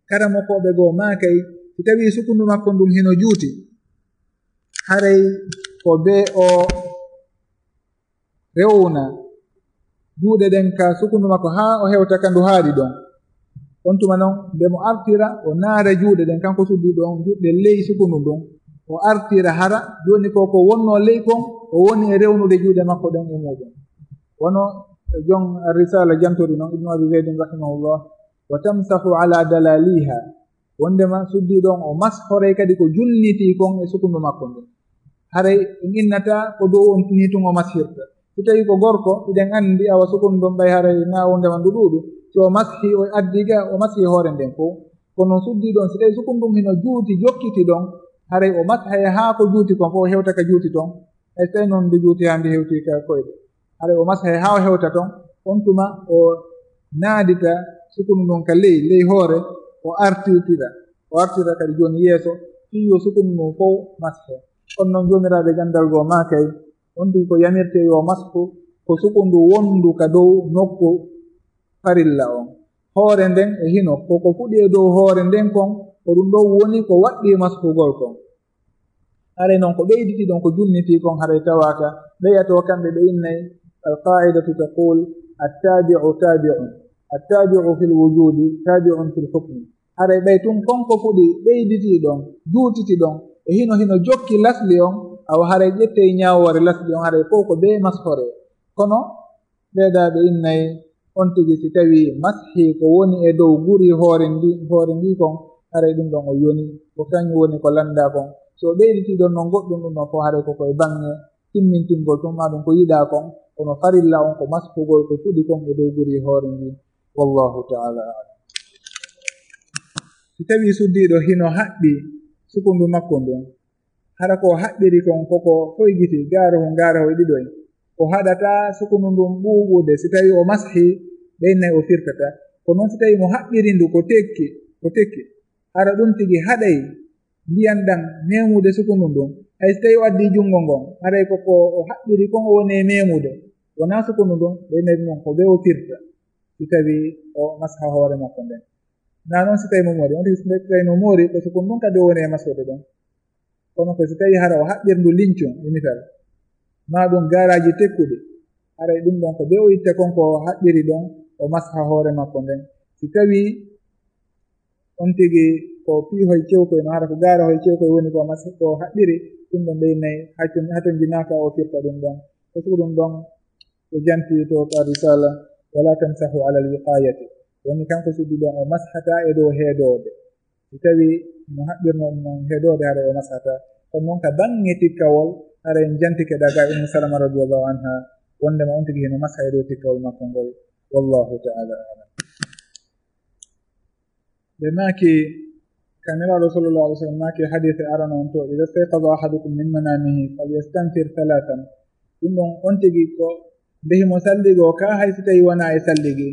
karamokooɓe goo maakay, si tawii sukundu makko ndun hino juuti, haray ko bee o rewna juuɗe ɗen ka sukundu makko haa o hewta ka ndu haaɗi ɗon. On tuma non, nde mo artira, o naara juuɗe ɗen, kanko suddiiɗo on, juuɗe ley sukundu ndun. o artira hara, jooni ko ko wonnoo ley kon, o woni e rewnude juuɗe makko ɗen e muuɗum. Wano jon Risala jantori non, Ibnu Abi Zaydin rahimahullah, "Wa tamsahu ala dalaliha." Wondema suddiiɗo on o mashoray kadi ko junnitii kon e sukundu makko ndun. Haray en innataa ko dow on nii tun o mashirta. Si tawii ko gorko, hiɗen anndi awa sukundu ndun ɓay haray na wondema ndu ɗuuɗu. Si o mashi, o addi ga, o mashi hoore nden fow. Kono suddiiɗo on, si tawii sukundu ndun hino juuti, jokkiti ɗon, haray o mashay haa ko juuti kon fow hewta ka juuti ton. Hay so tawii non ndu juuti haa ndu hewti ka koyɗe. Haray o mashay haa o hewta ton, on tuma o naadita sukundu ndun ka ley, ley hoore, o artirtira. O artira kadi jooni yeeso, fii yo sukundu ndun fow mashe. Kono non joomiraaɓe ganndal goo maakay, on tigi ko yamirtee yo mashu ko sukundu wonndu ka dow nokku farilla on. Hoore nden e hino, ko ko fuɗi e dow hoore nden kon, ko ɗum ɗon woni ko waɗɗii mashugol kon. Haray non ko ɓeyditi ɗon, ko junnitii kon, haray tawaaka ɓeyato kamɓe ɓe innay, "Al-qaa'idatu taqul, at-taabi'u taabi'un. At-taabi'u fil wujudi taabi'un fil hukmi." Haray ɓay tun kon ko fuɗi ɓeyditi ɗon, juutiti ɗon, e hino hino jokki lasli on, awa haray ƴettey ñaawoore lasli on, haray fow ko bee mashoree. Kono ɓeydaaɓe innay, on tigi si tawii mashi ko woni e dow guri hoore ndi, hoore ndi kon, haray ɗum ɗon o yoni, ko kañum woni ko lanndaa kon. Si o ɓeyditi ɗon non goɗɗum ɗum ɗon fow, haray ko koye baŋŋe timmintingol tun, maa ɗum ko yiɗaa kon, kono farilla on ko mashugol ko fuɗi kon e dow guri hoore ndi. Wallahu ta'ala a'lam. Si tawii suddiiɗo hino haɓɓi sukundu makko ndun, hara ko haɓɓiri kon koko foygiti, gaarahu, gaarahu e ɗiɗoy, o haɗataa sukundu ndun ɓuuɓude. Si tawii o mashi, ɓe innay o firtata. Ko non si tawii mo haɓɓiri ndu ko tekki, ko tekki, hara ɗum tigi haɗay ndiyan ɗan meemude sukundu ndun. Hay si tawii o addii junngo ngon, haray ko ko o haɓɓiri kon o woni e meemude, wonaa sukundu ndun, ɓe innay ɗum ɗon ko bee o firta, si tawii o masha hoore makko nden. Naa non si tawii mo moori, on tigi si tawii mo moori, ko sukundu ndun kadi o woni e mashude ɗon. Kono ko si tawii hara o haɓɓiri ndu lincun, e misal, maa ɗum gaaraaji tekkuɗi, haray ɗum ɗon ko bee o itta kon ko o haɓɓiri ɗon, o masha hoore makko nden. Si tawii on tigi ko piihoy cewkoy no, hara ko gaarahoy cewkoy woni ko mas-, ko haɓɓiri, ɗum ɗon ɓe innay haton-, hatonjinaaka o firta ɗum ɗon. Ko sugu ɗum ɗon ɓe janti to ka risala, "Wala tamsahu ala al-wiqayati." Woni kanko suddiiɗo on o mashataa e dow heedoode. Si tawii no haɓɓirno ɗum non heedoode, haray o mashataa. Kono non ka baŋŋe tikkawol, haray en jantike daga Ummu Salama radiyallahu anha, wondema on tigi hino masha e dow tikkawol makko ngol. Wallahu ta'ala a'lam. Ɓe maaki, ka Nelaaɗo sallallahu alaihi wasallam maaki hadiise arano on to, "Idha istayqadha ahadukum min manamihi falyastanthir thalathan." Ɗum ɗon on tigi ko nde himo salligoo ka, hay si tawii wonaa e salligi.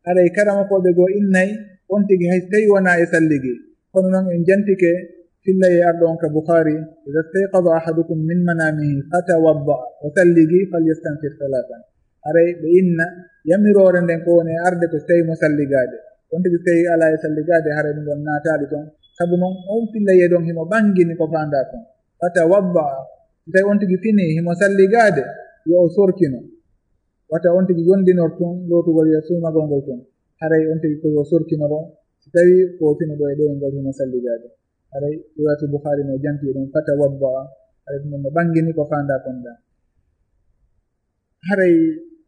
Haray karamokooɓe goo innay on tigi hay si tawii wonaa e salligi. Kono non en jantike fillay e arɗo on ka Bukhari, "Idha istayqadha ahadukum min manamihi fatawadda," o salligi, "falyastanthir thalathan." Haray ɓe inna yamiroore nden ko woni e arde ko si tawii mo salligaade. On tigi si tawii alaa e salligaade, haray ɗum ɗon naataali ton. Sabu non on fillay e ɗon himo ɓangini ko faandaa kon. Fatawadda, si tawii on tigi finii himo salligaade, yo o sorkino. Wata on tigi yondinor tun lootugol e suumagol ngol tun. Haray on tigi ko yo sorkinoro, si tawii ko finuɗo e ɗoyngol himo salligaade. Haray riwaayatu Bukhari no janti ɗum, fatawadda. Haray ɗum no ɓangini ko faandaa kon ɗaa. Haray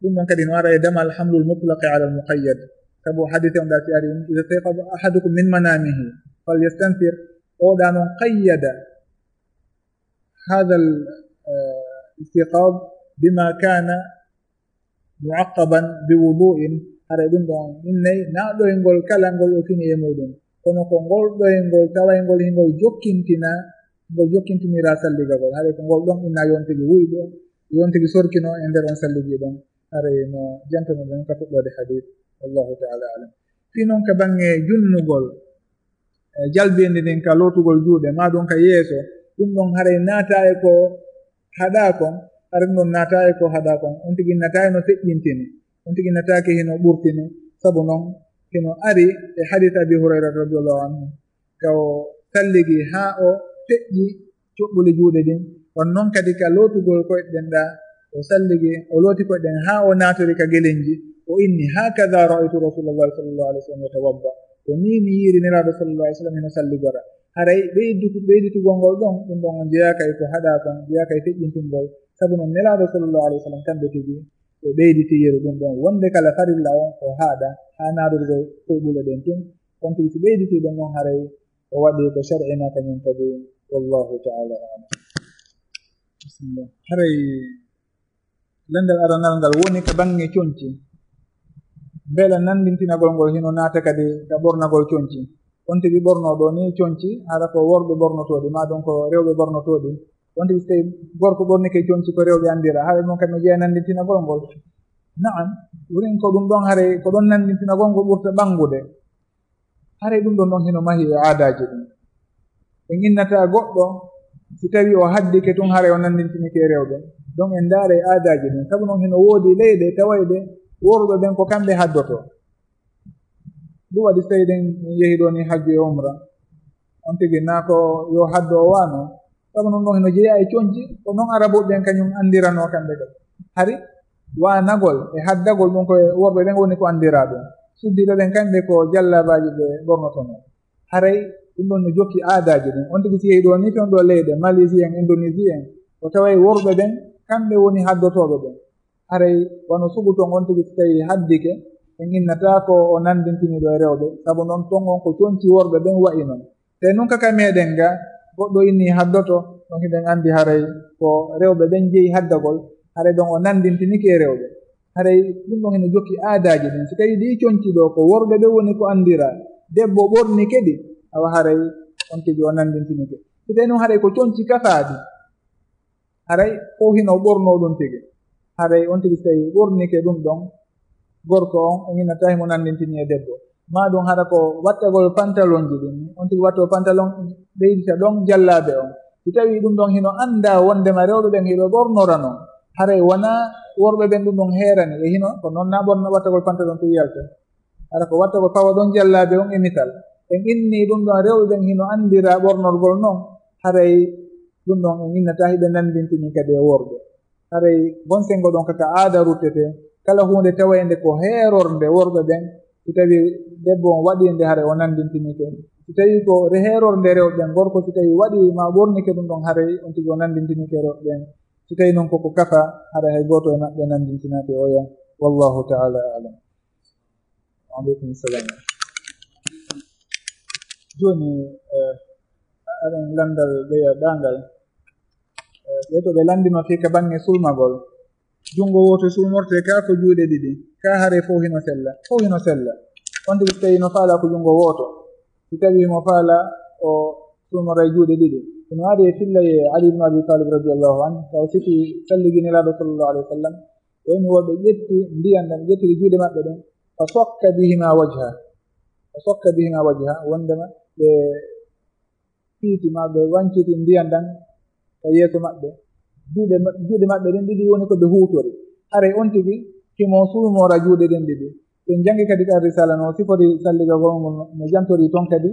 ɗum ɗon kadi no ara e damal hamlul mutlaqi ala al muqayyad. Sabu hadiise on ɗaa si ari, "Idha istayqadha ahadukum min manamihi falyastanthir." O ɗaa non qayyada hadha al, eh, istiqadh bima kana muaqqaban bi wudu'in, haray ɗum ɗon innay naɗoyngol kala ngol o fini e muɗum. Kono ko ngol ɗoyngol tawayngol hingol jokkintina, ngol jokkintiniraa salligagol. Haray ko ngol ɗon inna yo on tigi wuyɓo, yo on tigi sorkino e nder on salligi ɗon. Haray no jantono ɗen ka fuɗɗoode hadiis. Wallahu ta'ala a'lam. Fii non ka baŋŋe junnugol, e jalbeendi ndin ka lootugol juuɗe, maa ɗum ka yeeso, ɗum ɗon haray naataa e ko haɗaa kon, haray ɗum ɗon naataa e ko haɗaa kon. On tigi innataa e no feƴƴintini, on tigi innataake hino ɓurtini, sabu non hino ari e hadiis Abi Hurayra radiyallahu anhu, ka o salligi haa o feƴƴi coɓɓuli juuɗe ɗin. On non kadi ka lootugol koyɗe ɗen ɗaa, o salligi, o looti koyɗe ɗen haa o naatori ka gelenji, o inni, "Hakadha ra'aytu Rasulallahi sallallahu alaihi wasallam yatawadda." Ko nii mi yiiri Nelaaɗo sallallahu alaihi wasallam hino salligora. Haray ɓeydu-, ɓeyditugol ngol ɗon, ɗum ɗon on jeyaaka e ko haɗaa kon, jeyaaka e feƴƴintingol. Sabu non Nelaaɗo sallallahu alaihi wasallam kamɓe tigi ɓe ɓeyditi yeru ɗum ɗon. Wonde kala farilla on ko haɗa, haa naadorgol koyɓule ɗen tun. On tigi si ɓeyditii ɗum ɗon haray o waɗi ko shar'ina kañum kadi. Wallahu ta'ala a'lam. Bismillah. Haray landal aranal ngal woni ka baŋŋe conci. Mbela nanndintinagol ngol hino naata kadi ka ɓornagol conci. On tigi ɓornoo ɗoo nii conci, hara ko worɓe ɓornotoo ɗi, maa ɗum ko rewɓe ɓornotoo ɗi. On tigi so tawii gorko ɓornike conci ko rewɓe anndira, haray ɗum kadi no jeyaa nanndintinagol ngol. Na'am, wurin ko ɗum ɗon haray ko ɗon nanndintinagol ngol ɓurta ɓanngude. Haray ɗum ɗon ɗon hino mahi e aadaaji ɗin. En innataa goɗɗo si tawii o haddike tun haray o nanndintinike e rewɓe. Ɗon en ndaara e aadaaji ɗin. Sabu non hino woodi leyɗe tawayɗe worɓe ɓen ko kamɓe haddotoo. Ɗum waɗi so tawii ɗen yehi ɗoo nii hajju e umra. On tigi naa ko yo haddo o waano. Sabu non ɗon hino jeyaa e conci, ko non Arabuɓe ɓen kañum anndiranoo kamɓe kadi. Hari waanagol e haddagol ɗum ko e worɓe ɓen woni ko anndiraa ɗum. Suddiiɓe ɓen kamɓe ko jallabaaji ɓe ɓornotonoo. Haray ɗum ɗon no jokki aadaaji ɗin. On tigi si yehi ɗoo nii ton ɗoo leyɗe, Malaisie en, Indonésie en, o taway worɓe ɓen kamɓe woni haddotooɓe ɓen. Haray wano sugu ton on tigi si tawii haddike, en innataa ko o nanndintiniiɗo e rewɓe, sabu non ton on ko conci worɓe ɓen wa'i non. Te nun ka ka meɗen ga, goɗɗo inni haddoto, ɗon hiɗen anndi haray ko rewɓe ɓen jeyi haddagol, haray ɗon o nanndintinike e rewɓe. Haray ɗum ɗon hino jokki aadaaji ɗin. Si tawii ɗii conci ɗoo ko worɓe ɓe woni ko anndiraa, debbo ɓornike ɗi, awa haray on tigi o nanndintinike. Si tawii non haray ko conci kafaaɗi, haray fof hino ɓornoo ɗum tigi. Haray on tigi so tawii ɓornike ɗum ɗon, gorko on, o innataa himo nanndintini e debbo. Maa ɗum hara ko wattagol pantalonji ɗin. On tigi wattoo pantalon, ɓeydita ɗon jallaabe on. Si tawii ɗum ɗon hino anndaa wondema rewɓe ɓen hiɓe ɓornora non. Haray wonaa worɓe ɓen ɗum ɗon heerani. E hino, ko non naa ɓorna wattagol pantalon tun yalta. Hara ko wattagol pawa ɗon jallaabe on e misal. En inni ɗum ɗon rewɓe ɓen hino anndiraa ɓornorgol non. Haray ɗum ɗon en innataa hiɓe nanndintini kadi e worɓe. Haray bonsengo ɗon kaka aada ruttete, kala huunde tawaynde ko heerornde worɓe ɓen, si tawii debbo on waɗii nde, haray o nanndintinike. Si tawii ko re-, heerornde rewɓe ɓen, gorko si tawii waɗii maa ɓornike ɗum ɗon, haray on tigi o nanndintinike rewɓe ɓen. Si tawii non koko kafa, haray hay gooto e maɓɓe nanndintinaaki oya. Wallahu ta'ala a'lam. Wa aleykum salam. Jooni, eh, aɗen lanndal ɓeya ɗaangal. Eh, ɓe to ɓe lanndino fii ka baŋŋe sulmagol. Junngo wooto sulmorte, kaa ko juuɗe ɗiɗi, kaa hare fof hino sella, fof hino sella. On tigi so tawii no faalaa ko junngo wooto, si tawii mo faalaa o sulmora e juuɗe ɗiɗi. Hino ari e filla ye Ali ibn Abi Talib radiyallahu anhu, taw siki salligi Nelaaɗo sallallahu alaihi wasallam, o inni woɓɓe ƴetti ndiyan ɗan, ƴettiri juuɗe maɓɓe ɗen, fa sokka bihima wajha, fa sokka bihima wajha, wondema ɓe piiti maa ɓe wanciti ndiyan ɗan ka yeeso maɓɓe. Juuɗe ma-, juuɗe maɓɓe ɗen ɗiɗi woni ko ɓe huutori. Haray on tigi himo sulmora juuɗe ɗen ɗiɗi. Sen jangi kadi ka risala no sifori salligagol ngol, no jantori ton kadi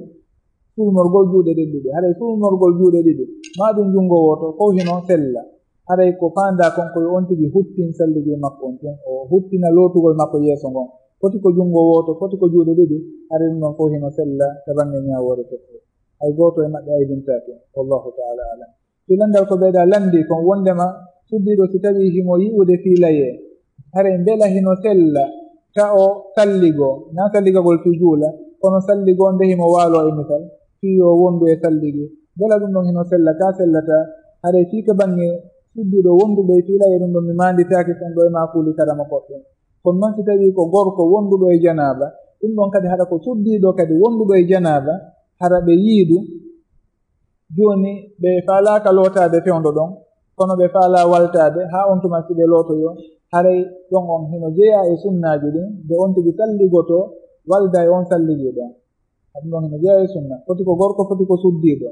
sulmorgol juuɗe ɗen ɗiɗi. Haray sulmorgol juuɗe ɗiɗi, maa ɗum junngo wooto, fof hino sella. Haray ko faandaa kon ko yo on tigi huttin salligi makko on tun, o huttina lootugol makko yeeso ngon. Foti ko junngo wooto, foti ko juuɗe ɗiɗi, haray ɗum ɗon fof hino sella ka baŋŋe ñaawoore fekko. Hay gooto e maɓɓe aybintaake. Wallahu ta'ala a'lam. Fii lanndal ko ɓeyɗaa lanndi kon wonndema suddiiɗo si tawii himo yi'ude fiilayee, haray mbela hino sella ka o salligoo, naa salligagol fii juula, kono salligoo nde himo waaloo e misal, fii yo wondu e salligi. Mbela ɗum ɗon hino sella, kaa sellataa? Haray fii ka baŋŋe suddiiɗo wonduɗo e fiilayee ɗum ɗon mi maanditaake kon ɗoo e maa kuuli karama koɗɗen. Kono non si tawii ko gorko wonduɗo e janaaba, ɗum ɗon kadi hara ko suddiiɗo kadi wonduɗo e janaaba, hara ɓe yiidu, jooni ɓe faalaaka lootaade fewndo ɗon, kono ɓe faalaa waltaade haa on tuma si ɓe lootoyoo, haray ɗon on hino jeyaa e sunnaaji ɗin, nde on tigi salligotoo walda e on salligiiɗo on. Ɗum ɗon hino jeyaa e sunna. Foti ko gorko, foti ko suddiiɗo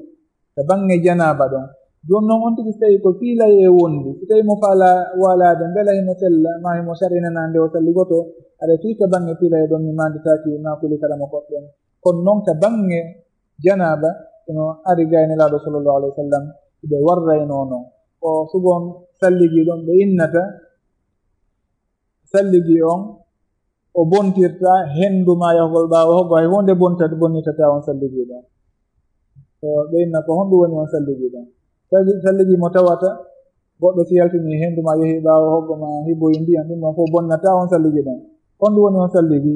ka baŋŋe janaaba ɗon. Jooni non on tigi so tawii ko fiilayee wondi, si tawii mo faalaa waalaade, mbela himo sella, maa himo sari'inanaa nde o salligotoo, haray fii ka baŋŋe fiilayee ɗon mi maanditaaki maa kuuli karama koɗɗen. Kono non ka baŋŋe janaaba, hino ari ga e Nelaaɗo sallallahu alaihi wasallam, ɓe warraynoo non. Ko sugon salligii ɗon ɓe innata salligii on, o bontirta henndu ma yahugol ɓaawo hoggo, hay huunde bonta-, bonnitataa on salligiiɗo. So ɓe inna ko honɗum woni on salligiiɗo? Salli-, salligi mo tawata goɗɗo si yaltini henndu ma yehi ɓaawo hoggo ma hiboyi ndiyan, ɗum ɗon fof bonnataa on salligi ɗon. Honɗum woni on salligi?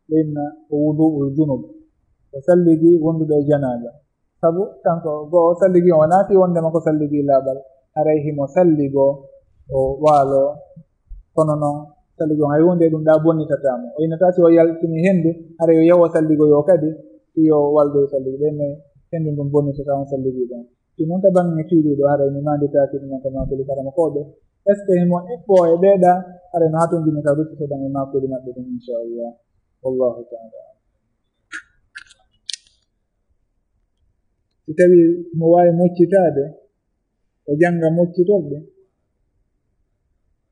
Ɓe inna ko wudu'ul junub. Ko salligi wonduɗo e janaaba. Sabu kanko go'o salligi on wonaa fii wondema ko salligi laaɓal. Haray himo salligo o waalo. Kono non salligi on hay huunde ɗum ɗaa bonnitataa mo. O innataa si o yaltini henndu, haray yo yahu o salligoyo kadi, fii yo waldo e salligi. Ɓe inna henndu ndun bonnitataa on salligi ɗon. Si non ka baŋŋe tiiɗiiɗo, haray mi maanditaaki ɗum ka maakuli karamokooɓe. Est-ce que himo eɓɓoo e ɓee ɗaa? Haray no hatonjini ka ruttitoɗen e maakuli maɓɓe ɗum, inchallah. Wallahu ta'ala a'lam. Si tawii mo waawi moccitaade, o jannga moccitorɗe.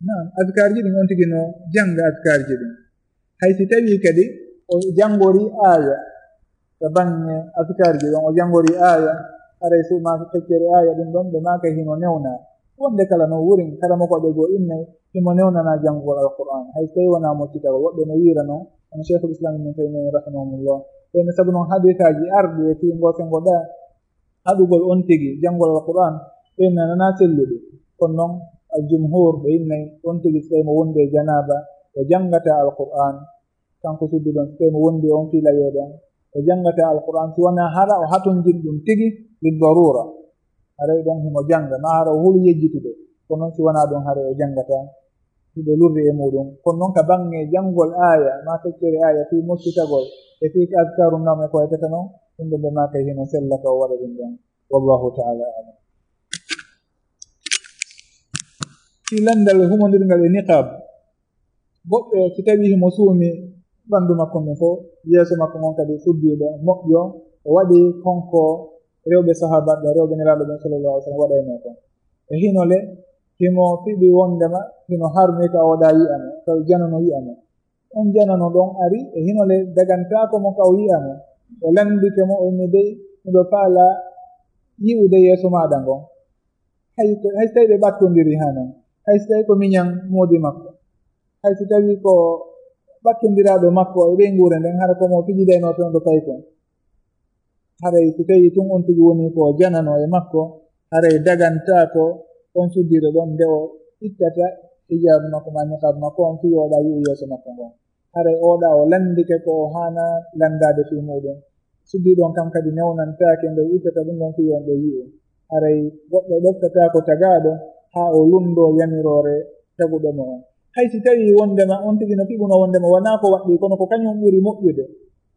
Naam, azkaarji ɗin on tigi no jannga azkaarji ɗin. Hay si tawii kadi o janngori aaya, ka baŋŋe azkaarji ɗon o janngori aaya, haray suumaa feccere aaya ɗum ɗon ɓe maaka hino newnaa. Wonde kala no wurin, karamokooɓe goo innay himo newnanaa janngugol Alqur'aan. Hay so tawii wonaa moccitagol, woɓɓe no wiira non, hono Sheikhul Islam Ibn Taymiyya rahimahumullah. Ɓe no sabu non hadiisaaji arɗi e fii ngoo senngo ɗaa, haɗugol on tigi janngol Alqur'aan, ɓe nananaa sellude. Kono non al-jumhuur ɓe innay on tigi so tawii mo wondi e janaaba, o janngataa Alqur'aan. Kanko suddiiɗo on, so tawii mo wondi e on fii layoo ɗon, o janngataa Alqur'aan si wanaa hara o hatonjini ɗum tigi lid daruura. Haray ɗon himo jannga, maa hara o huli yejjitude. Kono non si wanaa ɗum, haray o janngataa. Hiɓe lurri e muɗum. Kono non ka baŋŋe janngol aaya, maa feccere aaya, fii moccitagol, e fii azkaaru nawm e ko wayata non, ɗum ɗon ɓe maakay hino sella ka o waɗa ɗum ɗon. Wallahu ta'ala a'lam. Fii lanndal humondirngal e niqaab, goɗɗo si tawii himo suumi ɓanndu makko ngun fof, yeeso makko ngon kadi suddiiɗo, moƴƴo, o waɗi kon ko rewɓe sahaabaaɓe, rewɓe Nelaaɗo ɓen sallallahu alaihi wasallam waɗaynoo kon. E hino le, himo fiɓi wonndema hino harmi ka o waɗaa yi'a mo, ka o janano yi'a mo. On janano ɗon ari, e hino le dagantaako mo ka o yi'a mo. O lanndike mo, o inni, dey, miɗo faalaa yi'ude yeeso maaɗa ngon. Hay ko, hay so tawii ɓe ɓattondirii haa non, hay so tawii ko miñan moodi makko, hay so tawii ko ɓattondiraaɗo makko e ɓeynguure nden, hara ko mo fijidaynoo toon ɗo paykon. Haray si tawii tun on tigi woni ko janano e makko, haray dagantaako on suddiiɗo ɗon nde o ittata hijab makko maa niqab makko on fii yo o waɗa yi'u yeeso makko ngon. Haray oo ɗaa o lanndike ko o haanaa lanndaade fii muɗum. Suddiiɗo on kam kadi newnantaake nde o ittata ɗum ɗon fii yo on ɗo yi'u. Haray goɗɗo ɗoftataako tagaaɗo haa o lunndoo yamiroore taguɗo mo on. Hay si tawii wonndema on tigi no fiɓuno wonndema wanaa ko waɗɗii, kono ko kañum ɓuri moƴƴude.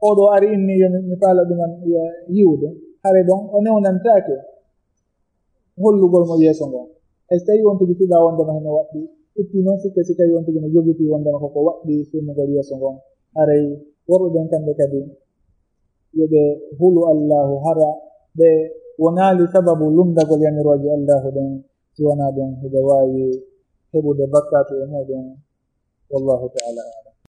Oo ɗoo ari inni yo mi, mi faala ɗuman ya-, yi'ude. Haray ɗon o newnantaake hollugol mo yeeso ngon. Hay so tawii on tigi fiɓaa wonndema hino waɗɗii, itti non sikke si tawii on tigi no jogitii wonndema koko waɗɗii suumugol yeeso ngon. Haray worɓe ɓen kamɓe kadi yo ɓe hulu Allaahu, hara ɓe wonaali sababu lunndagol yamirooje Allaahu ɗen, si wanaa ɗum hiɓe waawi heɓude bakkaatu e muɗum. Wallahu ta'ala a'lam.